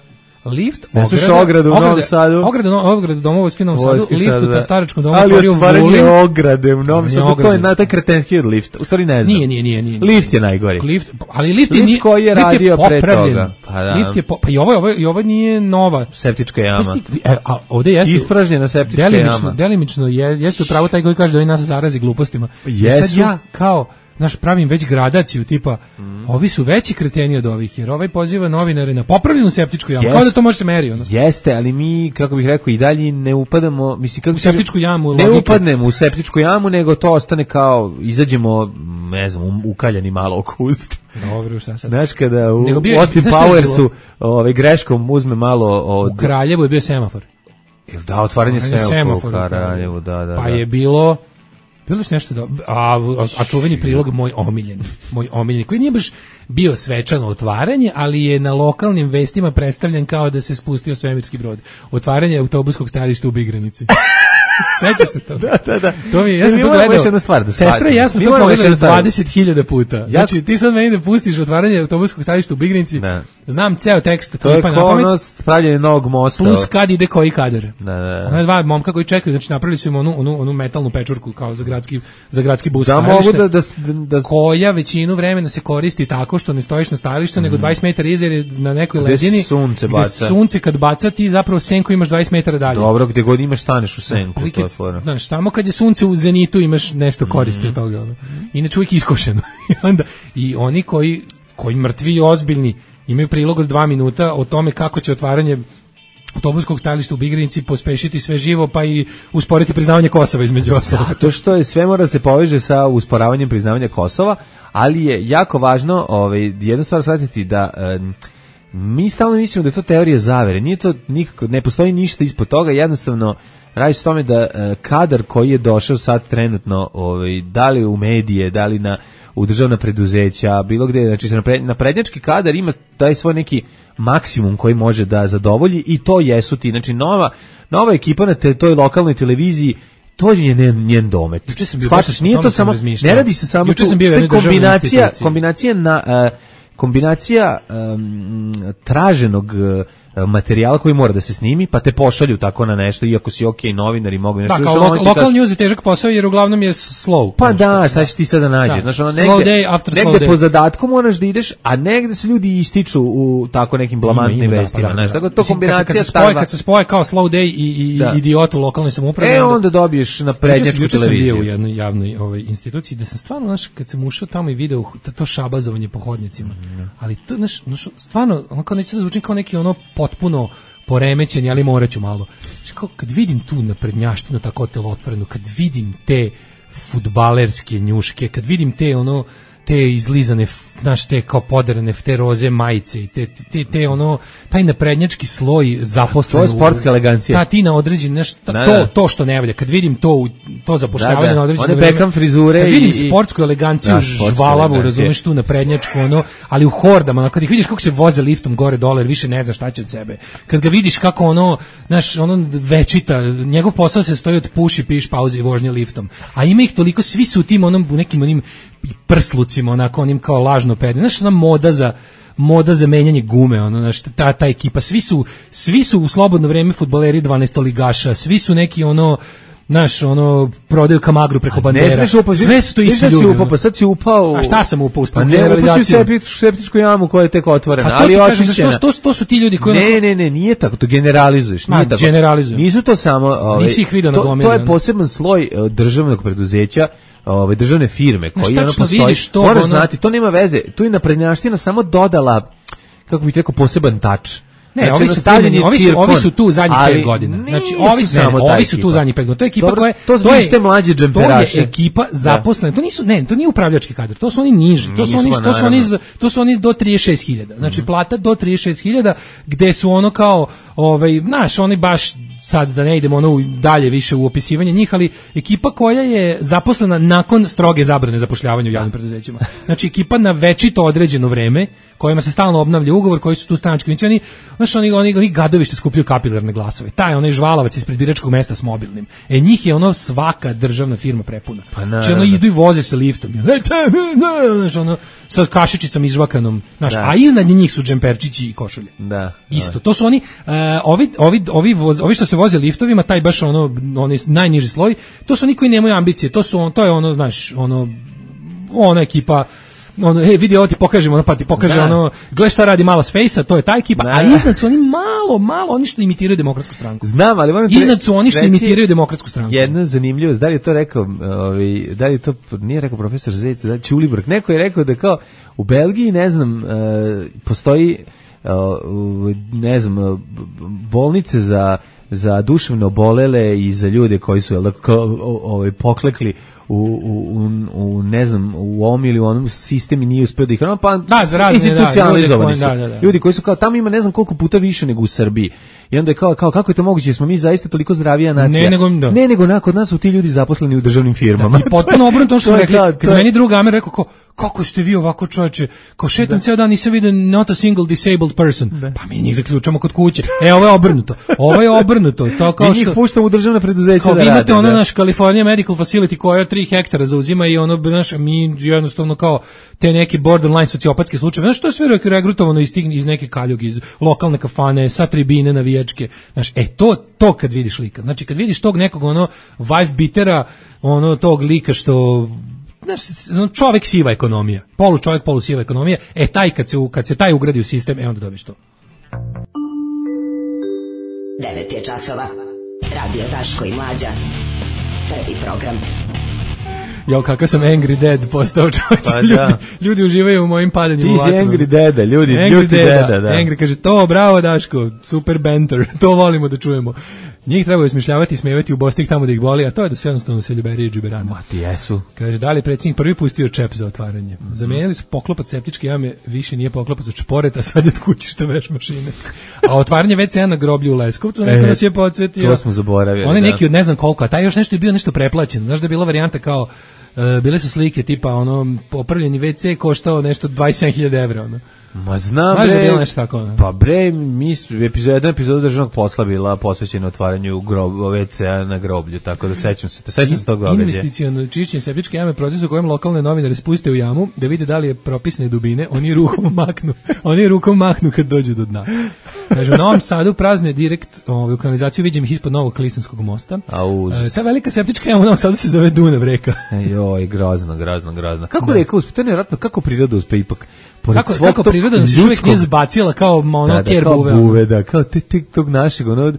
Lift, ne sluša ogradu u Novom Sadu. Ograda, ograda domovojske u Novom Sadu, lift u ta staračkom domu ali otvorio otvaranje Vulin. ograde u Novom Sadu, to je na taj kretenski od lifta. U stvari ne znam. Nije, nije, nije, nije. Lift je najgori. Lift, ali lift, lift je koji je radio pre toga. Pa da. Lift je po, pa i ovo, ovo, i ovo nije nova septička jama. E, a ovde jeste ispražnjena septička delimično, jama. Delimično je, jeste upravo taj koji kaže da oni nas zarazi glupostima. Jesu. Sad ja kao naš pravim već gradaciju tipa mm. ovi su veći kreteni od ovih jer ovaj poziva novinare na popravljenu septičku jamu. Jest, kao da to može se meri ono. Jeste, ali mi kako bih rekao i dalje ne upadamo, mislim kako u septičku jamu. Ne logike. upadnemo u septičku jamu, nego to ostane kao izađemo, ne znam, ukaljani malo oko usta. Dobro, šta sad? Znaš kada u bio, Austin Powersu ovaj greškom uzme malo od u Kraljevu je bio semafor. Jel da, otvaranje semafora u Kraljevu, da, da. Pa da. je bilo Bilo je nešto da, a, a čuveni prilog moj omiljeni, moj omiljeni, koji nije baš bio svečano otvaranje, ali je na lokalnim vestima predstavljen kao da se spustio svemirski brod. Otvaranje autobuskog stajališta u Bigranici. Sećaš se to? Da, da, da. To mi je, ja sam to gledao. Stvar, da Sestra i ja smo to pogledali dvadeset hiljada puta. Znači, ti sad meni da pustiš otvaranje autobuskog stajališta u Bigranici, ne. Znam ceo tekst. To je kao pravljenje novog mosta. Plus kad ide koji kadar. Da, da. Ona dva momka koji čekaju, znači napravili su im onu, onu, onu metalnu pečurku kao za gradski, za gradski bus. Da mogu da, da, da... Koja većinu vremena se koristi tako što ne stojiš na stajalištu, mm. nego dvadeset metara iza jer je na nekoj ledini. Sunce baca. Sunce kad baca ti zapravo senku imaš dvadeset metara dalje. Dobro, gde god imaš staneš u senku. To je znaš, samo kad je sunce u zenitu imaš nešto koristi mm. od toga. Ono. Inače uvijek iskošeno. I onda i oni koji, koji mrtvi i ozbiljni imaju prilog od dva minuta o tome kako će otvaranje autobuskog stajališta u Bigranici pospešiti sve živo pa i usporiti priznavanje Kosova između ostalog. Zato što je sve mora se poveže sa usporavanjem priznavanja Kosova, ali je jako važno ovaj, jednu stvar shvatiti da um, mi stalno mislimo da je to teorija zavere. Nije to nikako, ne postoji ništa ispod toga, jednostavno radi se tome da uh, kadar koji je došao sad trenutno, ovaj, da li u medije, da li na, u državna preduzeća, bilo gde, znači se naprednjački kadar ima taj svoj neki maksimum koji može da zadovolji i to jesu ti, znači nova, nova ekipa na te, toj lokalnoj televiziji, to je njen, njen domet. Shvataš, nije to samo, ne radi se samo tu, to je kombinacija, kombinacija na, uh, kombinacija um, traženog uh, materijala koji mora da se snimi, pa te pošalju tako na nešto, iako si okej okay, novinar i mogu nešto. Da, kao lo lokal kaži... news je težak posao jer uglavnom je slow. Pa da, šta ćeš ti sada nađeš? Da. Znači, ono, negde, slow day after negde slow day. Po zadatku moraš da ideš, a negde se ljudi ističu u tako nekim blamantnim vestima. Da, pa da, da. Tako da to Mislim, kombinacija kad se, spoje, kad se spoje kao slow day i, i da. idiot u lokalnoj samoupravi. E, onda dobiješ na prednjačku televiziju. Juče sam bio u jednoj javnoj ovaj, instituciji da sam stvarno, znaš, kad sam ušao tamo i video to šabazovanje po hodnicima. Mm. Ali to, znaš, stvarno, ono kao neće da zvuči kao neki ono potpuno poremećeni, ali moraću malo. Kao kad vidim tu naprednjaštinu tako telotvorenu, kad vidim te fudbalerske njuške, kad vidim te ono te izlizane znaš, te kao poderane, te roze majice i te, te, te ono, taj naprednjački sloj zaposlen. To je sportska elegancija. Ta, ti na određen, znaš, ta, da, to, da. to što ne valja, kad vidim to, to zapošljavanje da, da. na određeno One vreme. Beckham frizure kad vidim i, sportsku eleganciju, da, sportska žvalavu, elegancija. razumeš tu naprednjačku, ono, ali u hordama, ono, kad ih vidiš kako se voze liftom gore dole, više ne znaš šta će od sebe. Kad ga vidiš kako ono, znaš, ono večita, njegov posao se stoji od puši, piš, pauze i vožnje liftom. A ima ih toliko, svi su u tim onom, u nekim onim prslucima, onako, onim kao lažno pedi. Znaš, ona moda za moda za menjanje gume, ono, znaš, ta, ta ekipa, svi su, svi su u slobodno vreme fudbaleri dvanaestoligaša, svi su neki, ono, znaš, ono, prodaju kamagru preko bandera. Upao, sve su to isti ljudi. Upao, pa sad si upao... A šta sam upao? Pa ne, upao si u septičku, septičku jamu koja je tek otvorena, pa to ali očišćena. To, to, to su ti ljudi koji... Ne, ne, ne, nije tako, to generalizuješ. Ma, nije tako. generalizujem. Nisu to samo... Ove, Nisi ih vidio na gomili. To je poseban sloj državnog preduzeća, ove državne firme koji ono postoji. To, moraš ono... znati, to nema veze. Tu je naprednjaština samo dodala, kako bih rekao, poseban tač. Ne, znači, ovi, su primjeni, ovi, su, ovi su tu zadnjih pet godina. Znači, ovi, ne, ne, ovi su tu zadnjih pet godina. To je ekipa Dobro, koja je... To, to, je, mlađe to je ekipa zaposlena. To nisu, ne, to nije upravljački kadar. To su oni niži. To su oni, to su oni, to su oni do trideset šest hiljada. Znači, mm-hmm. plata do trideset šest hiljada, gde su ono kao, ovaj, znaš, oni baš sad da ne idemo ono dalje više u opisivanje njih, ali ekipa koja je zaposlena nakon stroge zabrane zapošljavanja u javnim preduzećima. Znači ekipa na večito određeno vreme, kojima se stalno obnavlja ugovor, koji su tu stranački oni, znači oni oni, oni gadovi što skupljaju kapilarne glasove. Taj onaj žvalavac ispred biračkog mesta s mobilnim. E njih je ono svaka državna firma prepuna. Pa znači ono idu i voze se liftom. Znači ono sa kašičicom izžvakanom, znači, a iznad njih su džemperčići i košulje. Da. Isto. To su oni uh, ovi ovi ovi voz, ovi što se voze liftovima, taj baš ono onaj najniži sloj, to su oni koji nemaju ambicije, to su on, to je ono, znaš, ono ona ekipa, ono, ej, vidi, ovo ti pokažemo, ono, pa ti pokaže da. Ono, gledaj šta radi malo s Fejsa, to je ta ekipa, da. A iznad su oni malo, malo, oni što imitiraju Demokratsku stranku. Znam, ali moram iznad su oni što imitiraju Demokratsku stranku. Jedno zanimljivost, da li je to rekao, ovaj, da li je to, nije rekao profesor Zec, da Ćulibrk, neko je rekao da kao u Belgiji, ne znam, uh, postoji, uh, ne znam, bolnice za za duševno obolele i za ljude koji su jel, kao, ovaj, poklekli u, u, u, ne znam, u ovom ili u onom sistemi nije uspio da ih... Pa, da, za razne, institucionalizovani da, su. Da, da, da. Ljudi koji su kao, tamo ima ne znam koliko puta više nego u Srbiji. I onda je kao, kao kako je to moguće, smo mi zaista toliko zdravija nacija. Ne, nego, da. ne, nego nakon nas su ti ljudi zaposleni u državnim firmama. Da, i potpuno obrnuto što su rekli. Da, kad meni druga Amer rekao, kao, kako ste vi ovako čoveče, kao šetam ceo dan, nisam vidio not a single disabled person. Da. Pa mi njih zaključamo kod kuće. E, ovo je obrnuto. Ovo je obrnuto. To kao mi njih što, puštamo u državna preduzeća da rade. Vi imate ono da. naš California Medical Facility koja tri hektara zauzima i ono, naš, mi jednostavno kao te neki borderline sociopatske slučajeve. Znaš, to je sve regrutovano iz, iz neke kaljuge, iz lokalne kafane, sa tribine navijačke. Znaš, e, to, to kad vidiš lika. Znači, kad vidiš tog nekog, ono, wife beatera, ono, tog lika što... Znaš, čovjek siva ekonomija, polu čovjek, polu siva ekonomija, e taj kad se, kad se taj ugradi u sistem, e onda dobiš to. devet je časova, Radio Daško i Mlađa, prvi program. Jo, kakav sam Angry Dad postao čovječ, pa ljudi, ljudi uživaju u mojim padanjima. Ti si Angry Dada, ljudi, Angry ljuti deda, deda, da. Angry kaže, to, bravo Daško, super banter, to volimo da čujemo. Njih treba smišljavati i smijevati u Bostik tamo da ih boli, a to je da su jednostavno seljuberije i džiberane. Ma ti jesu. Kaže, da li predsjednik prvi pustio čep za otvaranje? Mm-hmm. Zamenili su poklopac septičke jame, više nije poklopac od šporeta, sad je od kuće šta veš mašine. A otvaranje ve ce a na groblju u Leskovcu, neko e, nas je podsjetio. To smo zaboravili. On je neki da. od ne znam koliko, a taj još nešto je bio nešto preplaćen. Znaš da je bila varijanta kao, uh, bile su slike tipa, ono, popravljeni ve ce koštao nešto dvadeset sedam hiljada evra, ono. Ma znam, Znaš bre, da je bilo nešto tako, ne? Pa bre, mi epizod, jedna epizoda državnog posla bila posvećena otvaranju grob, ve ce a na groblju, tako da sećam se, da sećam se tog događaja. Investiciono čišćenje septičke jame, proces u kojem lokalne novinare spuste u jamu da vide da li je propisne dubine, oni rukom maknu, oni rukom maknu kad dođu do dna. Kaže, u Novom Sadu prazne direkt ovaj, u kanalizaciju, vidim ih ispod Novog Klisanskog mosta. A uz... e, ta velika septička jama u Novom Sadu se zove Dunav reka. Joj, grozno, grozno, grozno. Kako reka uspe? To je nevjerojatno, kako priroda uspe ipak? Kako, kako priroda se još uvijek nije zbacila kao ono da, da, ker kao buve. buve, da, kao te, te, tog našeg, ono,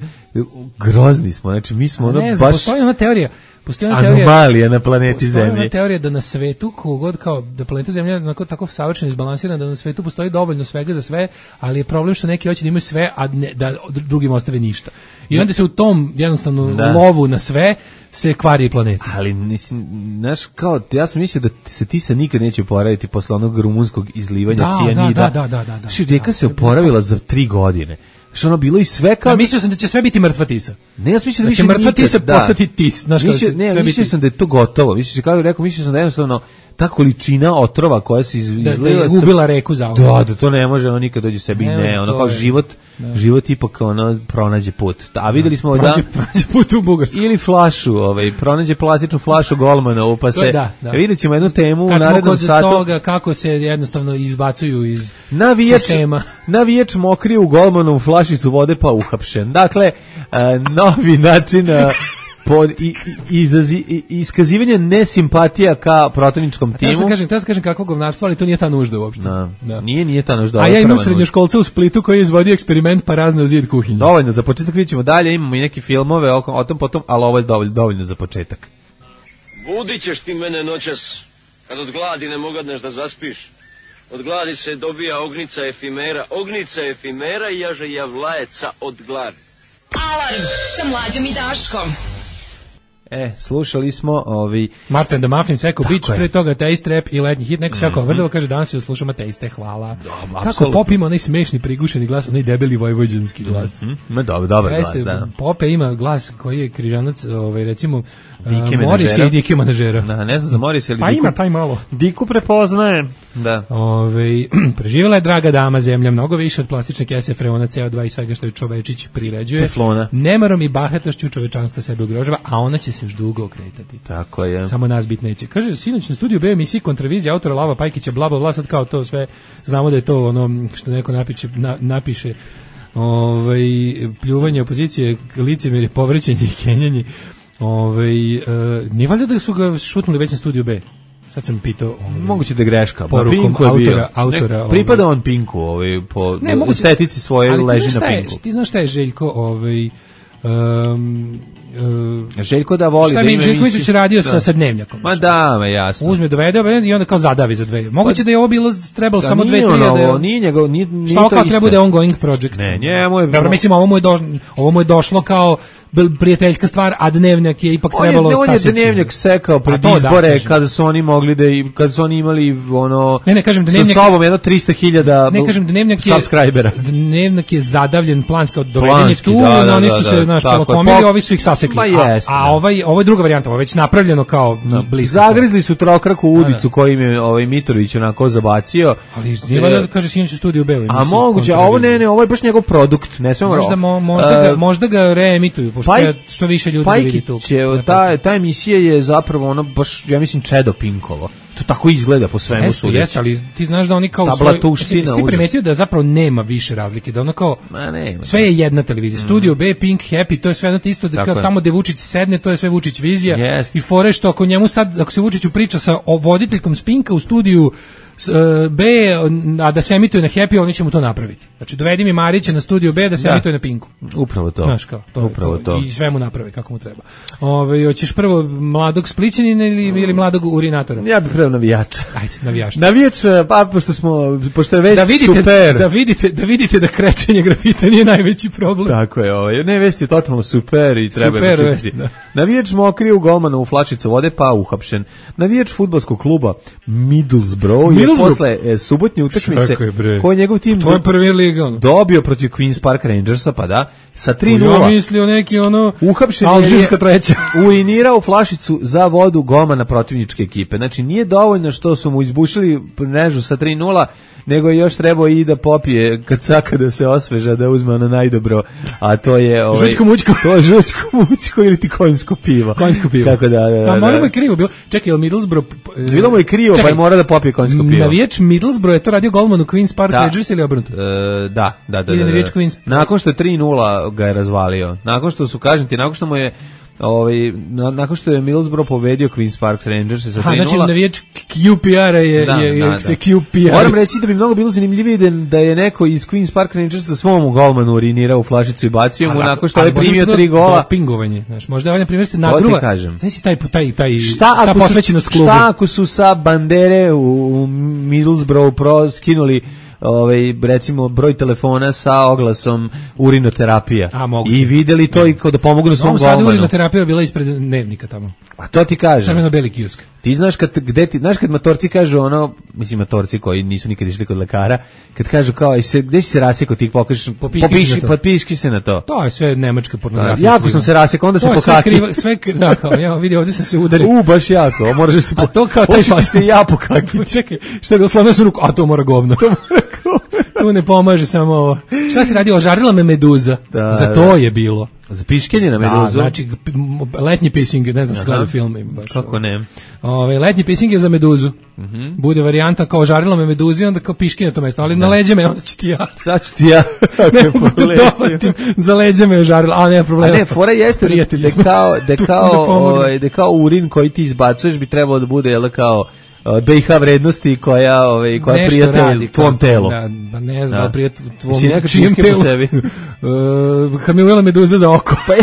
grozni smo, znači mi smo ono ne znam, baš postoji ona teorija, postoji ona teorija, anomalija na planeti postoji ona Zemlji. teorija da na svetu, kogod kao da planeta Zemlja je onako tako savršeno izbalansirana, da na svetu postoji dovoljno svega za sve, ali je problem što neki hoće da imaju sve, a ne, da drugim ostave ništa. I onda se u tom jednostavno Da. lovu na sve se kvari planeta. Ali mislim, znaš, kao, ja sam mislio da se ti se nikad neće oporaviti posle onog rumunskog izlivanja Da, cijanida. da, da, da, da, da. Znači, rijeka Da, se to je bilo oporavila za tri godine. Što ono bilo i sve kao... Ja mislio sam da će sve biti mrtva tisa. Ne, ja sam mislio da, Da više će mrtva nikad, tisa da. postati tis. Znaš, kao Mislio, da će ne, sve mislio biti- sam da je to gotovo. Mislio sam, kako bih rekao, mislio sam da jednostavno ta količina otrova koja se iz, Da- da je izlila sa- ubila reku zauvek. Da, da to ne može, ono nikad dođe sebi, Ne ne, može, ono to kao je- život, da. život ipak ono pronađe put. A videli smo da... Prođe, prođe put u Bugarsku. Ili flašu, ovaj, pronađe plastičnu flašu Golmanovu, pa To se... je da, da. Vidjet ćemo jednu temu u Kad smo narednom kod satu. toga kako se jednostavno izbacuju iz Navijač, sistema. navijač mokrio u golmanovu flašicu vode pa uhapšen. Dakle, a, novi način a, pod, i, i, izazi, i, iskazivanje nesimpatija ka protivničkom Ja timu. sam kažem, ja sam kažem kakvo govnarstvo, ali to nije ta nužda uopšte. Da. Da. Nije, nije ta nužda. A ovo je ja imam prva nužda. srednjoškolca u Splitu koji je izvodio eksperiment pa razne u zid kuhinje. Dovoljno, za početak vidjet ćemo dalje, imamo i neke filmove o, o tom potom, ali ovo je dovoljno, dovoljno za početak. Budit ćeš ti mene noćas, kad od gladi ne mogadneš da zaspiš. Od gladi se dobija ognica efimera, ognica efimera i jaže javlajeca od gladi. Alarm sa Mlađom i Daškom. E, slušali smo ovi... Martin the Muffins, Eko Tako Beach, je. pre toga Taste Rap i letnji hit, neko se jako vrdovo kaže danas joj slušamo Taste, hvala. Kako apsolutno. Pop ima onaj smešni prigušeni glas, onaj debeli vojvođanski glas. Hm, ma dobro, dobar glas, Jeste, da. Pope ima glas koji je križanac, ovaj, recimo, Dike uh, Morris menadžera. i Dike menadžera. Da, ne znam za Moris ili Pa Diku. ima taj malo. Diku prepoznaje. Da. Ove, preživjela je draga dama zemlja, mnogo više od plastične kese, freona, C O dva i svega što je čovečić priređuje. Teflona. Nemarom i bahatošću čovečanstva sebe ugrožava, a ona će se još dugo okretati. Tako je. Samo nas bit neće. Kaže, sinoć na studiju B emisiji kontravizija autora Lava Pajkića, bla, bla, bla, sad kao to sve, znamo da je to ono što neko napiše, na, napiše ovaj, pljuvanje opozicije, licemjerje, povrećenje i kenjanje. Ovaj, e, nije valjda da su ga šutnuli već na studiju B? Sad sam pitao... Ovaj, Moguće da je greška. Porukom Ma, Pinku je bio. autora- autora, Nek- pripada ovaj. on Pinku, ovaj, po Ne, moguće- estetici svoje ali ti leži znaš na šta je- Pinku. Ti znaš šta je Željko, ovaj, um, uh, Željko da voli šta da mi ima Željko emisiju- Mitrović radio Da. sa, sa dnevnjakom. Ma da, ma jasno. Uzme, dovede ovaj i onda kao zadavi za dve. Moguće da je ovo bilo trebalo Da, samo dve, nije tri, ono a da je- ovo, nije njegov, nije, nije Šta ovo to kao isto. treba bude ongoing project? Ne, njemu je... Dobro, mislim, ovo mu je, do, ovo mu je došlo kao bl- prijateljska stvar, a dnevnjak je ipak On je, trebalo on je saseći. dnevnjak sekao pred A to da, izbore, kažem. kada su oni mogli da, i- kada su oni imali ono, Ne, ne, kažem da sa dnevnjak- sobom jedno trista hiljada Ne kažem da dnevnjak je subscribera. dnevnjak je zadavljen planski od doveden je Planski, tu, da, da, oni da, su da, se naš tako je. polokomili, Pop- ovi su ih sasekli. Ma a, jeste, a da. ovaj ovo je druga varijanta, ovo je već napravljeno kao blisko. Zagrizli su trokraku u udicu Da, da. kojim je ovaj Mitrović onako zabacio. Ali nije da kaže sinoć u studiju B. A moguće, a ovo ne, ne, ovo je baš njegov produkt, ne smemo... Možda, mo, možda, ga, možda ga reemituju, pošto Paj- je što više ljudi da vidi tu. Pajkić je, ta, ta emisija je zapravo ono baš, ja mislim, Čedo Pinkovo. To tako izgleda po svemu Jeste, sudeći. jeste, ali ti znaš da oni kao Ta svoj... blatuština, Jesi ti užas. primetio da zapravo nema više razlike, da ono kao... Ma nema. Sve je jedna televizija. Studio B, Pink, Happy, to je sve jedno te isto, da Tako kao je. tamo gde Vučić sedne, to je sve Vučić vizija. Jest. I fore što ako njemu sad, ako se Vučiću priča sa o- voditeljkom s Pinka u studiju s, e, B, a da se emituje na Happy, oni će mu to napraviti. Znači, dovedi mi Marića na studiju B da se Da. emituje na Pinku. Upravo to. Znaš kao, to, je Upravo to. I sve mu naprave kako mu treba. Ove, hoćeš prvo mladog Splićanina ili, ili mladog urinatora? Ja bih preo navijača. Ajde, navijaš. Navijač, pa pošto smo, pošto je već Da vidite, super. da vidite, da vidite da krečenje grafita nije najveći problem. Tako je, ovaj. Ne, vest je totalno super i treba Super je vest, čuti. da. Navijač mokrio u golmana u flašicu vode, pa uhapšen. Navijač fudbalskog kluba Middlesbrough je Middlesbrough? posle e, subotnje utakmice Čekaj, bre. koji je njegov tim To je Premier Liga, ono. dobio protiv Queen's Park Rangersa, pa da, sa tri Ja nula. mislio neki ono Uhapšen je alžirska treća. urinirao flašicu za vodu golmana protivničke ekipe. Znači nije dovoljno što su mu izbušili mrežu sa tri nula, nego je još trebao i da popije kad saka da se osveža, da uzme ono najdobro, a to je ovaj Žućko mućko. to je žućko mućko ili ti konjsko pivo. Konjsko pivo. Tako da, da, da. A malo da. mu je krivo bilo. Čekaj, je li Middlesbrough... e, Bilo mu je krivo, čekaj, pa je mora da popije konjsko pivo. Navijač Middlesbrough je to radio golman u Queen's Park Da. Rangers ili obrnuto? E, da, da, da. Ili da, navijač da. Queen's- Nakon što je tri nula ga je razvalio. Nakon što su, kažem ti, nakon što mu je ovaj, na, nakon što je Middlesbrough pobedio Queen's Park Rangers sa tri nula. Znači, navijač Q P R-a je, da, je, da, se da. Q P R. Moram reći da bi mnogo bilo zanimljivije da, da je neko iz Queen's Park Rangers sa svom golmanu urinirao u flašicu i bacio mu nakon što je primio tri gola. Dopingovanje, znaš, možda ovaj, na primjer, se nagruva. Znači, taj, taj, taj, šta ta posvećenost klubu. Šta ako su sa bandere u, u Middlesbrough pro skinuli ovaj, recimo broj telefona sa oglasom urinoterapija. A, i videli to i kao da pomognu svom golmanu. Sad urinoterapija bila ispred Dnevnika tamo. A to ti kažem. Crveno-beli kiosk. Ti znaš kad, gde ti, znaš kad matorci kažu ono, mislim matorci koji nisu nikad išli kod lekara, kad kažu kao, i se, gde si se rasekao, ti pokažeš, popiši, popiši se na to. To je sve nemačka pornografija. Jako sam se rasekao, onda se pokaki. Sve, sve, da, kao, ja vidi, ovdje sam se udario. U, baš jako, moraš da se pokaki. A to kao taj pas. se ja pokaki. Čekaj, šta je bilo, slavno sam ruku, a to mora govno. To mora govno. Tu ne pomaže samo ovo. Šta si radio? Ožarila me meduza. Da, za to je bilo. Za piškenje na meduzu? Da, znači letnji pissing, ne znam, skladao film. Baš, kako ne? Ove, letnji pissing je za meduzu. Uh -huh. Bude varijanta kao ožarila me meduzi, onda kao piškenje na to mesto, ali da. Na leđe me, onda ću ti ja. Sad ću ti ja. Ne mogu dovatim, za leđe me ožarila, a nema problema. A ne, fora jeste da kao, da kao, ovaj, da kao urin koji ti izbacuješ bi trebalo da bude, jel, kao B i H vrednosti koja, ovaj, koja prijatelj tvom telu. Da, ba ne znam, da prijatelj tvom čijem telu. uh, kad mi uvela meduza za oko. Pa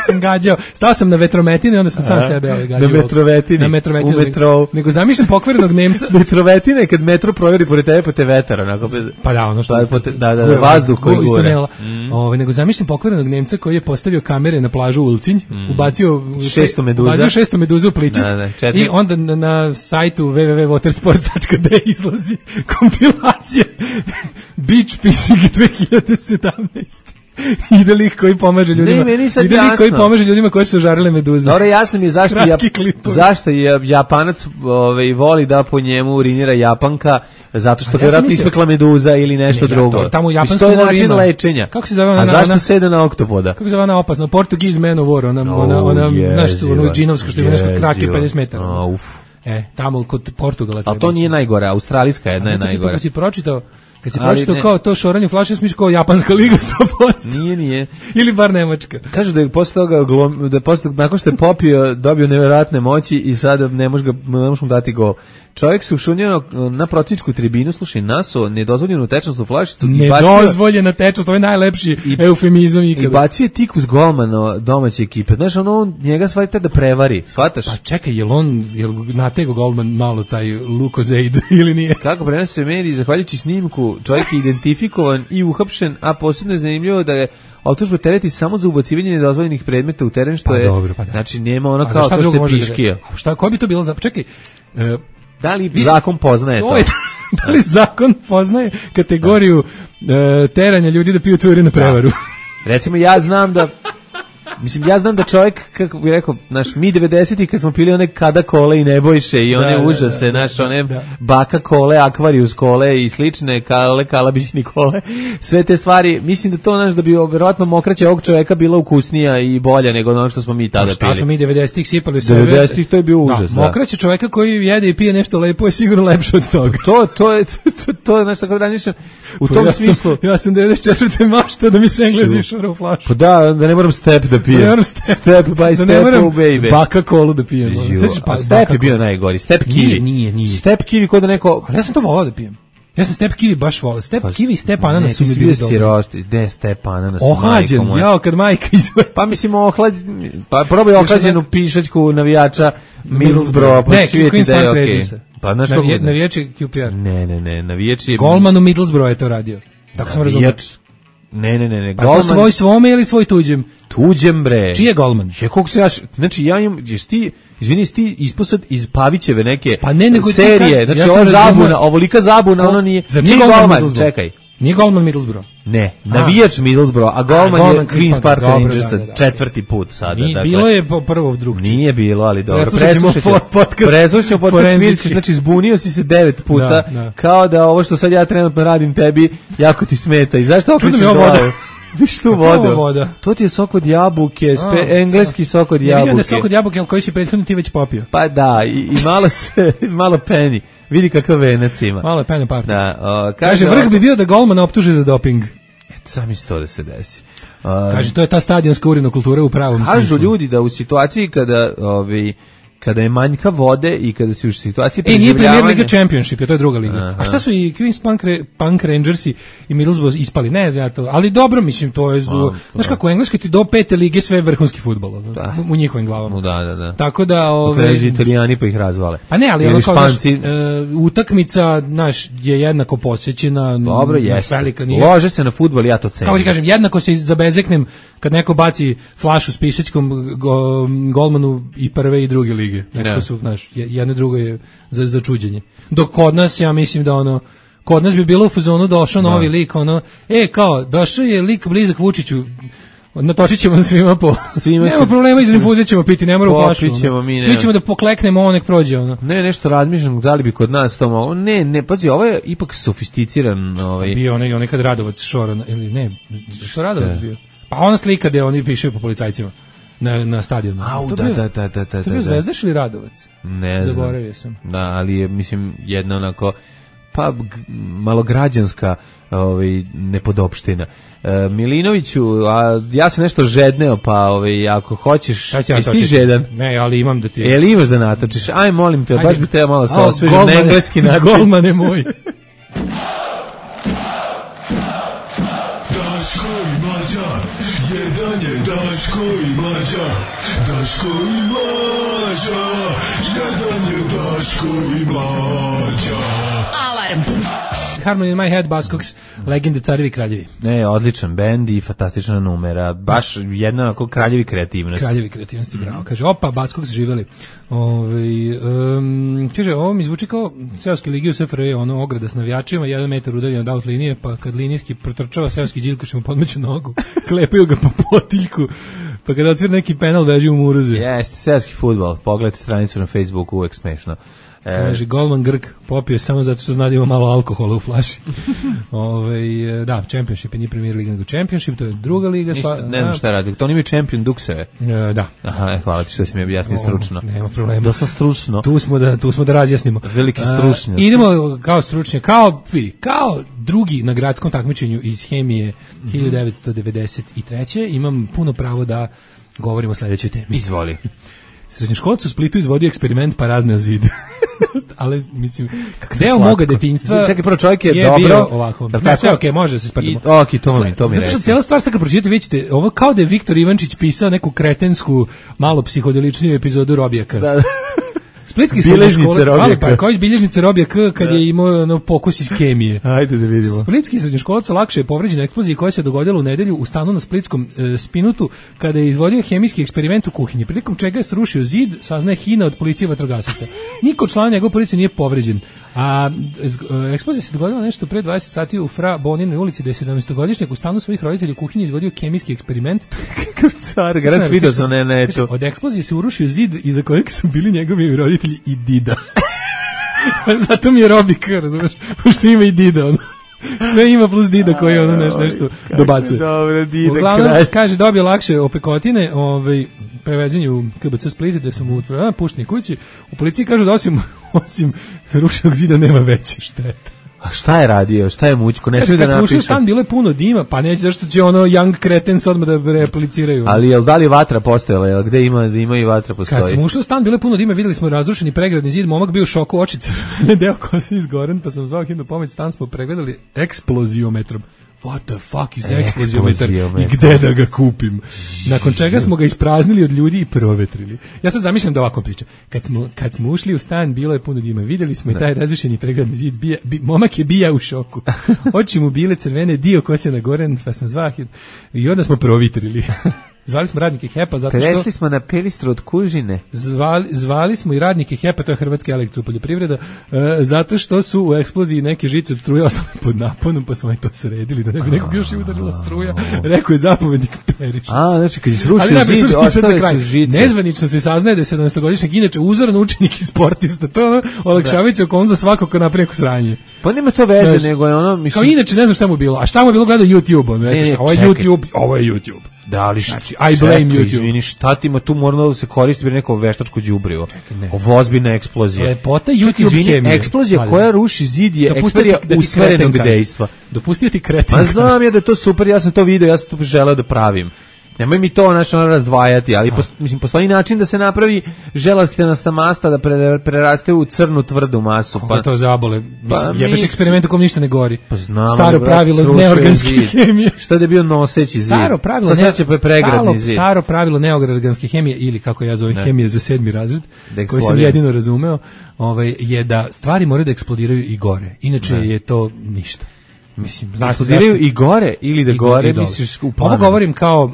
sam gađao. Stao sam na vetrometine, onda sam sam sebe ovaj, gađao. Na metrovetini. Na metrovetini. U metrou. Nego zamišljam pokvarenog Nemca. Metrovetine kad metro provjeri pored tebe, pa te vetar. Onako, pa da, ono što... Pa, pote, da, da, da, vazduh koji gure. Mm. Ove, nego zamišljam pokvarenog Nemca koji je postavio kamere na plažu Ulcinj, mm. ubacio šesto meduza. Ubacio šesto meduza u plićak. Da, da, i onda na, na sajtu w w w dot watersports dot d e izlazi kompilacija Beach Pissing dve hiljade sedamnaeste. Ide lik koji pomaže ljudima. Ne, meni sad ide lik koji pomaže ljudima koji su žarili meduze. Dobro, jasno mi je zašto ja, zašto je Japanac ovaj voli da po njemu urinira Japanka, zato što vjerojatno ja ispekla meduza ili nešto ne, drugo. Ja, tamo u japanskom moru način lečenja. Kako se zove ona? A zašto ona, sede na oktopoda? Kako se zove ona opasna? Portuguese man of war, ona oh, ona ona nešto ono džinovsko što ima nešto krake pedeset metara. Oh, uf. E, tamo kod Portugala. A to nije najgore, australijska jedna je najgora. Kad si pročitao Kad si pročitao kao to šoranje flaše, smiš kao japanska liga sto posto. Nije, nije. Ili bar nemačka. Kažu da je posle toga, glom, da je posle, nakon što je popio, dobio nevjerojatne moći i sada ne može ga, ne može mu dati gol. Čovjek se ušunio na protivničku tribinu, slušaj, naso nedozvoljenu tečnost u flašicu. Nedozvoljena tečnost, to je najlepši i, eufemizam ikada. I bacio je tik uz golmana domaće ekipe. Znaš, ono, njega shvatite da prevari, shvataš? Pa čekaj, jel on, jel natego golman malo taj Lukozeid ili nije? Kako prenose mediji, zahvaljujući snimku, čovjek je identifikovan i uhapšen, a posebno je zanimljivo da je optužba tereti samo za ubacivanje nedozvoljenih predmeta u teren, što pa je, dobro, pa da. Znači, nema ono kao to što je piškija. A šta, ko bi to bilo za... Čekaj, e, da li Viš, zakon poznaje to? to? Je, da li zakon poznaje kategoriju e, teranja ljudi da piju tvoju na prevaru? Da. Recimo, ja znam da... Mislim, ja znam da čovjek, kako bih rekao, naš, mi devedesetih kad smo pili one kada kole i nebojše i one da, užase, da, da, naš, one da. Baka kole, akvarijus kole i slične kale, kalabićni kole, sve te stvari, mislim da to, naš, da bi vjerojatno mokraća ovog čovjeka bila ukusnija i bolja nego ono što smo mi tada šta pili. Šta smo mi devedesetih sipali u sebe? devedesetih to je bio užas, da. Mokraća čovjeka koji jede i pije nešto lepo je sigurno lepše od toga. To, to je, to, to je nešto kako razmišljam. U tom ja smislu... Sam, ja sam devedeset četvrte mašta da mi se Englezi šura u flašu. Pa da, da ne moram step da pijem. Step, step by step, da oh baby. Baka kolu da pijem. Pa step je bio najgori. Step kiwi. Nije, nije, nije. Step kiwi kod da neko... Ali ja sam to volao da pijem. Ja sam step kiwi baš volao. Step pa, kiwi i step ananas su mi bili dobri. Sirosti, de step ananas. Ohlađen, jao, kad majka izvede. Pa mislim, ohlađen, pa probaj ohlađenu pišačku navijača Middlesbrough, pa ne, svijeti da je okej. Pa znaš kako... Navijači Q P R. Ne, ne, ne, navijači... Golman u Middlesbrough je to radio. Tako sam razumio. Ne, ne, ne, ne. Pa golman... to svoj svome ili svoj tuđem? Tuđem, bre. Čiji je golman? Je, koliko se ja... Znači, ja imam... Ješ ti... Izvini, ti isposad iz Pavićeve neke pa ne, nego serije. Znači, ja ova zabuna, ovolika zabuna, Go... ono nije... Zar nije golman? Čekaj. Nije golman Middlesbrough? Ne, navijač Middlesbrough, a golman, a, golman je Queen's Park Rangers da, da, da, četvrti put sada. Nije, dakle, bilo je prvo drug. Nije bilo, ali dobro. Preslušćemo podcast. Preslušćemo podcast Svirčić, znači zbunio si se devet puta, da, da. Kao da ovo što sad ja trenutno radim tebi, jako ti smeta. I zašto okrećeš glavu? Viš tu vodu. Voda. To ti je sok od jabuke, spe, a, engleski sok od jabuke. Ne vidim da sok od jabuke, ali koji si prethodno ti već popio. Pa da, i, i malo se, malo peni. Vidi kakav venac ima. Malo je pene party. Da, o, kaže, kaže vrh bi bio da golmana optuže za doping. Eto, sami se to da se desi. Uh, Kaže, to je ta stadionska urinokultura u pravom smislu. Kažu ljudi da u situaciji kada ovi kada je manjka vode i kada si u situaciji preživljavanja... E, nije Premier Liga Championship, je to je druga liga. Aha. A šta su i Queens Punk, Punk Rangersi i Middlesbrough ispali? Ne znam ja to, ali dobro, mislim, to je... Zu... Znaš kako, u Engleskoj ti do pete lige sve je vrhunski fudbal, da. u njihovim glavama. Da, da, da. Tako da... Ove... Pređu Italijani pa ih razvale. Pa ne, ali ono kao, španci... znaš, e, utakmica, znaš, je jednako posjećena. Dobro, jeste. Nije... Lože se na fudbal, ja to cenim. Kako ti kažem, jednako se zabezeknem kad neko baci flašu s pišećkom go, golmanu i prve i druge lige. Nekako su, znaš, jedno drugo je za, za čuđenje. Dok kod nas, ja mislim da ono, kod nas bi bilo u fazonu došao da. novi lik, ono, e, kao, došao je lik blizak Vučiću, natočit ćemo svima po... Svima nema će... problema, iz infuzije ćemo piti, ne mora u flašu. Ono. Mi, Svi ćemo da pokleknemo, ovo nek prođe. Ono. Ne, nešto razmišljam, da li bi kod nas to moglo. Ne, ne, pazi, ovo je ipak sofisticiran. Ovaj... Bio onaj, onaj kad Radovac šora, ili ne, što Radovac bio? Pa ona slika gde oni pišaju po policajcima. Na, na stadionu. Au, da, da, da, da, da. To je bio Zvezdaš ili Radovac? Ne znam. Zaboravio sam. Da, ali je, mislim, jedna onako, pa, malo građanska ovaj, nepodopština. E, Milinoviću, a ja sam nešto žedneo, pa ovaj, ako hoćeš, ja jesi ti žedan? Ne, ali imam da ti... E, ali imaš da natočiš? Aj, molim te, baš bi te malo sa osvežen na engleski način. Golmane moj. Daško i Mlađa, jedan je Daško i Mlađa, Daško i Mlađa, jedan je Daško i Mlađa. Alarm! Harmony in My Head, Buzzcocks, legende Carevi kraljevi. Ne, odličan bend i fantastična numera, baš jedna onako kraljevi kreativnosti. Kraljevi kreativnosti, bravo. Kaže, opa, Buzzcocks živeli. Ove, um, kaže, ovo mi zvuči kao seoski ligi u S F R J, ono ograda s navijačima, jedan metar udaljen od out linije, pa kad linijski protrčava seoski Đilkoš mu podmeću nogu, klepaju ga po potiljku, pa kada odsvira neki penal veži u muruzu. Jeste, seoski fudbal, pogledajte stranicu na Facebooku, uvek smešno. Kaže, golman Grk popio samo zato što zna da ima malo alkohola u flaši. Ove, da, Championship je nije Premier Liga, nego Championship, to je druga liga. Ništa, sva, ne znam šta radi, to nije Champion Dukseve. E, da. Aha, hvala ti što si mi objasnio stručno. Nema problema. Dosta stručno. Tu smo da, tu smo da razjasnimo. Veliki stručnjaci. Uh, idemo kao stručnjak, kao, kao drugi na gradskom takmičenju iz hemije mm-hmm. hiljadu devetsto devedeset treće imam puno pravo da govorimo o sledećoj temi. Izvoli. Srednjoškolac u Splitu izvodio eksperiment pa razneo zid. Ali mislim deo moga detinjstva. Čekaj, prvo čovjek je, je dobro. Bio ovako. Ne, sve okej, okay, može se sprdimo. Okej, to mi, to mi reći. Zato što cijela stvar sad kad pročitate, vidite, ovo kao da je Viktor Ivančić pisao neku kretensku, malo psihodeličniju epizodu Robijaka. Da. Splitski srednjoškolac, malo pa kao iz bilježnice Robija K kad da. je imao ono pokus iz kemije. Ajde da vidimo. Splitski srednjoškolac lakše je povređen eksploziji koja se dogodila u nedelju u stanu na splitskom e, Spinutu kada je izvodio hemijski eksperiment u kuhinji. Prilikom čega je srušio zid, saznaje Hina od policije i vatrogasaca. Niko član njegove policije nije povređen. A e, eksplozija se dogodila nešto pre dvadeset sati u Fra Boninoj ulici gde je sedamnaestogodišnjak u stanu svojih roditelja u kuhinji izvodio kemijski eksperiment. Kakav car, garant video sam ne neću. Od eksplozije se urušio zid iza kojeg su bili njegovi roditelji i dida. Zato mi je Robik, razumeš, pošto ima i dida, ono. Sve ima plus dida koji ono nešto, nešto dobacuje. Dobro, dida, uglavnom, kraj. Kaže, dobio lakše opekotine, ovaj, prevezenje u K B C Split, gde sam mu pušteni kući. U policiji kažu da osim, osim rušenog zida nema veće štete. A šta je radio? Šta je mućko? Ne smije da napiše. Kad smo ušli u stan, bilo je puno dima, pa neće zašto će ono young cretens odmah da repliciraju. Ali jel da li vatra postojala? Jel gde ima, da ima i vatra postoji? Kad smo ušli u stan, bilo je puno dima, videli smo razrušeni pregradni zid, momak bio u šoku, oči crvene, deo kose izgoren, pa sam zvao hitnu pomoć, stan smo pregledali eksploziometrom. What the fuck is eksploziometar i gde da ga kupim? Nakon čega smo ga ispraznili od ljudi i provetrili. Ja sad zamišljam da ovako priča. Kad smo, kad smo ušli u stan, bilo je puno dima. Videli smo i taj razrušeni pregradni zid. Bija, bi, momak je bija u šoku. Oči mu bile crvene, dio kose nagoren, pa sam zvah i onda smo provitrili. Zvali smo radnike Hepa zato što... Prešli smo na pelistru od kužine. Zvali, zvali smo i radnike Hepa, to je Hrvatska elektropoljoprivreda, uh, zato što su u eksploziji neke žice od struje ostale pod naponom, pa smo i to sredili, da ne bi nekog još i udarila struja. Rekao je zapovednik Perišić. A, znači kad je srušio zid, ostale su žice. Nezvanično se saznaje da je sedamnaestogodišnjak inače uzoran učenik i sportista. To je ono olakšavajuće okolnost za svakog ko napravi neko sranje. Pa nema to veze, nego je ono... Mislim... Kao inače ne znam šta mu bilo. A šta mu bilo gledao YouTube? On, ne, ne, ovo je YouTube, ovo je YouTube. Da, ali znači, I blame YouTube. Izvini, šta ti ima tu moralo da se koristi bi neko veštačko đubrivo. Ovo ozbiljna eksplozija. Lepota YouTube hemije. Eksplozija ali, koja ruši zid je eksplozija usmerenog dejstva. Dopustio ti kreten. Ma znam ja da je to super, ja sam to video, ja sam to želeo da pravim. Nemoj mi to znači ono razdvajati, ali pos, mislim postoji način da se napravi želastinasta masta da pre, preraste u crnu tvrdu masu. Pa to zabole. Pa, jebeš eksperiment u kom ništa ne gori. Pa znam, staro pravilo neorganske hemije. Šta da je bio noseći zid? Staro pravilo, ne, staro, pregradni zid. Staro pravilo neorganske hemije ili kako ja zovem hemije za sedmi razred, koji sam jedino razumeo, ovaj je da stvari moraju da eksplodiraju i gore. Inače ne. je to ništa. Mislim, znaš, eksplodiraju i gore ili da i gore, i misliš u planu. Ovo govorim kao,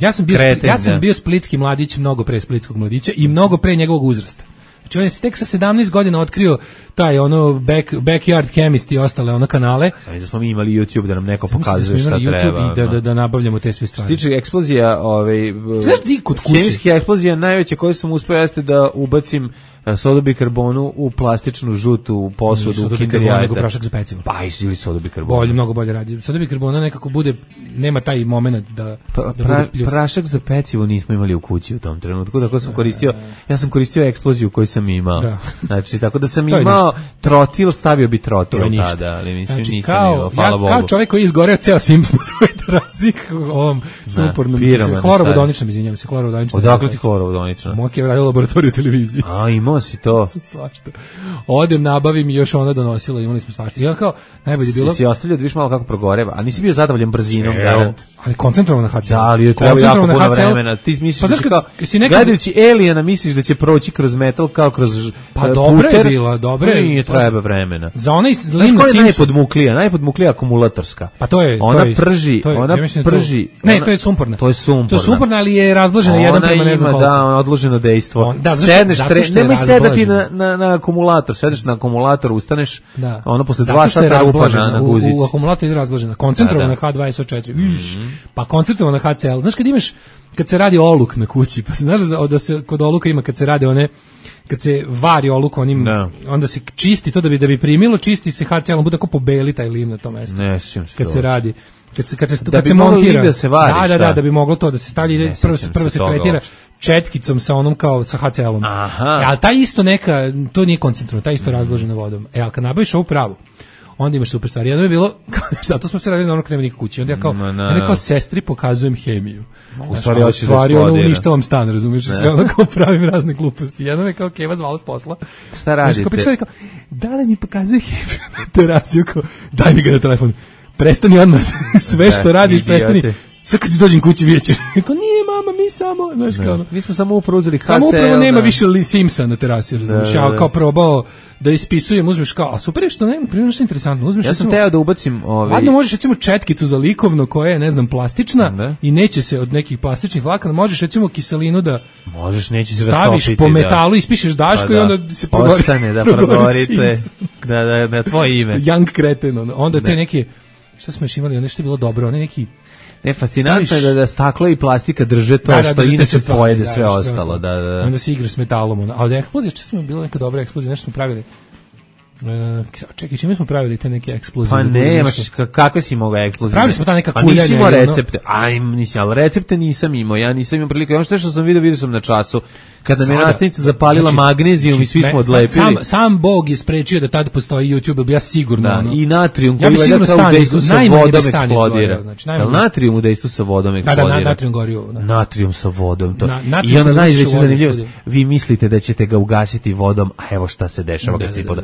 ja sam bio, Kreten, ja sam da. bio splitski mladić mnogo pre splitskog mladića i mnogo pre njegovog uzrasta. Znači on je tek sa sedamnaest godina otkrio taj ono back, backyard chemist i ostale ono kanale. Samo da smo mi imali YouTube da nam neko pokazuje šta YouTube treba. I da, da, da nabavljamo te sve stvari. Što tiče eksplozija, ovaj, znaš ti kod kuće? Hemijska eksplozija najveća koju sam uspio jeste da ubacim sodobikarbonu u plastičnu žutu posudu u Kinder jajeta. Nego prašak za pecivo. Pa ili sodobikarbon. Bolje, mnogo bolje radi. Sodobikarbona nekako bude, nema taj moment da, pa, da pra, bude pljus. Prašak za pecivo nismo imali u kući u tom trenutku, tako sam koristio, ja sam koristio eksploziju koju sam imao. Da. Znači, tako da sam imao trotil, stavio bi trotil tada, ali mislim znači, nisam kao, imao, hvala ja, Bogu. Kao čovjek koji je izgoreo ceo Sims na svoj terazi, ovom supornom, hlorovodoničnom, izvinjam se, hlorovodoničnom. Odakle ti hlorovodonična? Moki je radio laboratoriju televiziji. A, imao si to. Svašta. Odem, nabavim i još ona donosila, imali smo svašta. I on kao, najbolje bilo... Si, si ostavljao da viš malo kako progoreva, a nisi bio zadovoljan brzinom, garant. Ali koncentrovano na ha ce el. Da, ali je treba jako puno vremena. Ti misliš pa, da će kao, nekad... gledajući Aliena, misliš da će proći kroz metal kao kroz pa uh, dobra je bila, dobra je. Nije treba vremena. Za onaj Znaš koja je najpodmuklija? Najpodmuklija akumulatorska. Pa to je... Ona to je, prži, to je, ona ja prži... To, ne, to je sumporna. To je sumporna. To je sumporna, ali je razblažena jedan prema ne znam koliko. Da, ona odloženo dejstvo. On, da, sedneš, nemoj sedati na, na, na akumulator, sedeš na akumulator, ustaneš, da. ono posle dva sata rupa na, na guzici. U, u akumulator je razblažena. Koncentrovana ha dvadeset četiri. Viš, pa koncentrovana ha ce el. Znaš kad imaš, kad se radi oluk na kući, pa znaš da se kod oluka ima kad se rade one, kad se vari oluk onim, no. onda se čisti to da bi da bi primilo, čisti se ha ce el, on bude tako pobeli taj lim na tom mestu. Ne, sjećam se. Kad se radi, kad se kad se da kad bi se montira, da se vari, da, da, da, da bi moglo to da se stavlja ide prvo se prvo se tretira četkicom sa onom kao sa ha ce elom. Aha. E, ali taj isto neka, to nije koncentrovano, taj isto mm. razblažena vodom. E, al kad nabaviš ovu pravu, onda imaš super stvari. Jedno je bilo, zato smo se radili na ono krema nikak kući. Onda ja kao, no, no, ja kao sestri pokazujem hemiju. U stvari, u stvari ono uništavam stan, razumiješ? Sve ono kao pravim razne gluposti. Jedno me kao Keva zvala s posla. Šta radite? Kao, kao, da li mi pokazuje hemiju na terasiju? Kao, daj mi ga na telefon. Prestani odmah. Sve što radiš, prestani. Sve kad ti dođem kući vidjet ćeš. Kao, nije mama, mi samo, znaš kao ono. Mi smo samo upravo uzeli ha ce el. Samo upravo nema više Simsa na terasi, razumiješ. Ja kao probao da ispisujem, uzmeš kao, a super je što ne, primjer što je interesantno, uzmeš. Ja sam teo da ubacim ovaj. Ladno možeš recimo četkicu za likovno koja je, ne znam, plastična da. I neće se od nekih plastičnih vlakana, možeš recimo kiselinu da možeš, neće se rastopiti. Staviš po metalu, da. Ispišeš daško pa, da. I onda se progori. Ostane da progorite. Da, da, da, tvoje ime. Young Kreten, onda, onda te neke, šta smo još imali, nešto je bilo dobro, one neki. Ne, fascinantno je da, da staklo i plastika drže to da, da, što inače pojede da, sve da, ostalo. Da, da. Onda se igraš s metalom. A od eksplozije, što smo bila neka dobra eksplozija, nešto smo pravili. Uh, čekaj, čime smo pravili te neke eksplozije? Pa ne, maš, kakve si mogao eksplozije? Pravili smo ta neka kuljanja. Pa nisi imao recepte. Aj, nisam, ali recepte nisam imao. Ja nisam imao prilike. Ono što što sam vidio, vidio sam na času. Kada mi je nastavnica zapalila znači, magnezijum i svi smo odlepili. Sam, sam Bog je sprečio da tada postoji YouTube, bi ja sigurno. Da, ono, i natrium ja koji ja je kao u dejstvu sa vodom eksplodira. Znači, natrium u dejstvu sa vodom eksplodira. Da, da, natrium gori. Da. Natrium sa vodom. To. Na, I onda najveća zanimljivost, vi mislite da ćete ga ugasiti vodom, a evo šta se dešava kad se poda.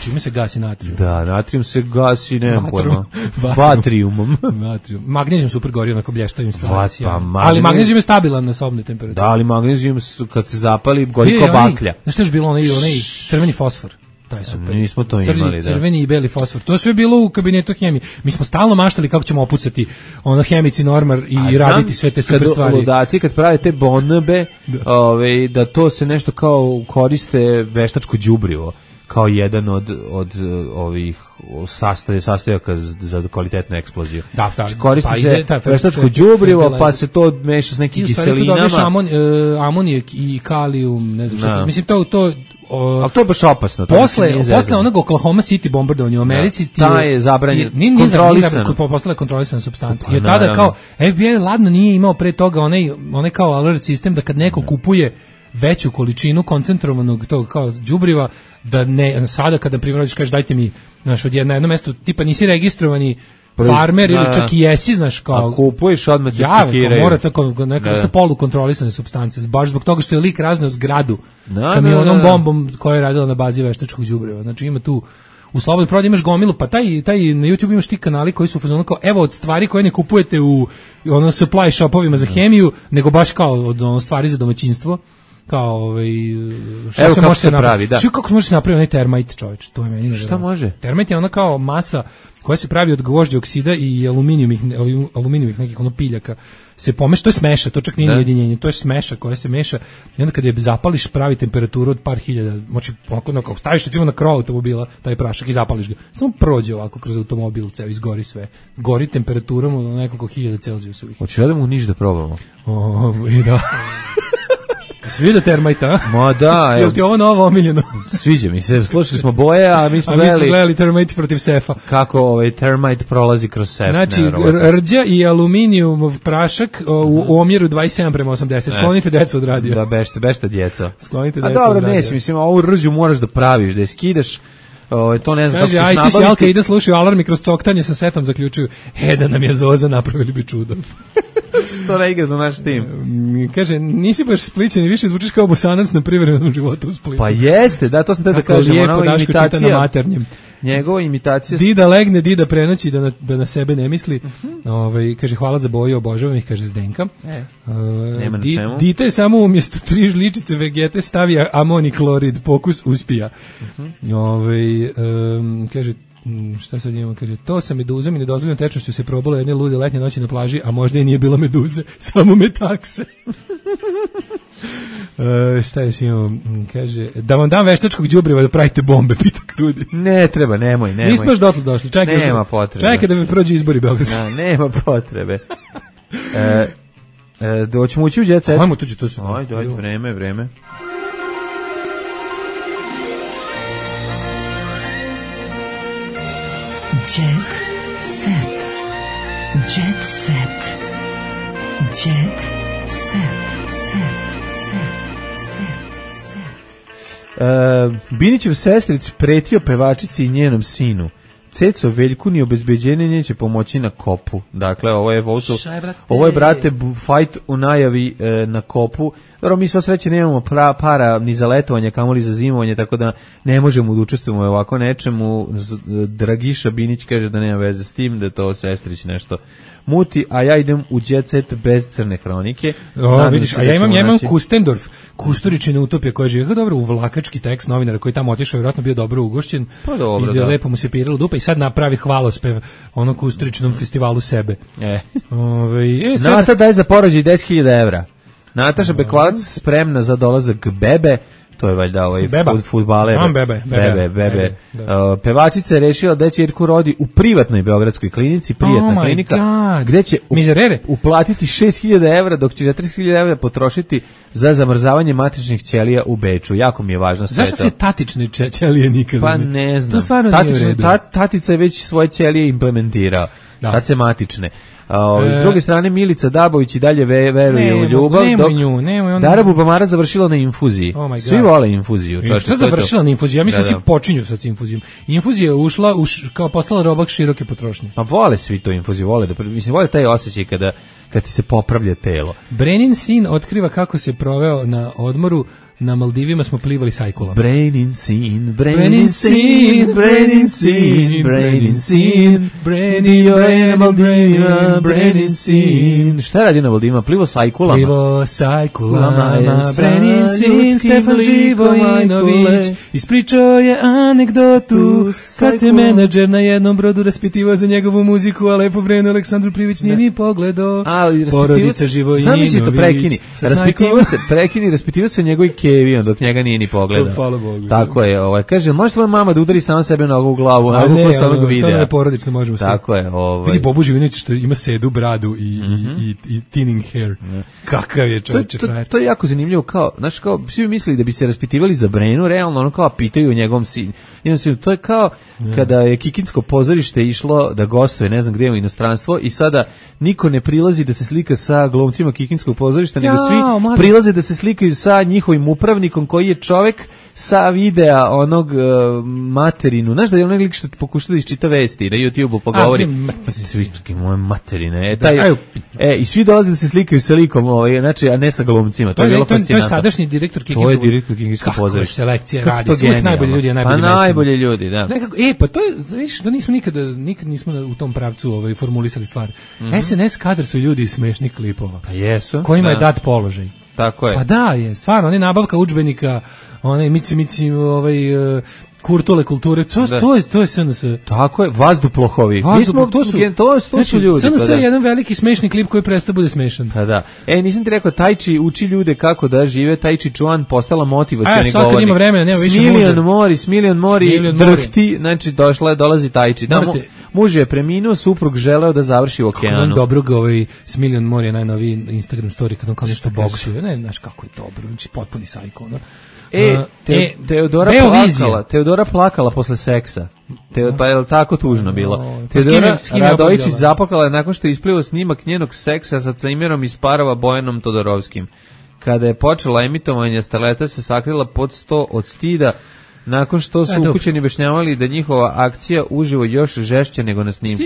Čime se gasi natrium? Da, natrium se gasi, nemam pojma. Vatriumom. Vatrium. Magnezijum super gori, onako blještavim stvari. Pa, ali magnezijum je stabilan na sobnoj temperaturi. Da, ali magnezijum kad se zapali gori kao baklja. Znaš što je bilo onaj, onaj crveni fosfor? Taj super. Nismo to Crni, imali, da. Crveni i beli fosfor. To je sve bilo u kabinetu hemije. Mi smo stalno maštali kako ćemo opucati ono hemici normar i a raditi znam, sve te super kad stvari. Ludaci kad prave te bonbe, da. Ove, da to se nešto kao koriste veštačko đubrivo. kao jedan od, od ovih sastav, sastojaka za kvalitetnu eksploziju. Da, da, koristi pa se ide taj veštačko đubrivo, pa se to meša s nekim kiselinama. I amon, uh, amonijak i kalijum, ne znam šta. No. Mislim, to... to Uh, ali to je baš opasno. Posle, posle onog Oklahoma City bombardovanja u Americi, da, ta je zabranjeno, kontrolisano. Postala je kontrolisana supstanca. I od tada naravno. Kao, F B I ladno nije imao pre toga onaj, onaj kao alert sistem da kad neko kupuje veću količinu koncentrovanog tog kao đubriva, da ne, sada kada na primjer kažeš dajte mi, znaš, od jedna, jedno mesto, tipa nisi registrovani farmer ili čak i jesi, znaš, kao... A kupuješ odmah te čekiraju. Mora tako neka vrsta polukontrolisane supstance, baš zbog toga što je lik razneo zgradu da, kamionom da, da. bombom koja je radila na bazi veštačkog đubriva. Znači ima tu u slobodnoj prodaji imaš gomilu, pa taj, taj na YouTube imaš ti kanali koji su u fazonu kao, evo od stvari koje ne kupujete u ono supply shopovima za hemiju, nego baš kao od ono stvari za domaćinstvo. Kao ovaj šta evo se može se pravi, da. Što kako se može napraviti onaj termite, čoveče, to je meni. Šta može? Termite je ona kao masa koja se pravi od gvožđa oksida i aluminijumih aluminijumih nekih ono piljaka. Se pomeša, to je smeša, to čak nije ujedinjenje, to je smeša koja se meša i onda kad je zapališ pravi temperaturu od par hiljada, moći onako kao staviš recimo na krov automobila taj prašak i zapališ ga. Samo prođe ovako kroz automobil, ceo izgori sve. Gori temperaturom od nekoliko hiljada Celzijusovih. Hoćeš da mu niš da probamo? O, i da. Si vidio termite, a? Ma da, jel ti ovo novo omiljeno? Sviđa mi se, slušali smo boje, a mi smo, a gledali, mi smo gledali termite protiv sefa. Kako ovaj termite prolazi kroz sef. Znači, rđa i aluminijumov prašak o, u, u omjeru dvadeset sedam prema osamdeset. Sklonite decu od radija. Da, bešte, bešte djeco. Sklonite decu od radija. A dobro, nesi, mislim, ovu rđu moraš da praviš, da je skidaš. O, to ne znam kako ćeš nabaviti. Kaže, Alka ide slušaju alarm i kroz coktanje sa setom zaključuju, he, da nam je Zoza, napravili bi čudo. Što ne igra za naš tim? Kaže, nisi baš Splićan i više zvučiš kao Bosanac na privremenom životu u Splitu. Pa jeste, da, to sam te da kažem. Lijepo Daško čita na maternjem. Njegova imitacija... Dida legne, Dida prenoći da na, da na sebe ne misli. Uh-huh. Ove, kaže, hvala za boju, obožavam ih, kaže Zdenka. E, uh, nema na di, čemu. Dita je samo umjesto tri žličice vegete stavija amoniklorid, pokus uspija. Uh-huh. Ove, um, kaže, šta sad imamo, kaže, to sa meduzom i nedozvoljeno tečnošću se probalo jedne lude letnje noći na plaži, a možda i nije bila meduze, samo metakse. Uh, šta još imamo, kaže, da vam dam veštačkog đubriva da pravite bombe, pita Krudi. Ne treba, nemoj, nemoj. Nismo još dotle došli, čekaj. Nema potrebe. Čekaj da mi prođu izbori Beogradski. Na, nema potrebe. e, e, doćemo ući u Jet Set. Ajmo tuđi, to su. Ajde, ajde, vreme, vreme. Jet Set. Jet Set. Jet Set. Uh, Binićev sestric pretio pevačici i njenom sinu. Ceco Veljku ni obezbeđenje neće pomoći na kopu. Dakle, ovo je, ovo, su, ovo je brate, fight u najavi e, na kopu. Dobro, mi sva sreće nemamo pra, para ni za letovanje, kamoli za zimovanje, tako da ne možemo da učestvujemo ovako nečemu. Dragiša Binić kaže da nema veze s tim, da je to sestrić nešto muti, a ja idem u Jet Set bez crne hronike. O, vidiš, a ja imam, ja imam Kustendorf, Kusturičine utopije koja žive dobro u vlakački tekst novinara koji tamo otišao, vjerojatno bio dobro ugošćen. Pa dobro, i da lepo mu se piralo dupa i sad napravi hvalospev ono Kusturičinom festivalu sebe. E. Ove, e sad... Nata daj za porođaj deset hiljada evra. Nataša Bekvalac spremna za dolazak bebe. To je valjda ovaj fut, fudbaler. Bebe, bebe, bebe. bebe. Uh, pevačica je rešila da će Irku rodi u privatnoj beogradskoj klinici, prijatna oh klinika, God. gde će up, uplatiti šest hiljada evra, dok će četiri hiljade evra potrošiti za zamrzavanje matričnih ćelija u Beču. Jako mi je važno sve to. Zašto se tatične ćelije nikada? Pa ne znam. To stvarno Tatične, nije ta, tatica je već svoje ćelije implementirao. Da. Sad se matične. Uh, e, s druge strane Milica Dabović i dalje ve, veruje u ljubav, dok nju, nemoj on... Dara Bubamara završila na infuziji. Oh svi vole infuziju. E, šta završila na infuziji? Ja mislim da, da. svi počinju sad s infuzijom. Infuzija je ušla, uš, kao postala robak široke potrošnje. Ma vole svi to infuziju, vole da, mislim, vole taj osjećaj kada, kad ti se popravlja telo. Brenin sin otkriva kako se proveo na odmoru. Na Maldivima smo plivali sajkulama. Brenin sin, Brenin sin, Brenin sin, Brenin sin, Brenin na Maldivima, Brenin sin. Šta radi na Maldivima? Plivo sajkulama? Plivo sajkulama, Brenin sin, Stefan Živojinović ispričao je anegdotu kad se menadžer na jednom brodu raspitivao za njegovu muziku, a lepo Brenu Aleksandru Privić nije ni pogledao. Porodica Živojinović. Znam mi si to prekini. Raspitivao se, prekini, raspitivao se o njegovoj kevi, on dok njega nije ni pogledao. Hvala Bogu. Tako je, ovaj kaže, može tvoja mama da udari sama sebe nogu u glavu, a onako ne, ko sa onog ono, videa. To je porodično, možemo sve. Tako je, ovaj. Vidi Bobu Živinović što ima sedu, bradu i, mm-hmm. i, i, i thinning hair. Mm. Kakav je čovječe frajer. To, to je jako zanimljivo, kao, znaš, kao, svi bi mislili da bi se raspitivali za Brenu, realno, ono kao pitaju o njegovom sinu. To je kao yeah. kada je Kikinsko pozorište išlo da gostuje, ne znam gde u inostranstvo, i sada niko ne prilazi da se slika sa glumcima Kikinskog pozorišta, ja, nego svi mada. prilaze da se slikaju sa njihovim upravnikom koji je čovek sa videa onog uh, materinu. Znaš da je onaj lik što pokušao da isčita vesti na YouTube-u pogovori. Svički moje materine. E, taj, e, i svi dolaze da se slikaju sa likom, ovaj, znači, a ne sa glumcima. To, to je bilo fascinantno. To je sadašnji direktor Kikinskog. To je direktor Kikinskog pozorišta. Kako je selekcija radi. Uvijek najbolji ljudi, a najbolji Pa najbolji ljudi, da. Nekako, e, pa to je, viš, da nismo nikada, nikad nismo u tom pravcu ovaj, formulisali stvari. Mm-hmm. S N S kadar su ljudi iz smešnih klipova. Pa jesu. Kojima da. je dat položaj. Tako je. Pa da, je, stvarno, on je nabavka udžbenika, onaj mici, mici, ovaj, uh, kurtule kulture, to, to je, to je S N S. Tako je, vazduplohovi. Vazdup, Mi smo, to su, to, to su ljudi. S N S je jedan veliki smešni klip koji presta bude smešan. Pa da. E, nisam ti rekao, Tajči uči ljude kako da žive, Tajči Čuan postala motivacioni govornik. E, sad kad ima vremena, nema više muže. Smiljan Mori, Smiljan Mori, drhti, znači došla je, dolazi Tajči. Da, mu, muž je preminuo, suprug želeo da završi u okeanu. Kako dobrog, ovaj, Smiljan Mori je najnoviji Instagram story kad on kao nešto boksuje. Ne, znaš kako je dobro, znači potpuni sajko, no. E, te, e, Teodora plakala, Teodora plakala posle seksa. Te, pa je li tako tužno bilo? O, Teodora Radojičić zaplakala nakon što je isplivao snimak njenog seksa sa Cajmirom iz parova Bojanom Todorovskim. Kada je počela emitovanje, starleta se sakrila pod sto od stida, nakon što su ukućeni objašnjavali da njihova akcija uživo još žešće nego na snimku.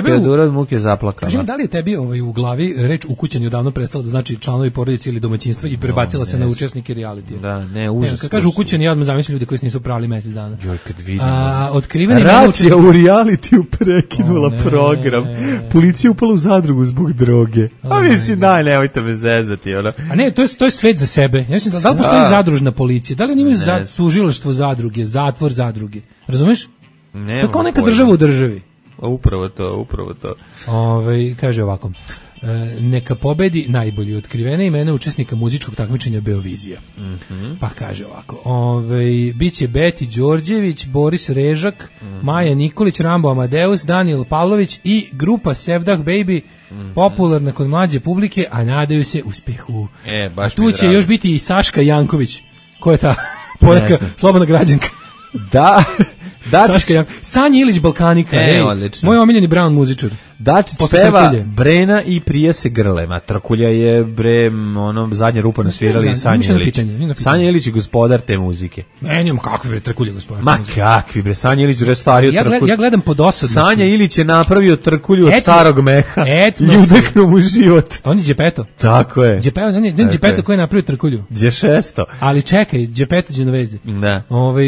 Teodora od muke zaplakala. Kaži mi, da li je tebi ovaj, u glavi reč ukućeni odavno prestala da znači članovi porodice ili domaćinstva i prebacila no, se na učesnike realitija? Da, ne, užasno. Kad kažu ukućeni, ja odmah zamislim ljudi koji se nisu pravili mesec dana. Joj, kad vidim. A, otkriveni racija u realitiju prekinula o, program. Policija upala u zadrugu zbog droge. A mislim, daj, nemojte me zezati. Ono. A ne, to je, to je svet za sebe. Ja mislim, da, da li postoji zadružna policija? Da li oni imaju za, tužilaštvo zadruge, zatvor zadruge? Razumeš? Ne. Tako neka država u državi. Upravo to, upravo to. Ove, kaže ovako. E, neka pobedi najbolji, otkrivene imena učesnika muzičkog takmičenja Beovizija. Mm-hmm. Pa kaže ovako, ove, biće Beti Đorđević, Boris Režak, mm-hmm. Maja Nikolić, Rambo Amadeus, Daniel Pavlović i grupa Sevdah Baby, mm-hmm. popularna kod mlađe publike, a nadaju se uspehu. E, baš a tu će još biti i Saška Janković. Ko je ta poneka slobodna građanka? Da, Saška Janković. Sanja Ilić Balkanika. E, ej, odlično. Moj omiljeni Brown muzičar. Dačić peva Trkulje. Brena i prije se grle. Ma Trkulja je bre, ono, zadnja rupa nasvirali Sanja Ilić. Sanja Ilić je gospodar te muzike. Ne, njom kakvi bre Trkulje gospodar. Ma kakvi bre, Sanja Ilić restario ja, Trkulju. Ja gledam po dosadnosti. Sanja Ilić je napravio Trkulju od etno, starog meha i udehnuo mu život. On je Đepeto. Tako je. Đepeto, on je Đepeto koji je napravio Trkulju. Đešesto. Ali čekaj, Đepeto Đenovezi. Da. Ovaj,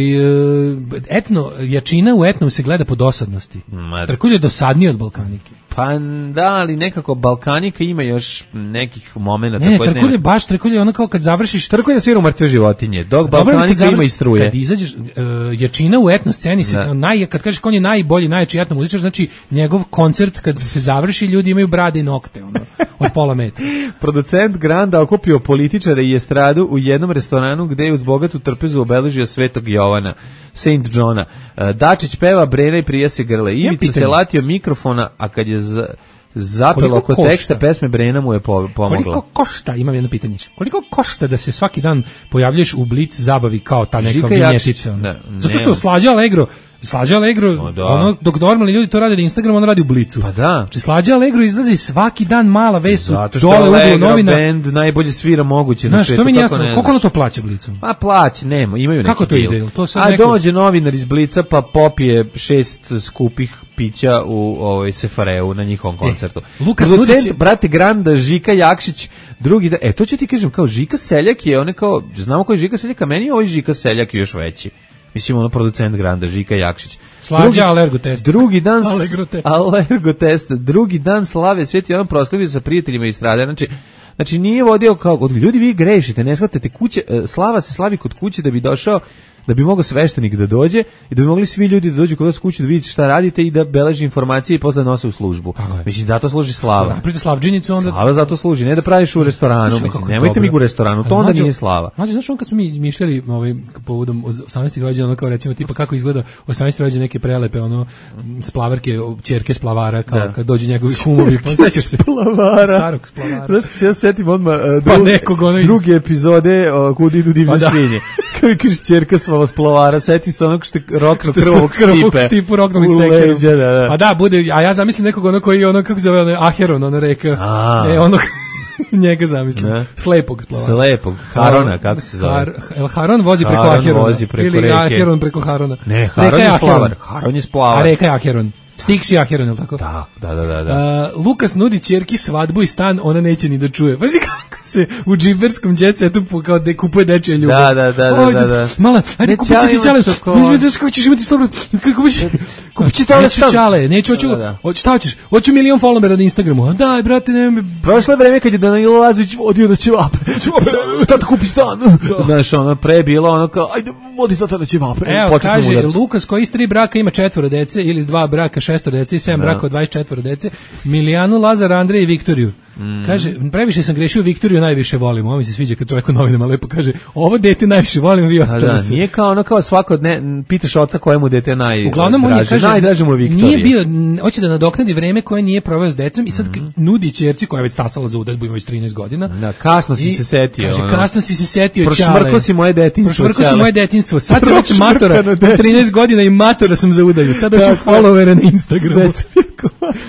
etno, jačina u etnu se gleda po dosadnosti. Trkulje je dosadniji od Balkanike. Pa da, ali nekako Balkanika ima još nekih momenata. Ne, ne, Trkulje baš, Trkulje ono kao kad završiš... Trkulje svira u mrtve životinje, dok Balkanika zavr... ima i struje. Kad izađeš, uh, jačina u etno sceni, se, naj, kad kažeš on je najbolji, najjači etno muzičar, znači njegov koncert kad se završi, ljudi imaju brade i nokte, ono, od pola metra. Producent Granda okupio političare i estradu u jednom restoranu gde je uz bogatu trpezu obeležio Svetog Jovana, Saint Johna. Dačić peva, Brena i prije se grle. Ivica se latio mikrofona, a kad je z, zapelo oko teksta pesme, Brena mu je pomogla. Koliko košta, imam jedno pitanje, koliko košta da se svaki dan pojavljaš u Blic zabavi kao ta neka vinjetica? Zato što Slađa Allegro Slađa Allegro, no, ono, dok normalni ljudi to rade na Instagramu, on radi u Blicu. Pa da. Znači, Slađa Allegro izlazi svaki dan mala vest dole u uglu novina. Band najbolje svira moguće na svijetu. Što mi nije jasno, koliko ono to plaća Blicu? Pa plaća, nema, imaju neki kako to ide? To A neko... dođe novinar iz Blica pa popije šest skupih pića u ovaj Sefareu na njihovom koncertu. E, Lukas Ludić, brate Granda, Žika Jakšić, drugi da, e to ću ti kažem, kao Žika Seljak je, one kao, znamo ko je Žika Seljak, a meni je ovaj Žika Seljak još veći. Mislim, ono producent Granda, Žika Jakšić. Slađa Allergo test. Drugi dan, Allergo test. Drugi dan slave Sveti Jovan proslavio sa prijateljima iz Strade. Znači, znači nije vodio kao, od ljudi vi grešite, ne shvatate kuće, slava se slavi kod kuće da bi došao da bi mogao sveštenik da dođe i da bi mogli svi ljudi da dođu kod vas kuću da vidite šta radite i da beleži informacije i posle nose u službu. Mislim, zato služi slava. Napravite slavdžinicu, onda... Slava zato služi, ne da praviš u restoranu, mislim, nemojte mi u restoranu, to onda nije slava. Znači, znaš on kad smo mi mišljali ovaj, povodom osamnaestog rođena, ono kao recimo, tipa kako izgleda osamnaesti rođena neke prelepe, ono, splavarke, ćerke splavara, kao kad dođu njegovi kumovi, pa sećaš se? Splavara. Starog splavara. Znaš, se ja setim odmah uh, pa nekog, ono iz... druge epizode uh, kud idu divne pa svinje. Kao mi kažeš ćerka splavara, setim se onog što je rokno krvovog stipe. Stipu roknom i sekerom. Da, da. A da, bude, a ja zamislim nekog ono koji ono, kako se zove, ono, Aheron, ono reka. E, ono... njega zamislim. Ne. Slepog splavara. Slepog. Harona, kako se zove? Har, El Haron vozi preko Haron Aherona. vozi preko ili reke. Aheron preko Harona. Ne, Haron je splavar. Haron je splavar. A reka je Aheron. Stiksi Aheron, je li tako? Da, da, da. da, da. Uh, Lukas nudi ćerki svadbu i stan, ona neće ni da čuje. Pazi kako se u džiberskom džetsetu kao da kupuje dečje ljubav. Da, da, da, da, da, da. Mala, ajde kupi ti ćale. Viš kako ćeš imati slobodno. Kako biš? Kupi ćale stan. Neću ćale, neću, hoću. Šta hoćeš? Hoću milion followera na Instagramu. Daj, brate, nema me. Prošlo vreme kad je Danilo Lazović vodio da će vape. Tata kupi stan. Znaš, ono pre bilo ono kao ajde, vodi tata da će vape. Evo, kaže Lukas koji iz tri braka ima četvoro dece ili iz dva braka šestoro dece i sedam braka od dvadeset četiri dece, Milijanu, Lazar, Andrej i Viktoriju. Mm. Kaže, previše sam grešio, Viktoriju najviše volim. Ovo mi se sviđa kad čovjek u novinama lepo kaže, ovo dete najviše volim, vi ostali da, se. Nije kao ono kao svako dne, pitaš oca kojemu dete najdraže. Uglavnom on je kaže, najdraže mu je Viktorija. Nije bio, hoće da nadoknadi vreme koje nije proveo s decom i sad mm. nudi ćerci koja je već stasala za udadbu, ima već trinaest godina. Da, kasno si se setio. Kaže, ono. kasno si se setio, prošmrko si moje detinjstvo. Prošmrko si moje detinjstvo. Sad sam već matora, trinaest godina i matora sam za udalju. Sad hoću followere na Instagramu.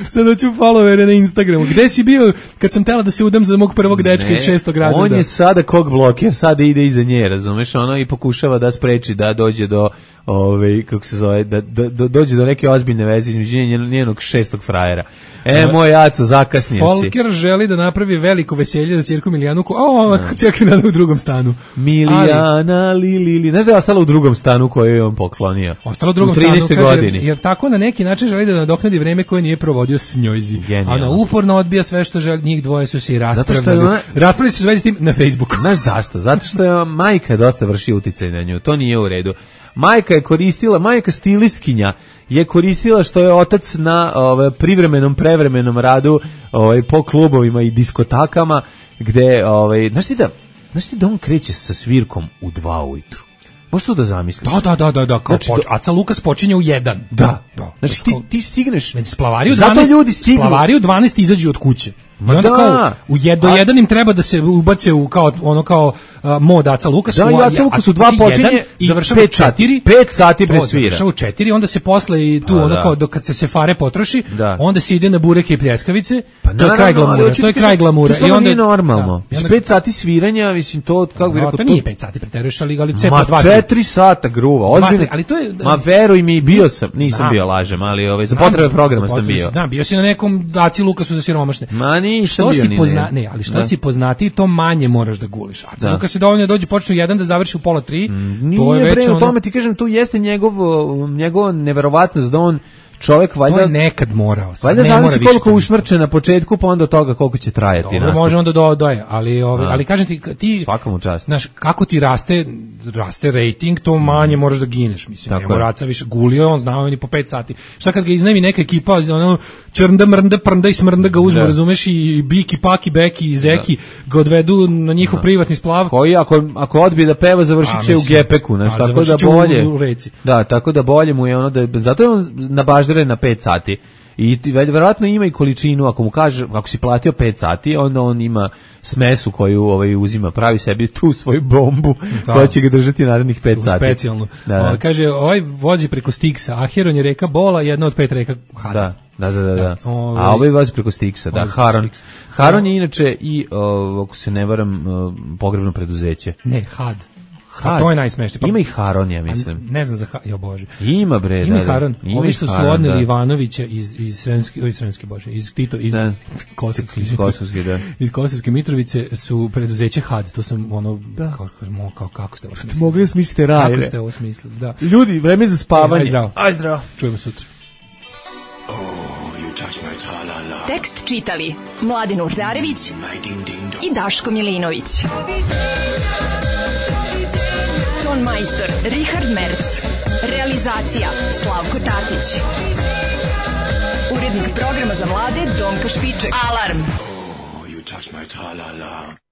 Sad hoću followere na Instagramu. Gde si bio kad sam tela da se udam za mog prvog dečka iz šestog razreda? On je sada kog bloker, sada ide iza nje, razumeš, ono i pokušava da spreči da dođe do ovaj kako se zove, da, da, da dođe do neke ozbiljne veze između njenog šestog frajera. E, moj Aco, zakasnio si. Folker želi da napravi veliko veselje za ćerku Milijanu. O, ćerka Milijana u drugom stanu. Milijana, li, li, li. Ne znam da je ostala u drugom stanu koju je on poklonio. Ostala u drugom stanu, kaže, jer tako na neki način želi da nadoknadi vreme koje nije provodio s njojzi. A ona uporno odbija sve što želi, njih dvoje su se i raspravljali. Ona... Raspravljali su sve s tim na Facebooku. Znaš zašto? Zato što je majka dosta vrši uticaj na nju. To nije u redu. Majka je koristila, majka stilistkinja je koristila što je otac na ovaj, privremenom, prevremenom radu ovaj, po klubovima i diskotakama, gde, ovaj, znaš ti da, znaš ti da on kreće sa svirkom u dva ujutru? Možeš to da zamisliš? Da, da, da, da, da. Kao znači, poč, Aca Lukas počinje u jedan. Da, da. Znači ti, ti stigneš. Splavari u dvanaest, ljudi stignu. Splavari u dvanaest izađu od kuće. I onda da. Kao u jedno A... jedan im treba da se ubace u kao ono kao uh, mod Aca Lukas. Da, i Aca Lukas u dva počinje i završava u četiri. pet sati presvira. Završava u četiri, onda se posle i tu A, ono da. Kao dok kad se se fare potroši, da. Onda se ide na bureke i pljeskavice. Pa, to je kraj glamura. To je kraj glamura. I onda nije normalno. Da. pet sati sviranja, mislim to kako bih rekao. To nije pet sati preteruješ, ali ali cepa dva. Ma četiri sata gruva, ozbiljno. Ali to je ma veruj mi, bio sam, nisam bio lažem, ali ovaj za potrebe programa sam bio. Da, bio si na nekom Aci Lukasu za siromašne. Ma nisam bio. Pozna, ne, ali što da. Si poznati, to manje moraš da guliš. A Luka se dovoljno dođe počne u jedan da završi u pola tri. Mm, to je već ono... tome ti kažem, tu jeste njegov njegova neverovatnost da on čovjek valjda to je nekad morao. Valjda ne zavisi koliko ušmrče na početku, pa onda od toga koliko će trajati. Dobro, može onda do doje, ali ovaj, ali kažem ti ti svakom čast. Znaš kako ti raste raste rating, to manje moraš da gineš, mislim. Ne moraca više gulio, on znao ni po pet sati. Šta kad ga iznajmi neka ekipa, ono črnda mrnda prnda i smrnda ga uzmu, razumeš, i Biki, Paki, Beki i Zeki ga odvedu na njihov da. Privatni splav. Koji ako ako odbije da peva završit će u gepeku, znači tako da bolje. U, u da, tako da bolje mu je ono da zato je on nabaždare na pet sati. I verovatno ima i količinu, ako mu kaže, ako si platio pet sati, onda on ima smesu koju ovaj uzima, pravi sebi tu svoju bombu da. Koja će ga držati narednih pet sati. Specijalno. Da, da. O, kaže, ovaj vozi preko Stiksa, Aheron je reka Bola, jedna od pet reka Hada. Da, da, da, da. Ovaj, a ovaj vozi preko Stiksa, da, Haron. Haron je inače i, o, ako se ne varam, o, pogrebno preduzeće. Ne, Had. Ha, to je najsmešnije. Pa, ima i Haron, ja mislim. Ne znam za ha, jo bože. Ima bre, ima da. Haron. Ima ovi što su Haron, odneli da. Ivanovića iz iz Sremske, oj Sremske bože, iz Tito, iz Kosovske, iz Kosovske, da. Iz Kosovske Mitrovice su preduzeće Had, to sam ono da. Kao, kao kako ste ovo smislili? Mogli smisliti raj. Kako ste ovo smislili? Da. Ljudi, vreme za spavanje. Aj zdravo. Aj zdravo. Čujemo sutra. Tekst čitali Mladin Urdarević i Daško Milinović. ton majstor Richard Merc. Realizacija Slavko Tatić. Urednik programa za mlade Donka Špiček. Alarm! You touch my tra-la-la.